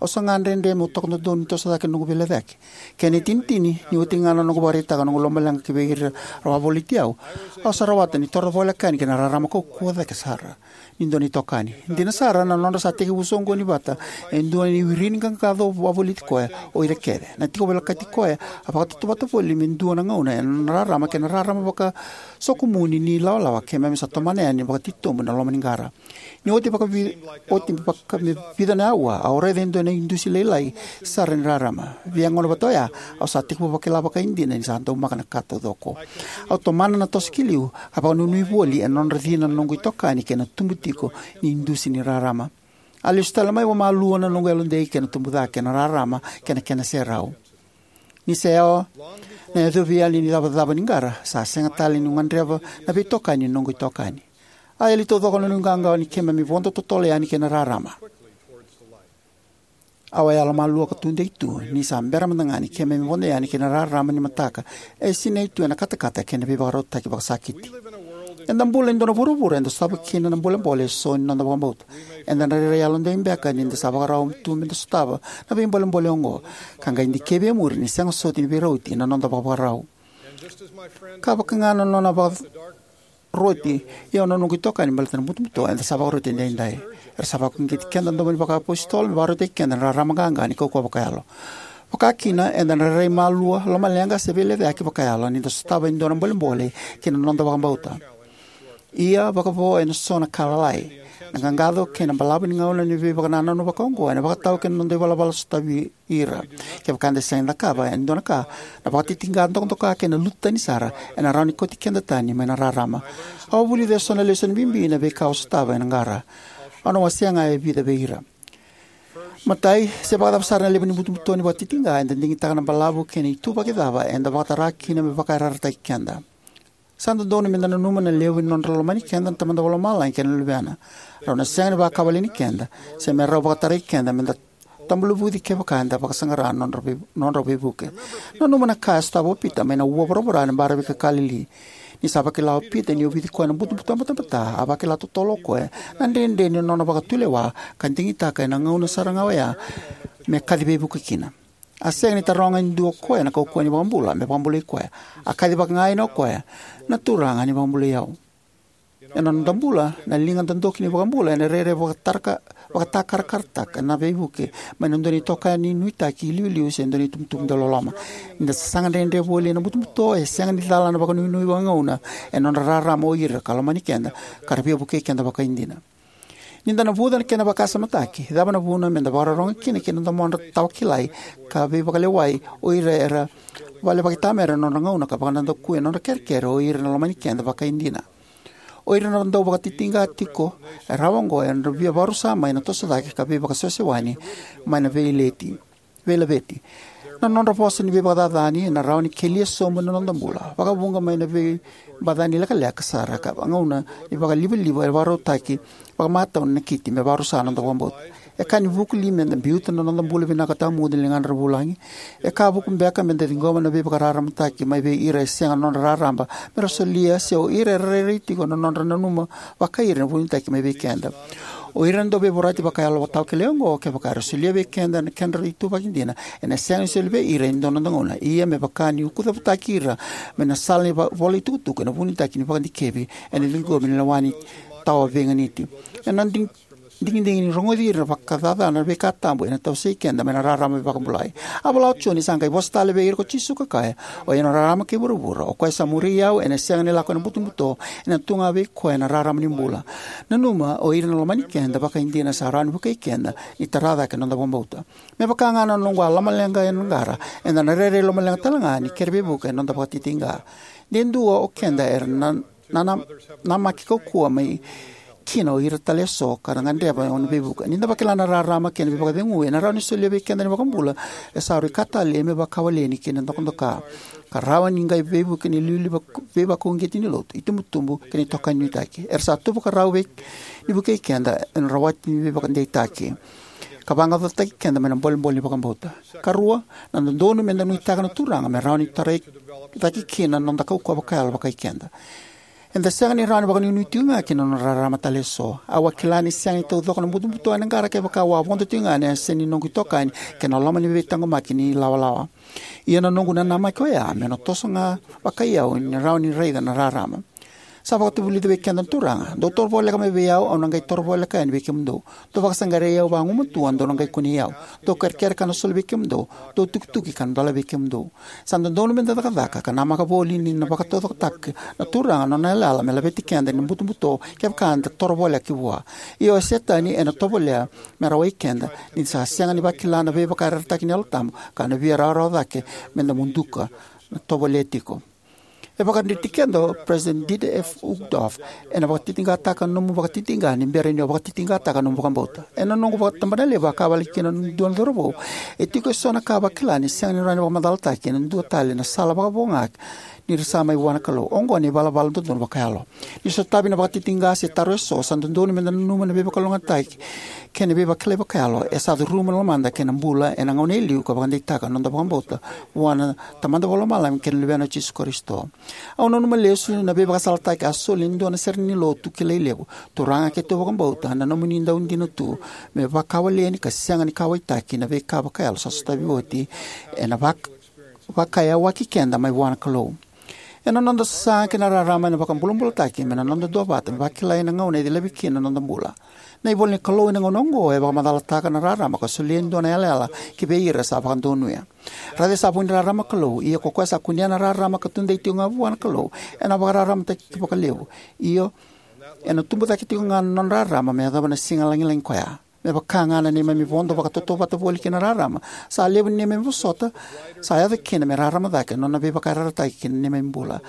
Au sa gadredre meu toka dodonu ni toso cake na noqu veilecayaki. Kena itinitini, ni oti ga na noqu vakaraitaka noqu lomaleqa ki vei ira ra wavoliti au, au sa rawata ni toro voleka yani ki na rarama kaukauwa cake sara ni dua na itokani. Dina sara, na nodra sa tekivu soqoni vata e dua na iwiri ni qaqaco wavoliti koya o ira kece. Na tiko volekati koya a vakatautauvata voli me dua na gauna ena nona rarama kei na rarama vakasokumuni ni lawalawa keimami sa tomana yani vakatitobu ena loma ni qara. Ni oti vakavi-, oti vaka me vica na aua, au raica e dua na idusi lailai sara ni rarama. Via gauna vata oya, au sa tekivu vakila vakaidina ni sa daumaka na ka taucoko. Au tomana na toso ki liu, ka vakanuinui voli ena nodra cina na noqu itokani kei na tubu tiko ni idusi ni rarama. A lesu tale mai vakamalua na noqu yalodei kei na tubu cake na rarama kei na kena serau. Ni sa yaco na yacovi yali ni cavacava ni qara, sa sega tale niu gadreva na veitokani ni noqu itokani. A yali taucoko na nuiqawaqawa ni keimami vodo totolo yani ki na rarama. Au a yalomalua ka tudei tu ni sa bera mada ga ni keimami vodo yani ki na rarama ni mataka e sinai tu ena katakata kei na veivakarautaki vakasakiti. Eda bula ena dua na vuravura eda sotava kina na bolebole eso ni noda vakabauta. Eda na rairai yalodei beka ni da sa vakarau tu meda sotava na veibolebole oqo, ka qai dikevi e muri ni sega soti ni veirauti na noda vakavakarau. Ka vaka ga na nona vakaroti au na noqu itokani baleta na butobuto, eda sa vakaroti edaidai. Era sa vakauqeti keda domo ni vakaapositolo me vakarautaki keda na rarama qaqa ni kaukauwa vakayalo. Vakakina, eda na rairai malua, lomaleqa se veilecayaki vakayalo ni da sotava e dua na bolebole ki na noda vakabauta. Ia, vakavo ena so na ka lalai, na qaqaco kei na balavu ni gauna ni veivakanananu vakaoqo ena vakatau ki na noda ivalavala sotavi ira. Kevaka eda sega ni cakava e dua na ka, na vakatitiqa dokadoka kei na lutu tani sara ena rawa ni kauti keda tani mai na rarama. Au a vulica eso na lesoni bibi ena veika au sotava ena qara. Au na wasea ga e vica vei ira. Matai, se vakacava sara na levu ni butobuto ni vakatitiqa, eda digitaka na balavu kei na ituvaki cava eda vakatara kina me vakayarayarataki keda. Sa dodonu meda nanuma na levu ni nodra lomani keda na Tamada Vakalomalagi kei na Luvena. Rau na sega ni vakawaleni keda, se me rau vakatarai keda meda tabu luvuci kevaka eda vakasaqara na nodra vei-, nodra veivuke. Nanuma na ka e sotava o Pita mai na ua voravora ena baravi ka Kalili. Ni sa vakila o Pita ni ovici koya na butobuto batabata, a vakila totolo o koya na dredre ni nona vakatulewa ka digitaka ena gauna sara ga oya me kaci veivuke kina. A sega ni taroga e dua o koya na kaukauwa ni iVakabula me vakabulai koya. A kacivaka ga yani o koya, "Na Turaga, ni vakabulai au." Ena noda bula, na liga dodoki ni iVakabula ena rairai vakataraka-, vakatakarakarataka na veivuke mai na dua na itokani nuitaki iliuliu se dua na itubutubu dauloloma. Ni da sasaga dredre voli ena butobuto, e sega ni cala na vakanuinui vakagauna ena nodra rarama o ira ka lomani keda ka ra via vukei keda vakaidina. Ni da navuca na kena vakasamataki, cava na vuna meda vakarorogo kina ki na domodra tawakilai ka veivakalewai o ira era vale vakaitamera ena nodra gauna ka vakanadakuya na nodra kerekere o ira na lomani keda vakaidina? O ira na dau vakatitiqa tiko e rawa oqo era via vakarusa mai na toso cake ka veivakasewasewani mai na veileti, veilaveti. Na nodra vosa ni veivakacacani ena rawa ni kelia sobu na noda bula, vakavuqa mai na veibacani lekaleka sara ka gauna ni vakalivaliva e vakarautaki vakamatau na nakiti me vakarusa na noda vakabauta. E ka ni vuku li meda biuta na noda bula vinaka tawamudu ni ligadra vulagi? E ka vuku beka meda ciqoma na veivakararamataki mai vei ira e sega na nodra rarama mera solia, se o ira era rairai tiko na nodra nanuma vakai ira na vunitaki mai vei keda? O ira na dauveivorati vakayalo tawakele oqo, kevaka era solia vei keda na kedra ituvaki dina, ena sega ni soli vei ira e dua na noda gauna. Ia me vaka ni ukucavutaki ira mai na sala ni va- vola itukutuku ena vunitaki ni vakadikevi, ena ciqomi ni lewa ni tawa veiganiti. Ena dig- digidigi ni rogoci ira vakacacana na veika tabu ena tawasei keda mai na rarama veivakabulai. A vola o Joni, sa qai vosa tale vei ira ko Jisu ka kaya, o ira na rarama kei vuravura, o koya sa muri au ena sega ni lako ena butobuto, ena tu ga vei koya na rarama ni bula. Nanuma, o ira na lomani keda vakaidina sa rawa ni vukei keda ni tara cake na noda vakabauta. Me vaka ga na noqu a lomaleqa ena qara, eda na rairai lomaleqa tale ga ni kere veivuke ena noda vakatitiqa. De dua o keda era na na- namaki kaukauwa mai kina o ira tale eso ka ra gadreva na veivuke. Ni da vakila na rarama kei na veivakacegu ena rawa ni solia vei keda na iVakabula, e sa rui ka talei me vakawaleni kei na dokadoka, ka rawa ni qai veivuke ni liuliu vak- veivakauqeti ni lotu, itubutubu kei na itokani nuitaki. Era sa tu vakarau vei ni vukei keda ena rawati ni veivakadeitaki ka vaqaqacotaki keda mai na bolebole ni vakabauta. Karua, na dodonu meda nuitaka na Turaga me rawa ni tarai cake kina na noda kaukauwa vakayalo vakai keda. Eda sega ni rawa ni vakanuinui tiko ga ki na nona rarama tale eso. Au a kila ni sega ni taucoko na butobuto ena qara kevaka au a vodo tiko ga ena yasa ni noqu itokani kei na loma ni veitaqomaki ni lawalawa. Ia na noqu nanamaki oya me na toso ga vakai au ni rawa ni raica na rarama. Sa vakatavulica vei keda na Turaga: "Dou toro voleka mai vei au, au na qai toro voleka yani vei kemudou. Dou vakasaqarai au vagumatua, dou na qai kunei au. Dou kerekere ka na soli vei kemudou. Dou tukituki ka na dola vei kemudou." Sa dodonu meda cakacaka ka namaka voli ni na vakataucokotaka na Turaga na nona yalayala me laveti keda ena butobuto kevaka eda toro voleka ki vua. Ia o Setani ena tovolea me rawai keda ni da sa sega ni vakila na veivakayarayarataki ni Yalo Tabu ka na via rawarawa cake meda muduka na tovolea tiko. E vakadreti keda o President Dieter F. Uchtdorf, "Ena vakatitiqataka na nomu vakatitiqa ni bera ni o vakatitiqataka na nomu vakabauta." Ena noqu vakatabanalevu, a kaya wale kina e dua na cauravou, "E tiko eso na ka a vakila ni sega ni rawa ni vakamacalataki ena dua tale na sala vakavo ga ni ra sa mai vua na Kalou. Oqo na ivalavala dodonu vakayalo." Ni sotavi na vakatitiqa se taro eso, sa dodonu meda nanuma na veivakalougatataki kei na veivakilai vakayalo e sa curuma na lomada kei na bula ena gauna e liu ka vakadeitaka na noda vakabauta vua na Tamada Vakalomalagi kei na Luvena o Jisu Karisito. Au nanuma lesu na veivakasalataki a soli e dua na sere ni lotu kilai levu: "Turaga, keitou vakabauta na nomuni daudina tu me vakawaleni ka sega ni kauwaitaki na veika vakayalo sa sotavi oti ena vak- vakayawaki keda mai vua na Kalou." Ena noda sasaga ki na rarama ena vakabulabulataki me na noda duavata me vakilai na gauna e cilavi kina na noda bula. Na ivola ni Kalou ena gauna oqo e vakamacalataka na rarama ka solia e dua na yalayala ki vei ira sa vakadonuya. Raica sa vu ni rarama na Kalou, ia ko koya sa kunea na rarama ka tudei tiko ga vua na Kalou ena vakararamataki vakalevu, io, ena tubu cake tiko ga na nona rarama me yacova na siga lagilagi koya. Me vaka ga na neimami vodo vakatautauvata voli ki na rarama, sa levu ni neimami vosota sa yaco kina me rarama cake na nona veivakayarayarataki ki na neimami bula.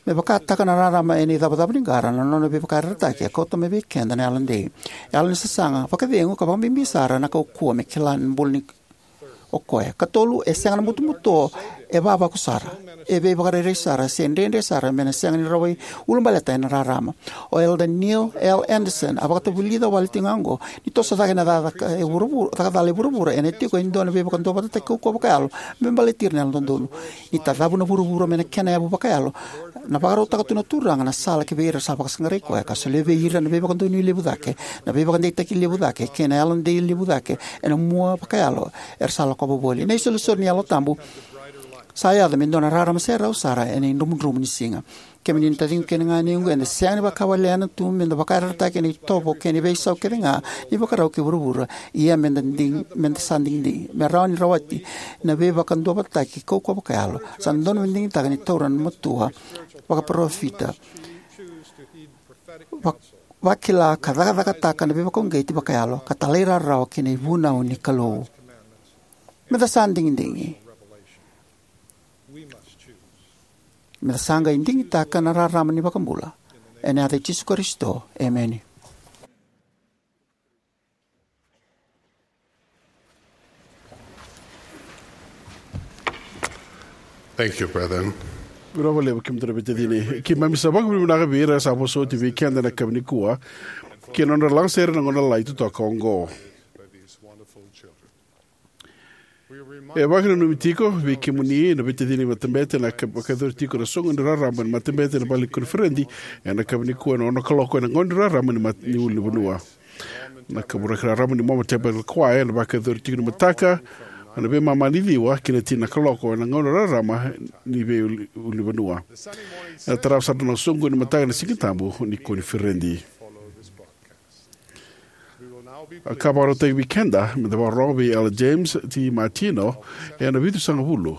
Me vakataka na rarama ena icavacava ni qara na nona veivakayarayarataki, e kauta mai vei keda na yalodei. Yalo ni sasaga, vakacegu, ka vakabibi sara na kaukauwa me kila na bula ni o koya. Katolu, e sega na butobuto e vavaku sara, e veivakarairai sara, se dredre sara me na sega ni rawai ulabaleta ena rarama. O Elder Neil L. Andersen a vakatavulica wale tiko ga oqo: "Ni toso cake na cakacaka e vuravura, cakacala e vuravura, ena tiko e dua na veivakaduavatataki kaukauwa vakayalo me baleti ira na Yalododonu. Ni tacavu na vuravura mai na kena yavu vakayalo, na vakarautaka tu na Turaga na sala ki vei ira sa vakasaqarai koya, ka solia vei ira na veivakadonui levu cake, na veivakadeitaki levu cake, kei na yalodei levu cake ena mua vakayalo era sa lakova voli." Na isolisoli ni Yalo Tabu sa yaco me dua na rarama serau sara ena idromudromu ni siga. Kemuni na taciqu kei na ganequ, eda sega ni vakawalena tu meda vakayarayarataki ena itovo kei na veisau kece ga ni vakarau kei vuravura. Ia meda dig- meda sa digidigi me rawa ni rawati na veivakaduavatataki kaukauwa vakayalo, sa dodonu meda digitaka ni taura na matua vakaparofita, vak- vakila ka cakacakataka na veivakauqeti vakayalo, ka talairawarawa ki na ivunau ni Kalou. Meda sa digidigi. Meda sa qai digitaka na rarama ni iVakabula. Ena yaca i Jisu Karisito, emeni. Thank you, brethren. Vinaka vakalevu kemudou na veitacini. Keimami sa vakavinavinaka vei ira sa vosa oti vei keda ena yakavi nikua kei na nodra lagasere ena gauna lailai totoka oqo. E vakananumi tiko vei kemuni na veitacini ni matabete na ka- vakayacori tiko na soqo ni rarama ni matabete ena vale ni koniferedi ena yakavi nikua ena ono na kaloko ena gauna ni rarama ni, mat- ni ulunivanua. Na kaburaki rarama ni Mormon Tabernacle Choir ena vakayacori tiko ni mataka ena veimama ni ciwa ki na tini na kaloko ena gauna rarama ni veiulunivanua. Ena tarava sara na soqo ni mataka ena Siga Tabu ni koniferedi. A ka vakarautaki vei keda me da vakarorogo vei Elder James T. Martino ena vitusagavulu.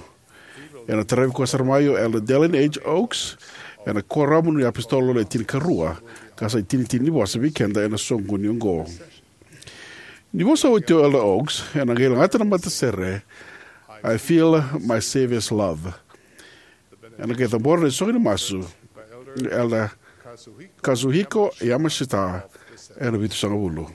Ena taravi koya sara mai o Elder Dallin H. Oaks ena Kuoramu ni iApositolo Le Tinikarua, ka sa itinitini ni vosa vei keda ena soqoni oqo. Ni vosa oti o Elder Oaks ena qai lagata na matasere I Feel My Savior's Love. Ena qai cabora na isoqoni masu Elder Kazuhiko Yamashita ena vitusagavulu.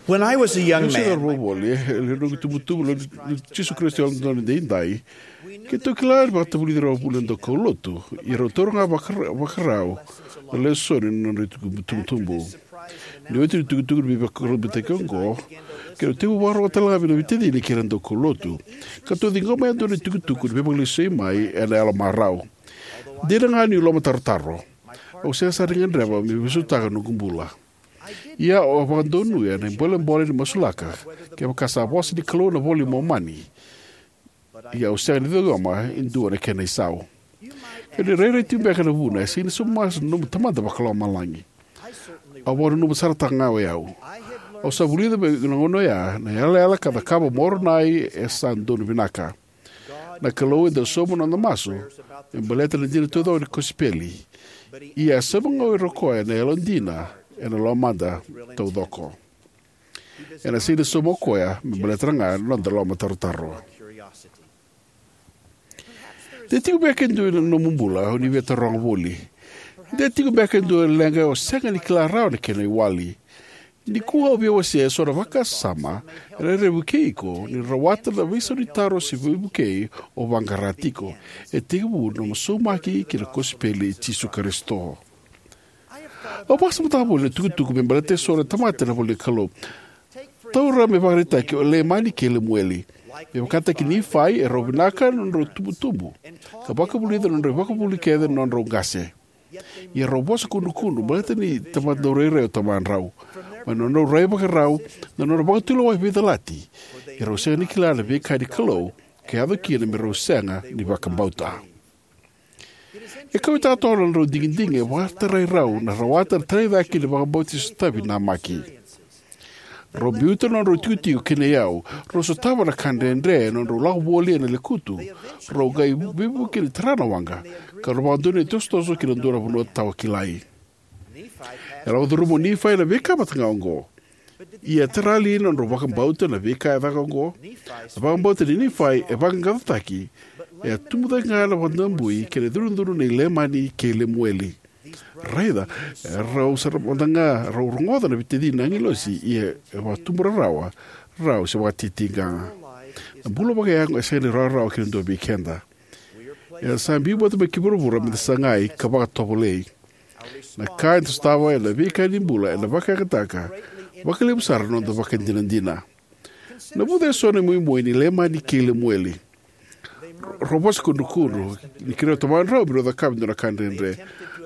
When I was a young Niu se man, cauravou voli, e lewe ni noqu itubutubu, na Jisu Karisito Yalododonu Edaidai, keitou kila ni vakatavulici rau vuli na daukaulotu, ia rau taura ga vakara- vakarau na lesoni na nodrau itubutubu. Ni oti na itukutuku ni veivakurabuitaki oqo, keitou tekivu vakarorogo tale ga vei na veitacini kei ira na daukaulotu, ka tou ciqoma yadua na itukutuku ni veivakalesui mai ena yalo marau. Dina ga niu lomatarotaro, au sega sara ni gadreva meu veisautaka na noqu bula. Ia au a vakadonuya na ibolebole ni masulaka kevaka sa vosa ni Kalou na iVola i Momani. Ia au sega ni ciqoma e dua na kena isau. Kevaka ni rairai tiko beka na vuna, e sega ni sauma masu na nomu Tamada Vakalomalagi. Au vakananuma sarataka ga o yau. Au sa vulica mai na gauna oya na yalayala ka cakava o Moronai e sa donu vinaka. Na Kalou e dau sauma na noda masu me baleta na dina taucoko ni kosipeli. Ia e sauma ga o koya na yalodina ena lomada taucoko. Ena sega ni sauma o koya me baleta ga na noda lomatarotaro. De tiko beka e dua na nomu bula o ni via taroga voli. De tiko beka e dua na leqa o sega ni kila rawa na kena iwali. Nikua au via wasea eso na vakasama ena rawa ni vukei iko ni rawata na veisau ni taro se veivukei o vaqara tiko. E tekivu na nomu saumaki ki na kosipeli i Jisu Karisito. Au vakasamataka voli na itukutuku me baleta eso na tamata ena ivola ni Kalou. Taura me ivakaraitaki o Leimani kei Lemueli. Me vakataki Nifai, erau vinaka na nodrau tubutubu ka vakavulica na nodrau ivakavuvuli kece na nodrau qase. Ia rau vosa kudrukudru baleta ni tamata daurairai o tamadrau. Mai na nodrau rai vakarau, na nodra vakatulewa veicalati. Ia rau sega ni kila na veika ni Kalou ka yaco kina me rau sega ni vakabauta. E kauaitaka toka na nodrau digidigi e vakatarai rau na rawata na taraicake ni vakabauti sotavi namaki. Rau biuta na nodrau tikotiko kei na iyau, rau sotava na ka dredre ena nodrau lako voli ena lekutu, rau qai veivuke ni tara na waqa, ka rau vakadonuya na itosotoso ki na dua na vanua tawakilai. E lako curuma o Nifai na veika vata ga oqo. Ia e tara li na nodrau vakabauta na veika e caka oqo? Na vakabauta nei Nifai e vaqaqacotaki, e a tubu cake ga na vakadabui kei na cudrucudru nei Leimani kei Lemueli. Raica, e rau sara mada ga rau rogoca na veitacini na agilosi, ia e vakatubu rarawa, rau se vakatitiqa. Na bula vakayago e sega ni rawarawa ki na dua vei keda. Eda sa biu vata mai ki vuravura me da sagai ka vakatovolei. Na ka eda sotava ena veika ni bula ena vakayagataka vakalevu sara na noda vakadinadina. Navuca eso na imoimoi nei Leimani kei Lemueli. Rau vosa kudrukudru ni kerea o tamadrau me rau cakava e dua na ka dredre.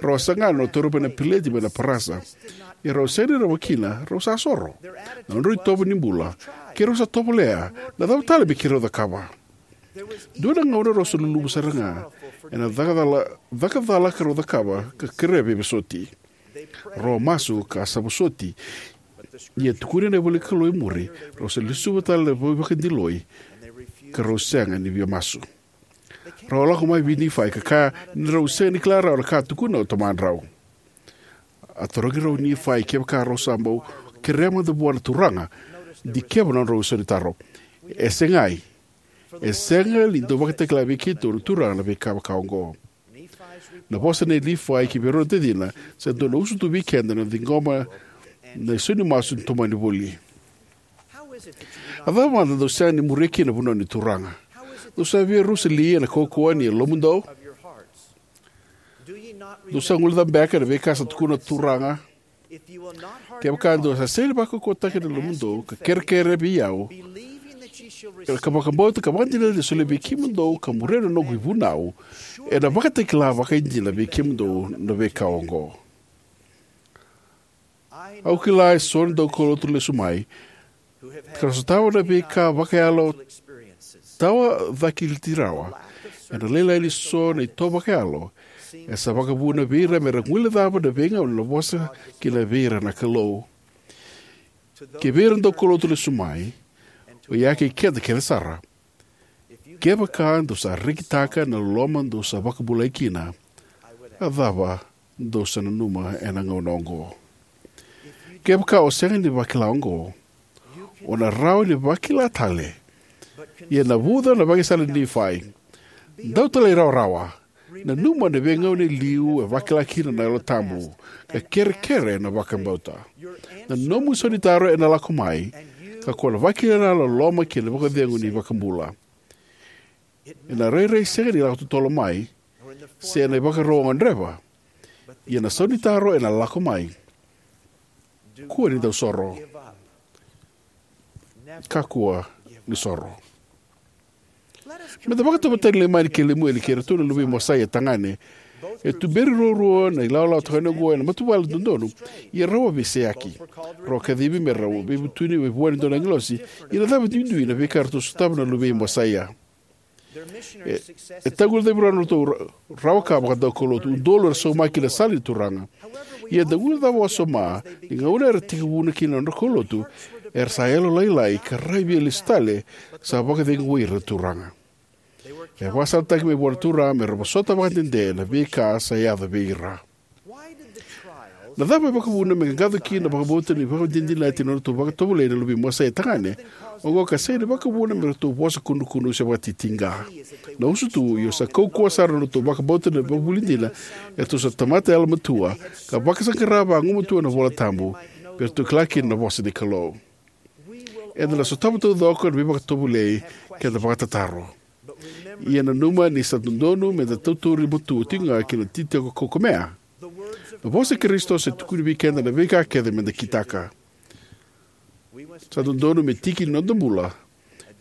Rau a saga na nodra taura mai na peleti mai na parasa. Ia rau sega ni rawa kina, rau sa soro. Na nodrau itovo ni bula, keirau sa tovolea, na cava tale me keirau cakava? Dua na gauna rau sa luluvu sara ga ena cakacala, cakacala ka rau cakava ka kerea veivosoti. Rau a masu ka sa vosoti. Ia tukuni na ivola ni Kalou e muri, rau sa lesuva tale na veivakadiloi ka rau sega ni via masu. Rau a lako mai vei Nifai ka kaya ni rau sega ni kila rawa na ka a tukuna o tamadrau. A tarogi rau o Nifai kevaka rau sa bau kerea mada vua na Turaga, dikeva na nodrau isaunitaro. E segai. E sega ni dau vakatakila vei keitou na Turaga na veika vaka oqo. Na vosa nei Nifai ki vei rau na tacina sa dua na usutu vei keda na ciqoma na isau ni masu ni tomani voli. A cava mada dou sega ni muria kina na vanua ni Turaga? Dou sa via rusa li ena kaukauwa ni yalomudou? Dou sa guilecava beka na veika sa tukuna na Turaga? Kevaka dou sa sega ni vakaukauwataka na yalomudou ka kerekere vei au, ka vakabauta ka vakadinadina ni solia vei kemudou ka muria na noqu ivunau, ena vakatakila vakaidina vei kemudou na veika oqo. Au kila e so na daukaulotu lesu mai ka ra sotava na veika vakayalo tawa cakiliti rawa ena lailai ni so na ito vakayalo e sa vakavuna vei ira me ra guilecava na veigauna na vosa kina vei ira na Kalou. Kei vei ira na daukaulotu lesu mai, o ya kei keda kece sara, kevaka dou sa rekitaka na loloma dou sa vakabulai kina, a cava dou sa nanuma ena gauna oqo? Kevaka o sega ni vakila oqo, o na rawa ni vakila tale. Ia navuca na vakasala ni Nifai. Dau talairawarawa. Nanuma na veigauna e liu e vakila kina na Yalo Tabu, ka kerekere ena vakabauta. Na nomu isau ni taro ena lako mai, ka ko na vakila na loloma kei na vakacegu ni iVakabula. Ena rairai sega ni lako totolo mai, se ena ivakarau o gadreva. Ia na isau ni taro ena lako mai. Kua ni dau soro. Kakua ni soro. Meda vakatauvatani Leimani kei Lemueli kei iratou na luvei Mosaia tagane. E tuberi ruarua na ilawalawa tagane oqo ena matavuvale dodonu, ia rau a veiseyaki. Rau a kacivi me rau veivutuni mai vua e dua na agilosi. Ia na cava duidui na veika eratou sotava na luvei Mosaia? E, e taguilecavi rau na nodratou ra-, rawa ka vakadaukaulotu. Udolu era saumaki na sala ni Turaga. Ia da guilecava wasoma ni gauna era tekivuna kina na nodra kaulotu, era sa yalolailai ka rai via lesu tale, sa vakacegui ira na Turaga. E vakasalataki mai vua na Turaga me ra vosota vakadede na veika sa yaco vei ira. Na cava e vakavuna me qaqaco kina na vakabauta ni vakadinadinati na nodratou vakatovolei na luvei Mosaia tagane oqo ka sega ni vakavuna me ratou vosa kudrukudru se vakatitiqa? Na usutu, io, sa kaukauwa sara na nodratou vakabauta na vakavuvuli dina, eratou sa tamata yalomatua, ka vakasaqara vagumatua na iVola Tabu, me ratou kila kina na vosa ni Kalou. Eda na sotava taucoko na veivakatovolei keda vakatataro. Ia nanuma ni sa dodonu meda tautauri matua tiko ga ki na itikotiko kaukamea. Na vosa i Karisito sa tukuni vei keda na veika kece meda kitaka. Sa dodonu me tiki ni noda bula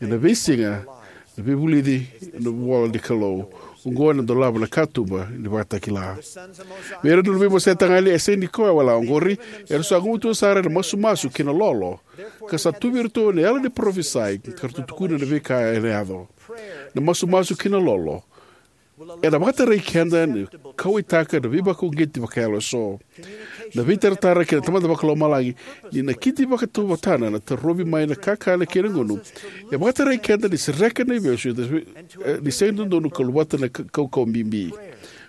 ena veisiga na veivulici ena ivola ni Kalou. Oqo ena dolava na katuba ni vakatakila. Vei ira na luvei Mosaia tagane, e sega ni koya wale oqori, era sa gumatua sara ena masumasu kei na lolo, ka sa tu vei iratou na yalo ni parofisai ka ratou tukuna na veika ena yaco. Na masumasu kei na lolo ena vakatarai keda ni kauwaitaka na veivakauqeti vakayalo eso. Na veitaratara kei na Tamada Vakalomalagi ni nakiti vakatauvatana na tarovi mai na kakana kei na gunu e vakatarai keda ni sereka na ivesu e, e, ni sega ni dodonu ka luvata na ka-, kaukauwa bibi.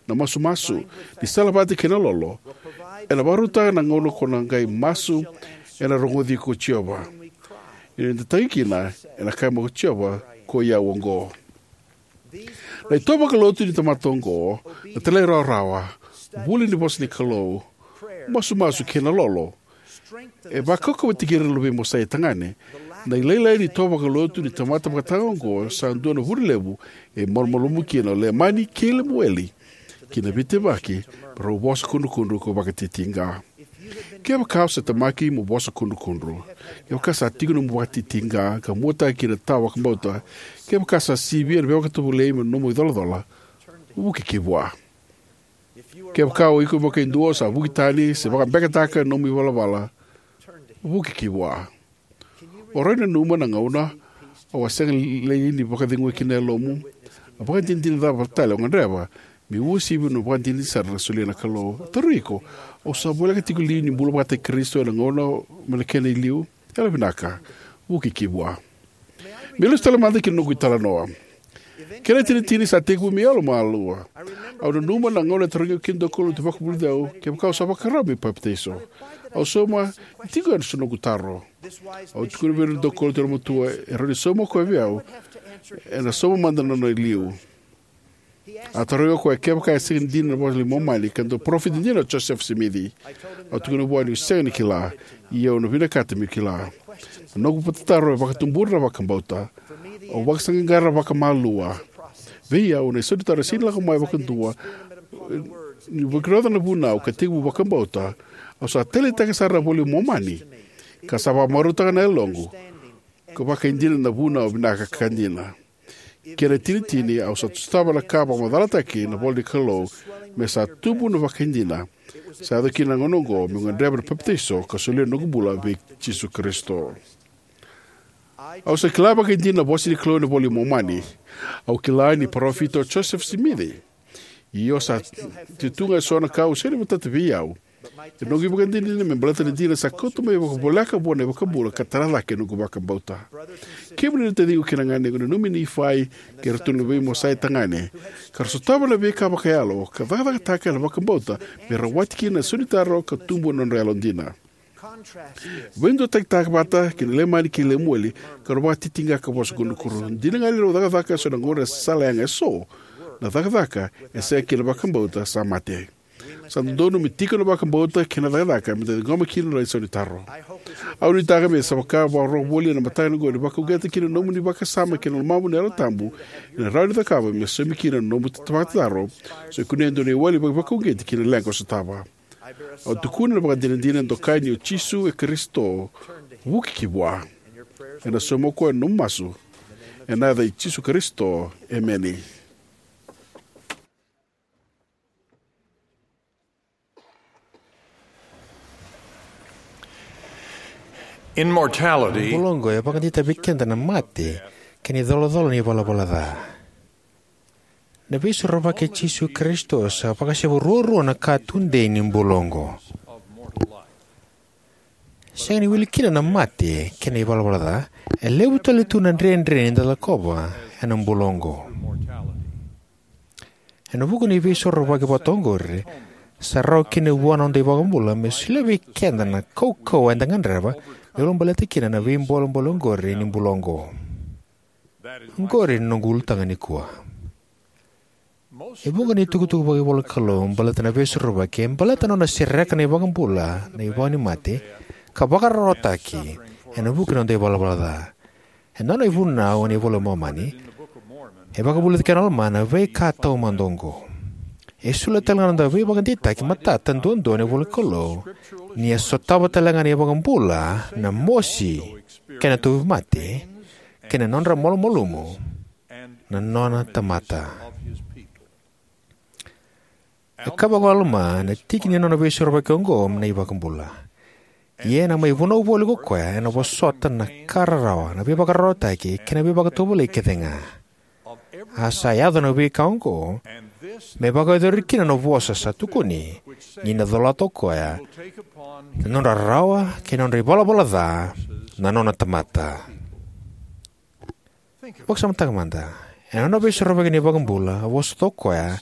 Na masumasu ni salavata kei na lolo ena vakarautaka na gauna ko na qai masu ena rogoci iko ko Jiova. Ni da tagi kina, ena kaya mai ko Jiova, ko i au oqo. Na ito vakalotu ni tamata oqo, na talairawarawa, vuli ni vosa ni Kalou, masumasu kei na lolo, e vakaukauwataki ira na luvei Mosaia tagane. Na ilailai ni ito vakalotu ni tamata vakataga oqo sa dua na vuna levu e malumalumu kina o Leimani kei Lemueli ki na veitevaki me rau vosa kudrukudru ka vakatitiqa. Kevaka o sa temaki mo vosa kudrukudru, kevaka sa tiko nomu vakatitiqa ka muataki kina na tawa vakabauta, kevaka sa sivia na veivakatovolei me nomu icolacola, vuki ki vua. Kevaka o iko vakaidua o sa vuki tani se vakabekataka na nomu ivalavala, vuki ki vua. O rawa ni nanuma na gauna au a sega li ni vakacegui kina na yalomu? A vakadinadina cava tale o gadreva me uasivi na vakadinadina sara na solia na Kalou? Au tarogi iko, au sa voleka tiko li ni bula vata kei Karisito ena gauna mai na kena i liu? Yalovinaka, vuki ki vua. Me lesu tale mada ki na noqu italanoa. Kena itinitini sa tekivu me yalomalua. Au nanuma na gauna e tarogi au kina na daukaulotu vakavulici au kevaka au sa vakarau meu papitaiso. Au sauma ni tiko yani so noqu taro. Au tukuna vei ira na daukaulotu yalomatua e rawa ni sauma o koya vei au, ena sauma mada na nona i liu. A tarogi au o koya kevaka e sega ni dina na iVola i Momani ka dau parofita dina o Josefa Simici. Au tukuna vua niu sega ni kila, ia au na vinakata meu kila. Na noqu vakatataro e vakatubura na vakabauta. Au vakasaqaqara vakamalua. Vei au, na isaunitaro e sega ni lako mai vakadua. Niu vakarota na vunau ka tekivu vakabauta, au sa taleitaka sara na iVola i Momani, ka sa vakamarautaka na yaloqu. Ka vakaidina na vunau vinaka ka dina. Kena itinitini, au sa sotava na ka vakamacalataki na ivola ni Kalou, me sa tubu na vakaidina. Sa yaco kina na gauna oqo meu gadreva na papitaiso ka solia na noqu bula vei Jisu Karisito. Au sa kila vakaidina na vosa ni Kalou ena iVola i Momani. Au kila ni parofita o Josefa Simici. Ia sa tu ga eso na ka au sega ni matata vei au. E noqu ivakadinadina me baleta na dina sa kauta mai vakavoleka vua na iVakabula ka tara cake na noqu vakabauta. Kemuni na taciqu kei na ganequ, nanumi Nifai kei iratou na veimosai tagane, ka ra sotava na veika vakayalo ka cakacakataka na vakabauta me rawati kina na isaunitaro ka tubu na nodra yalodina. Veiduatakitaka vata kei na Leimani kei Lemueli, ka rau vakatitiqa ka vosa kudrukudru. Dina ga ni rau cakacaka eso na gauna e sala yaga eso, na cakacaka e sega kina vakabauta sa mate. Sa dodonu me tiko na vakabauta kei na cakacaka me da ciqoma kina na isaunitaro. Au nuitaka me sa vaka vakarau voli ena mataka oqo ni vakauqeta kina na nomuni vakasama kei na lomamu na Yalo Tabu, ena rawa ni cakava me saumi kina na nomu vakatataro. Sa kunea e dua na iwali vakauqeti kina leqa o sotava. Au tukuna na vakadinadina, dokai ni o Jisu e Karisito. Vuki ki vua ena sauma o koya na nomu masu. Ena yaca i Jisu Karisito, emeni. In mortality, bula oqo e vakadeitaka vei keda na mate kei na icolacola ni valavala ca. Na Veisorovaki i Jisu Karisito sa vakasevu ruarua na ka tudei ni bula oqo. Sega ni wili kina na mate kei na ivalavala ca, e levu tale tu na dredre ni da lakova ena bula oqo. Ena vuku ni veisorovaki vata oqori, sa rawa kina vua na noda iVakabula me solia vei keda na kaukauwa eda gadreva me ulabaleta kina na veibolebole oqori ni bula oqo. Oqori na noqu ulutaga nikua. E vuqa na itukutuku vakaivolanikalou baleta na veisorovaki e baleta na nona sereka na iVakabula na ivau ni mate ka vakararawataki ena vuku ni noda ivalavala ca. Ena nona ivunau ena iVola i Momani, e vakavulica kina o Alama na veika taumada oqo. E solia tale ga na noda veivakadeitaki matata duadua ena ivolanikalou, ni a sotava tale ga na iVakabula na mosi kei na tauvimate kei na nodra malumalumu na nona tamata. E kaya vaka o Alama na tiki ni nona veisorovaki oqo na iVakabula: Ia ena mai vunau voli ko koya, ena vosota na ka rarawa, na veivakararawataki kei na veivakatovolei kece ga. A sa yaco na veika oqo me vakayacori kina na vosa sa tukuni, ni na colata o koya na nodra rarawa kei na nodra ivalavala ca na nona tamata. Vakasamataka mada. Ena nona veisorovaki na iVakabula, a vosota o koya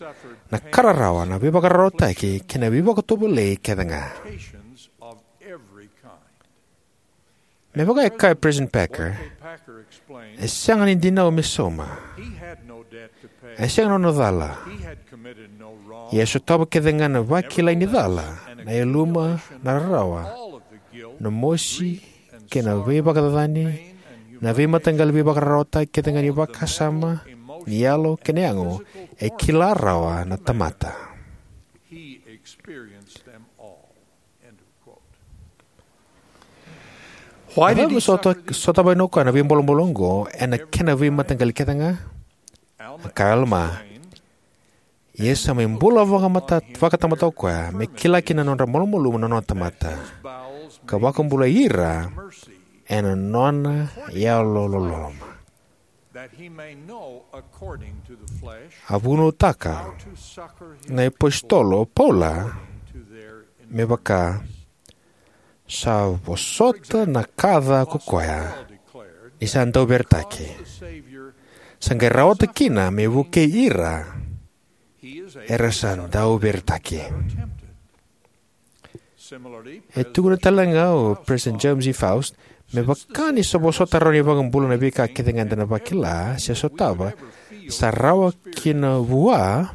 na ka rarawa, na veivakararawataki kei na veivakatovolei kece ga. Me vaka e kaya o President Packer, e sega ni dinau me sauma. E sega na nona cala. Ia e sotava kece ga na vakilai ni cala, na yaluma, na rarawa, na mosi kei na veivakacacani, na veimataqali veivakararawataki kece ga ni vakasama, ni yalo kei na yago, e kila rawa na tamata. Why did he suffer? Sotava o koya na veibolebole oqo ena kena veimataqali kece ga? A kaya o Alama: Ia sa mai bula vakamata, vakatamata o koya, me kila kina na nodra malumalumu na nona tamata, ka vakabulai ira ena nona yalololoma. A vunautaka na iApositolo o Paula me vaka: Sa vosota na ka ca ko koya, ni sa dauveretaki, sa qai rawata kina me vukei ira era sa dauveretaki. E tukuna tale ga o President James E. Faust, me vaka ni sa vosota rawa na iVakabula na veika kece ga eda na vakila se sotava, sa rawa kina vua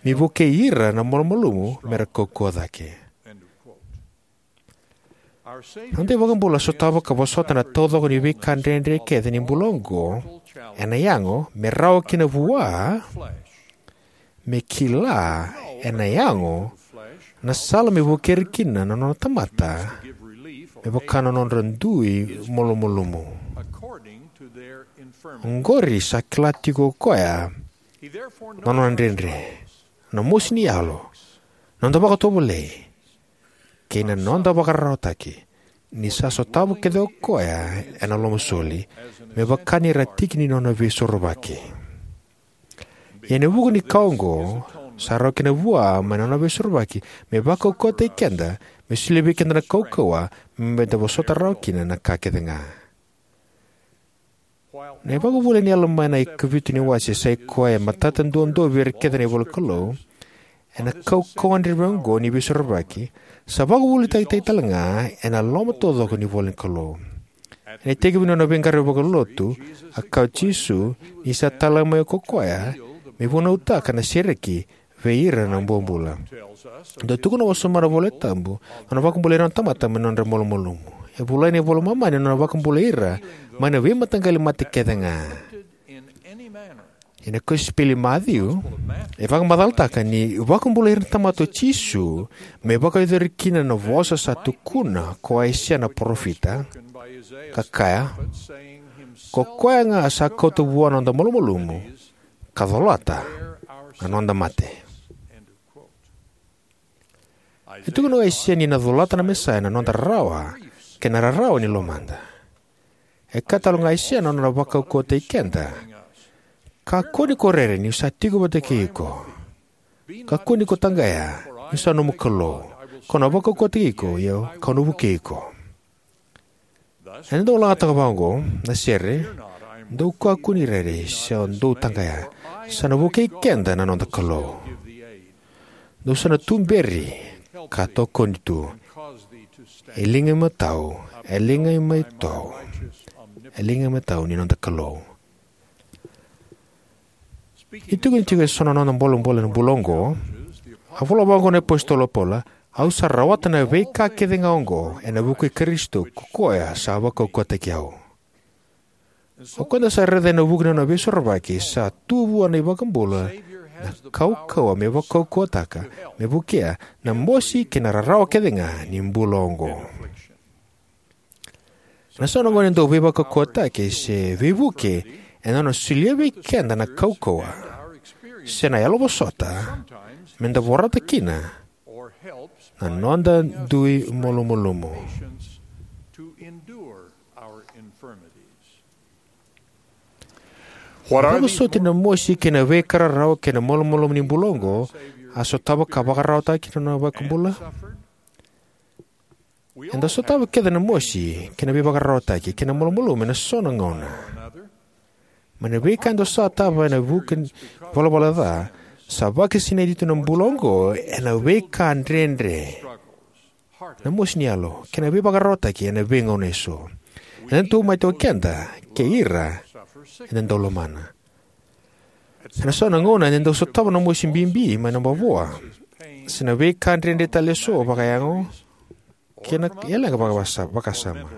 me vukei ira na malumalumu me ra kaukauwa cake. Na noda iVakabula sotava ka vosota na taucoko ni veika dredre kece ni bula oqo ena yago me rawa kina vua me kila ena yago na sala me vukei ira kina na nona tamata me vaka na nodra dui malumalumu. Oqori sa kila tiko o koya na nona dredre, na mosi ni yalo, na noda vakatovolei, kei na noda vakararawataki, ni sa sotava kece o koya ena lomasoli, me vaka ni ra tiki ni nona veisorovaki. Ia ena vuku ni ka oqo, sa rawa kina vua mai na nona veisorovaki me vakaukauwataki keda, me solia vei keda na kaukauwa me da vosota rawa kina na ka kece ga. Na iVakavuvuli ni Alama ena ikavitu ni wase, sa i koya e matata duadua vei ira kece na ivolanikalou, ena kaukauwa dredre oqo ni veisorovaki, sa vakavuvulitaki tale ga ena loma taucoko ni ivolanikalou. Ena itekivu ni nona veiqaravi vakalotu, a kaya o Jisu ni sa talai mai ko koya me vunautaka na sereki vei ira na bobula. Dau tukuna wasoma na iVolatabu na nona vakabulai ira na tamata mai na nodra malumalumu. E volai ena iVola i Momani na nona vakabulai ira mai na veimataqali mate kece ga. Ena Kosipeli i Maciu, e vakamacalataka ni vakabulai ira na tamata o Jisu me vakayacori kina na vosa sa tukuna ko Aisea na parofita, ka kaya, "Ko koya ga sa kauta vua na noda malumalumu, ka colata na noda mate." E tukuna o Aisea ni na colata na Mesaia na noda rarawa kei na rarawa ni lomada. E kaya tale ga o Aisea na nona vakaukauwataki keda, "Kakua ni ko rere, niu sa tiko vata kei iko. Kakua ni ko taqaya, niu sa nomu Kalou. Kau na vakaukauwataki iko, ia kau na vukei iko." Ena dau lagataka vaqo na sere, "Dou kakua ni rere se dou taqaya, sa na vukei keda na noda Kalou. Dou sa na tuberi ka tokoni tu, e liga imatau, e liga imatau, e liga imatau ni noda Kalou." Ni tukuni tiko eso na noda bolebole ena bula oqo, a vola vaqo na iApositolo o Paula, "Au sa rawata na veika kece ga oqo ena vuku i Karisito, ko koya sa vakaukauwataki au." O koya eda sa raica ena vuku ni nona veisorovaki, sa tu vua na iVakabula na kaukauwa me vakaukauwataka, me vukea na mosi kei na rarawa kece ga ni bula oqo. Ena so na gauna e dau veivakaukauwataki se veivuke ena nona solia vei keda na kaukauwa se na yalovosota me da vorata kina na noda dui malumalumu. Vakasoti na mosi kei na veika rarawa kei na malumalumu ni bula oqo a sotava ka vakararawataki na nona iVakabula. Eda sotava kece na mosi kei na veivakararawataki kei na malumalumu ena so na gauna. Mai na veika eda sotava ena vuku ni valavala ca, sa vakasinaiti tu na bula oqo ena veika dredre, na mosi ni yalo kei na veivakararawataki ena veigauna eso. Ena tauvimate o keda kei ira eda dau lomana. Ena so na gauna eda dau sotava na mosi bibi mai na mavoa se na veika dredre tale eso vakayago kei na leqa vakasa-, vakasama.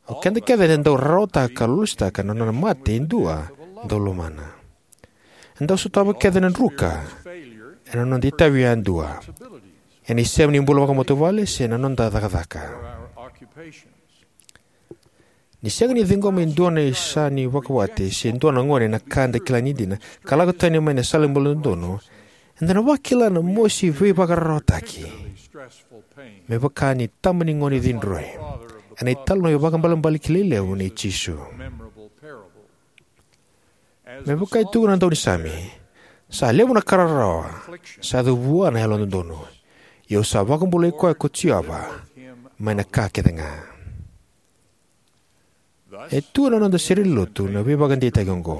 O keda kece eda dau rarawataka ka lolositaka na nona mate e dua dau lomana. Eda dau sotava kece na druka ena noda itavi yadua, ena isema ni bula vakamatavuvale se na noda cakacaka. Ni sega ni ciqoma e dua na isa ni vakawati se dua na gone na ka eda kila ni dina, ka lako tani mai na sala ni bula dodonu, eda na vakila na mosi veivakararawataki me vaka ni tama ni gone cidroi ena italanoa vakaibalebale kilai levu nei Jisu. Me vaka e tukuna na daunisame, "Sa levu na ka rarawa sa yaco vua na yalododonu, ia au sa vakabulai koya ko Jiova mai na ka kece ga." E tu ena noda serenilotu na veivakadeitaki oqo: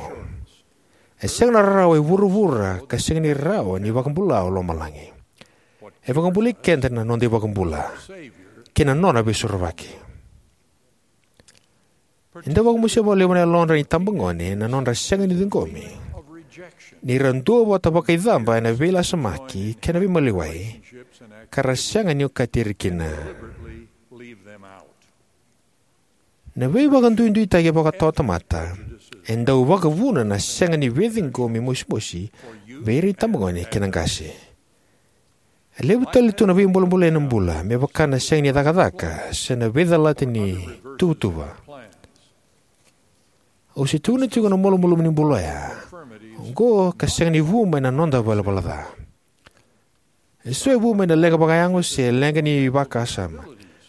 "E sega na rarawa e vuravura ka sega ni rawa ni vakabula o lomalagi. E vakabulai keda na noda iVakabula kei na nona Veisorovaki." E dau vakamosia vakalevu na yalodra na itabagone na nodra sega ni ciqomi ni ra duavata vakaicaba ena veilasamaki kei na veimaliwai, ka ra sega ni okati ira kina. Na veivakaduiduitaki vakatawatamata e dau vakavuna na sega ni veiciqomi mosimosi vei ira na itabagone kei na qase. E levu tale tu na veibolebole ena bula, me vaka na sega ni cakacaka se na veicalati ni tuvatuva. Au se tukuna tiko na malumalumu ni bula oya oqo ka sega ni vu mai na noda ivalavala ca. Eso e vu mai na leqa vakayago se leqa ni vakasama,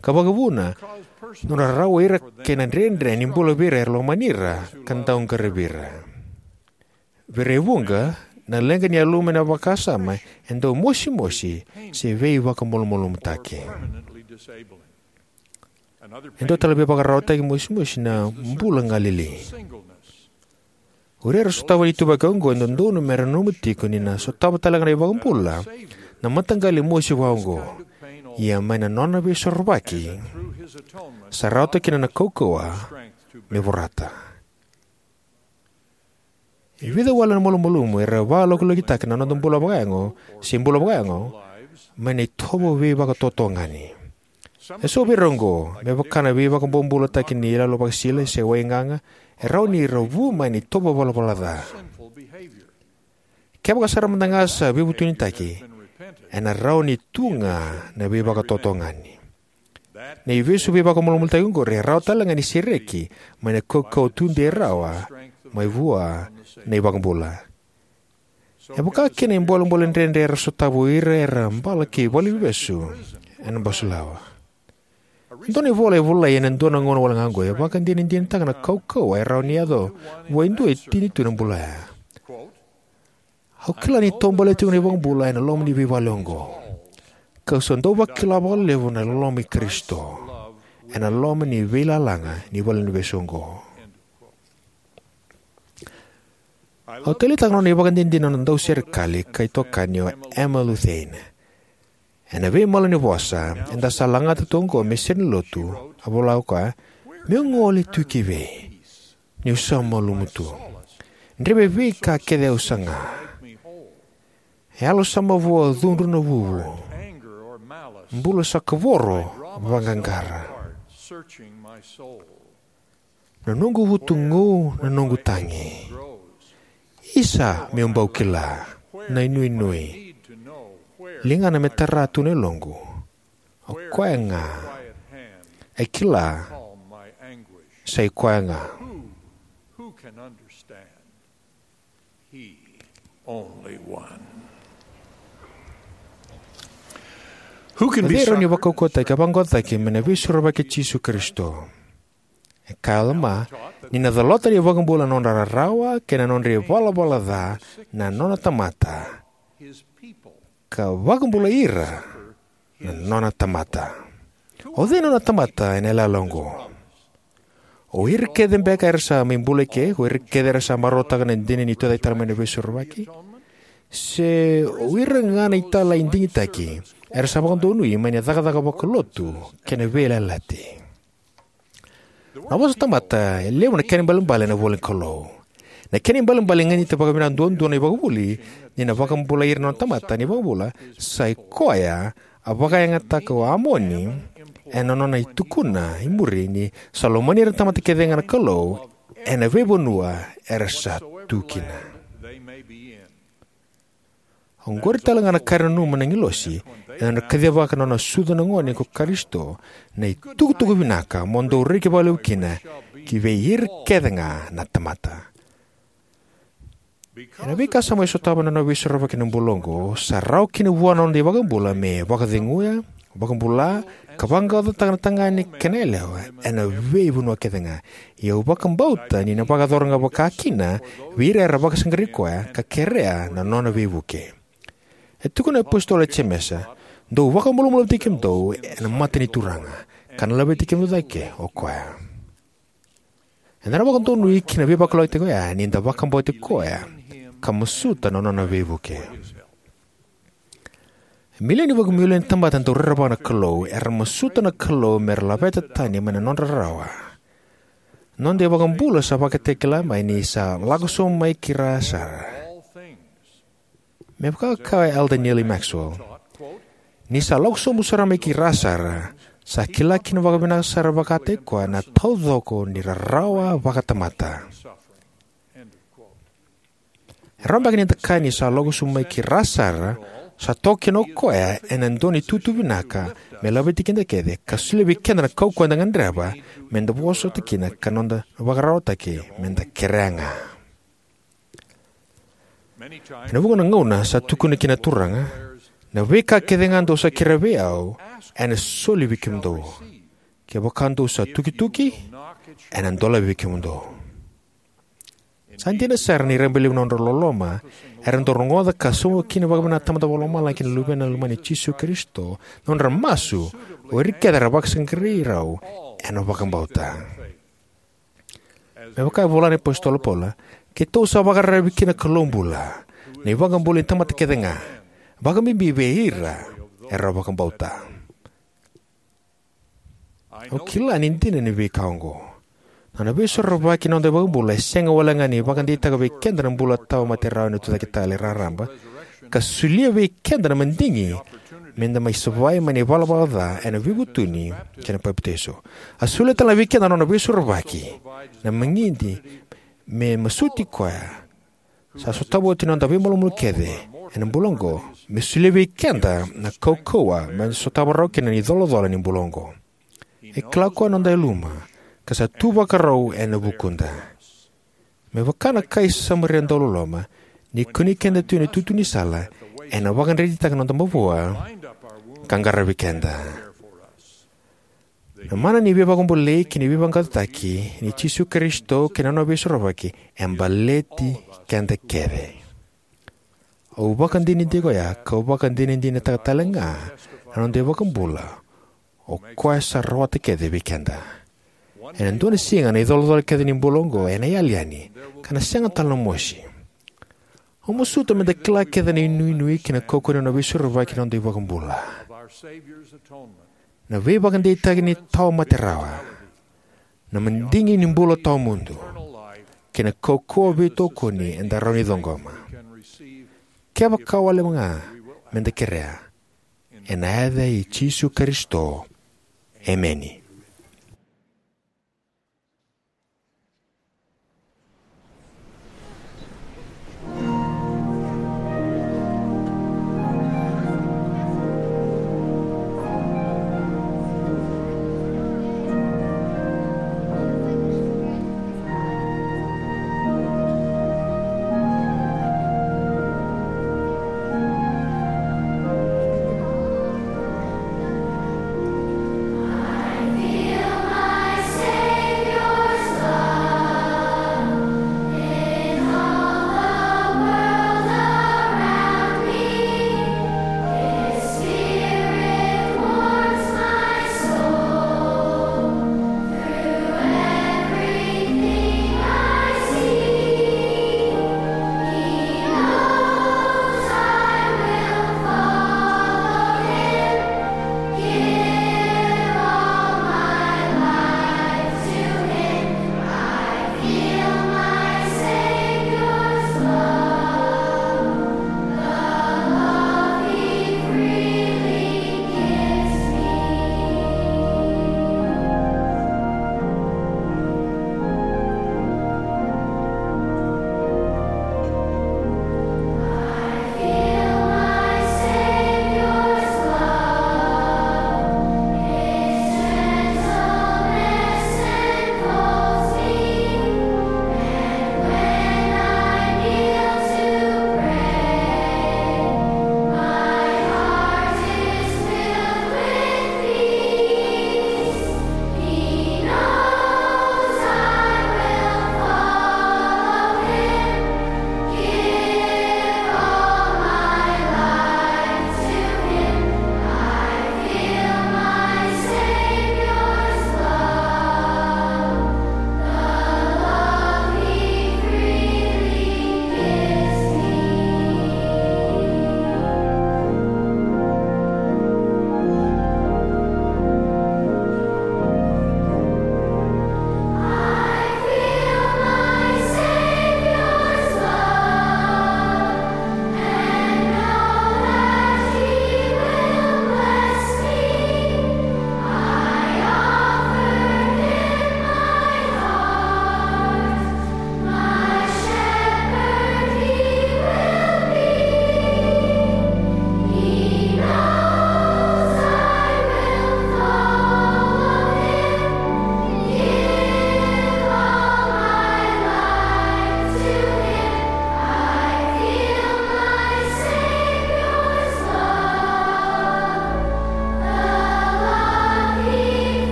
ka vakavuna na nodra rawai ira kei na dredre ni bula vei ira era lomani ira ka dau qaravi ira. Vei ira e vuqa, na leqa ni yaluma ena vakasama e dau mosimosi se veivakamalumalumutaki. E dua tale na veivakararawataki mosimosi na bula galili. O ira era sotava na ituvaki oqo e dodonu mera nanuma tiko ni na sotava talega na iVakabula na mataqali mosi vakaoqo. Ia mai na nona veisorovaki sa rawata kina na kaukauwa me vorata. E vica wale na malumalumu era vakalokilokitakitaka na noda bula vakayago se bula vakayago mai na itovo veivakatotogani. Eso vei ira oqo, me vaka na veivakabobulataki ni iyaloyalo vakasisila se waigaga, e rawa ni ra vu mai na itovo valavala ca. Kevaka sara mada ga sa veivutunitaki, ena rawa ni tu ga na veivakatotogani. Na ivesu veivakamalumalumutaki oqori e rawa talega ni sereki mai na kaukauwa tudei rawa mai vua na iVakabula. E vaka kina na bolebole dredre era sotava o ira era bala ki valeniveivesu ena basulawa. E dua na ivola e volai ena dua na gauna wale ga oqo e vakadinadinataka na kaukauwa e rawa ni yaco vua e dua e tini tu ena bula oya. Au kila ni taubale tiko na iVakabula ena loma ni veivale oqo, kau sa dau vakila vakalevu na loloma i Karisito ena loma ni veilalaga ni valeniveivesu oqo. Au taleitaka na nona ivakadinadina na nona dauserekali ka itokani o Emma Lou Thayne. Ena veimalanivosa eda sa lagata tu oqo me serenilotu, a vola o koya, "Meu gole tu ki vei? Niu sa malumu tu. Dreve veika kece au saga. E yalo sa mavoa cudru na vuvu. Bula sa kavoro vaqaqara. Na noqu vutugu, na noqu tagi. Isa meu bau kila na inuinui. Ligana me tara tu na yaloqu. O koya ga e kila, sa i koya ga." Cei e rawa ni vakaukauwataki ka vaqaqacotaki mai na Veisorovaki i Jisu Karisito? E kaya o Alama ni na calata na iVakabula na nodra rarawa kei na nodra ivalavala ca na nona tamata, ka vakabulai ira na nona tamata. O cei na nona tamata ena yalayala oqo? O ira kece beka era sa mai bula eke, o ira kece era sa marautaka na dina ni tucake tale mai na Veisorovaki? Se o ira ga na italai digitaki era sa vakadonui mai na cakacaka vakalotu kei na veiyalayalati? Na vosa tamata e levu na kena ibalebale ena ivola ni Kalou. Na kena ibalebale e ganita vakavinaka duadua na ivakavuvuli ni na vakabulai ira na nona tamata na iVakabula, sa i koya a vakayagataka o Amoni ena nona itukuna i muri ni sa lomani ira na tamata kece ga na Kalou ena veivanua era sa tu kina. Oqori tale ga na ka era nanuma na agilosi ena nodra kacivaka na nona sucu na gone ko Karisito, na itukutuku vinaka mo dou reki vakalevu kina ki vei ira kece ga na tamata. Ena veika sa mai sotava na nona Veisorovaki ena bula oqo, sa rawa kina vua na noda iVakabula me vakaceguya, vakabula, ka vaqaqacotaka na tagane kei na yalewa ena veivanua kece ga. Ia au vakabauta ni na vakayacora ga vakakina vei ira era vakasaqarai koya ka kerea na nona veivuke. E tukuna na iApositolo o Jemesa, "Dou vakamalumalumutaki kemudou ena mata ni Turaga, ka na laveti kemudou cake o koya." Eda na vakadonui ki na veivakalougatataki oya ni da vakabauti koya ka masuta na nona veivuke. Milioni vakamilioni na tamata dau rerevaka na Kalou era masuta na Kalou mera laveta tani mai na nodra rarawa. Noda iVakabula sa vakatakila mai ni sa lako sobu mai ki ra sara. Me vaka e kaya o Elder Neal A. Maxwell, ni sa lako sobu sara mai ki ra sara, sa kila kina vakavinaka sara vakataki koya na taucoko ni rarawa vakatamata. E rawa beka ni da kaya ni sa lako sobu mai ki ra sara, sa toka kina o koya ena dua na itutu vinaka me laveti keda kece, ka solia vei keda na kaukauwa eda gadreva me da vosota kina ka noda vakararawataki me da kerea ga. Ena vuqa na gauna sa tukuna kina na Turaga, na veika kece ga dou sa kerea vei au, ena soli vei kemudou. Kevaka dou sa tukituki, ena dolavi vei kemudou. Sa dina sara ni rabailevu na nodra loloma era dau rogoca ka sauma kina vakavinaka na Tamada Vakalomalagi kei na Luvena lomani, Jisu Karisito, na nodra masu, o ira kece era vakasaqarai rau ena vakabauta. Me vaka e vola na iApositolo o Paula, keitou sa vakararavi ki na Kalou bula, na iVakabula ni tamata kece ga, vakabibi vei ira era vakabauta. Au kila ni dina na veika oqo. Na nona Veisorovaki na noda iVakabula e sega walega ni vakadeitaka vei keda na bula tawamate rawa ena Tucaketale raraba, ka solia vei keda na madigi me da mai savai mai na ivalavala ca ena veivutuni kei na papitaiso. A solia tale ga vei keda na nona Veisorovaki na magidi me masuti koya sa sotava oti na noda veimalumalumu kece ena bula oqo, me solia vei keda na kaukauwa me da sotava rawa kina na icolacola ni bula oqo. E kila o koya na noda yaluma, ka sa tu vakarau ena vukuda. Me vaka na kai Samaria dauloloma, ni kunei keda tu ena itutu ni sala, ena vakadretitaka na noda mavoa ka qaravi keda. Na mana ni veivakabulai kei na veivaqaqacotaki nei Jisu Karisito kei na nona Veisorovaki e baleti keda kece. Au vakadinadinataka oya, kau vakadinadinataka tale ga na noda iVakabula, o koya sa rawata kece vei keda. Ena dua na siga na icolacola kece ni bula oqo ena yali yani, ka na sega tale na mosi. Au masuta me da kila kece na inuinui kei na kaukauwa ni nona Veisorovaki na noda iVakabula, na veivakadeitaki ni tawamate rawa, na madigi ni bula tawamudu, kei na kaukauwa veitokoni eda rawa ni ciqoma, kevaka wale ga me da kerea. Ena yaca i Jisu Karisito, emeni.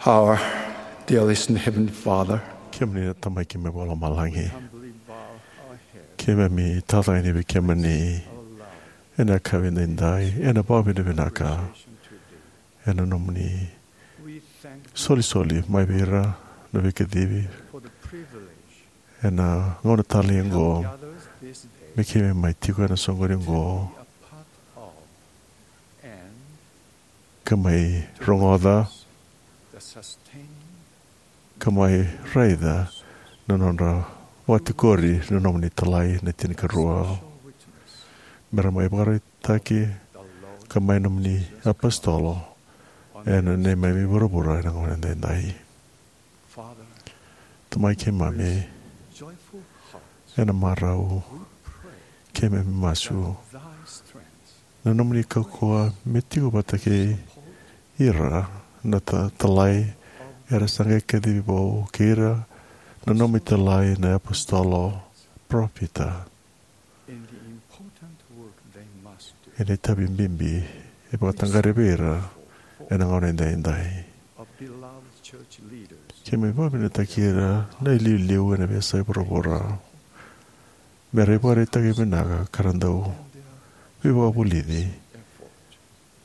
Our dearest and Heavenly Father, kemuni na Tamai keimami vakalomalagi, humbly bow our heads, keimami tacaqani vei kemuni ena yakavi edaidai, ena vakavinavinaka ena nomuni solisoli mai vei ira na veikacivi, ena gauna talei oqo, me keimami mai tiko ena soqoni oqo, ka mai rogoca, ka mai raica na nodra vakatikori na nomuni talai na tinikarua. Me ra mai vakaraitaki ka mai nomuni apositolo ena neimami vuravura ena gauna edaidai. Tamai keimami, ena marau keimami masu na nomuni kaukauwa me tiko vata kei ira na ta- talai era sa qai kacivi vou, kei ira na nomuni talai na apositolo, parofita, ena itavi bibi e vakataqari vei ira ena gauna edaidai. Keimami vakavinavinakataki ira na iliuliu ena veiyasai vuravura me ra ivakaraitaki vinaka ka ra dau veivakavulici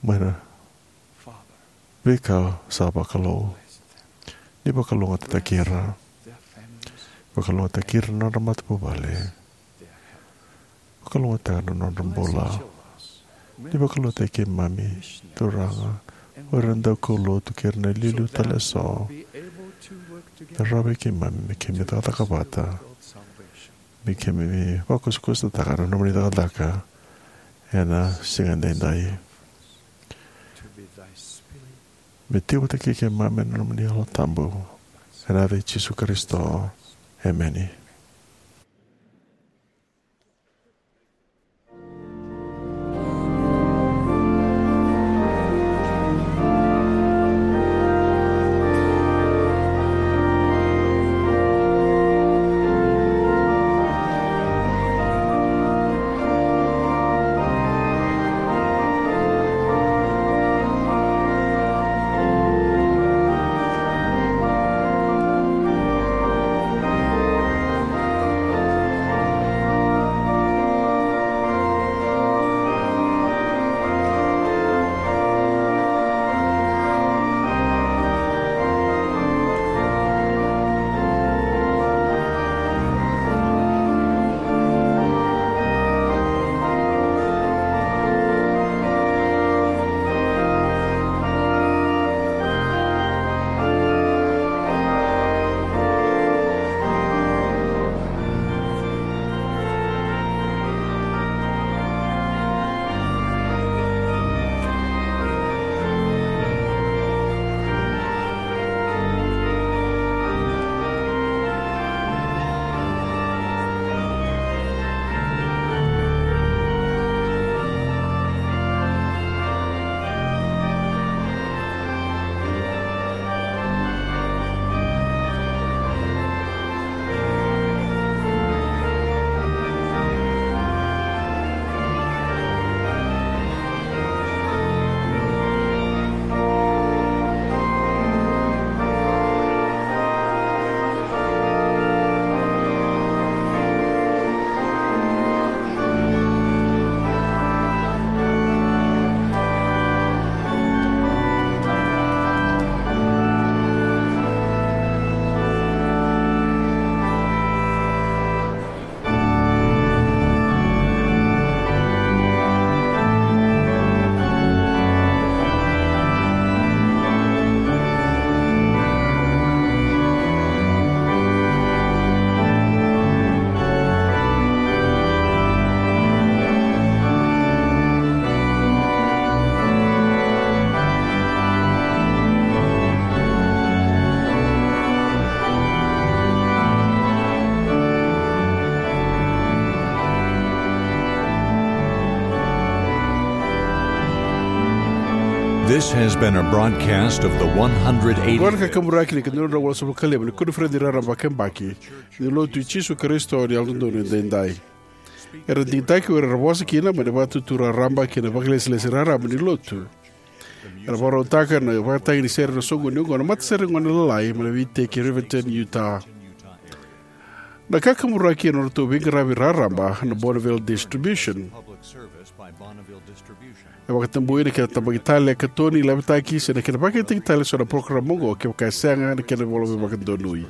mai na veika sa vakalou. Ni vakalougatataki ira, vakalougatataki ira na nodra matavuvale, vakalougatataka na nodra bula. Ni vakalougatataki keimami, Turaga, o ira na daukaulotu kei ira na iliuliu tale eso, me rawa vei keimami me keimami cakacaka vata, me keimami vakusakusataka na nomuni cakacaka ena siga edaidai. Me tiko vata kei keimami na nomuni Yalo Tabu, ena yaca i Jisu Karisito. Emeni. This has been a broadcast of the one hundred eighty. Oqo na kakaburaki ni ikaduadua na walusagavulu ka lima ni koniferedi raraba vakayabaki ni Lotu i Jisu Karisito ni Yalododonu Edaidai. Era digitaki o ira era vosa kina mai na Vakaitutu Raraba kei na Vakailesilesi Raraba ni Lotu. Era vakarautaka na vakatagi ni sere ena soqoni oqo na matasere ni gone lalai mai na veiteki e Riverton, Utah. Na kakaburaki ena nodratou veiqaravi raraba na Bonneville Distribution. E vakatabui na kena tabaki tale e katoni, lavitaki se na kena vakayagataki tale eso na parokaramu oqo kevaka e sega na kena ivola veivakadonui.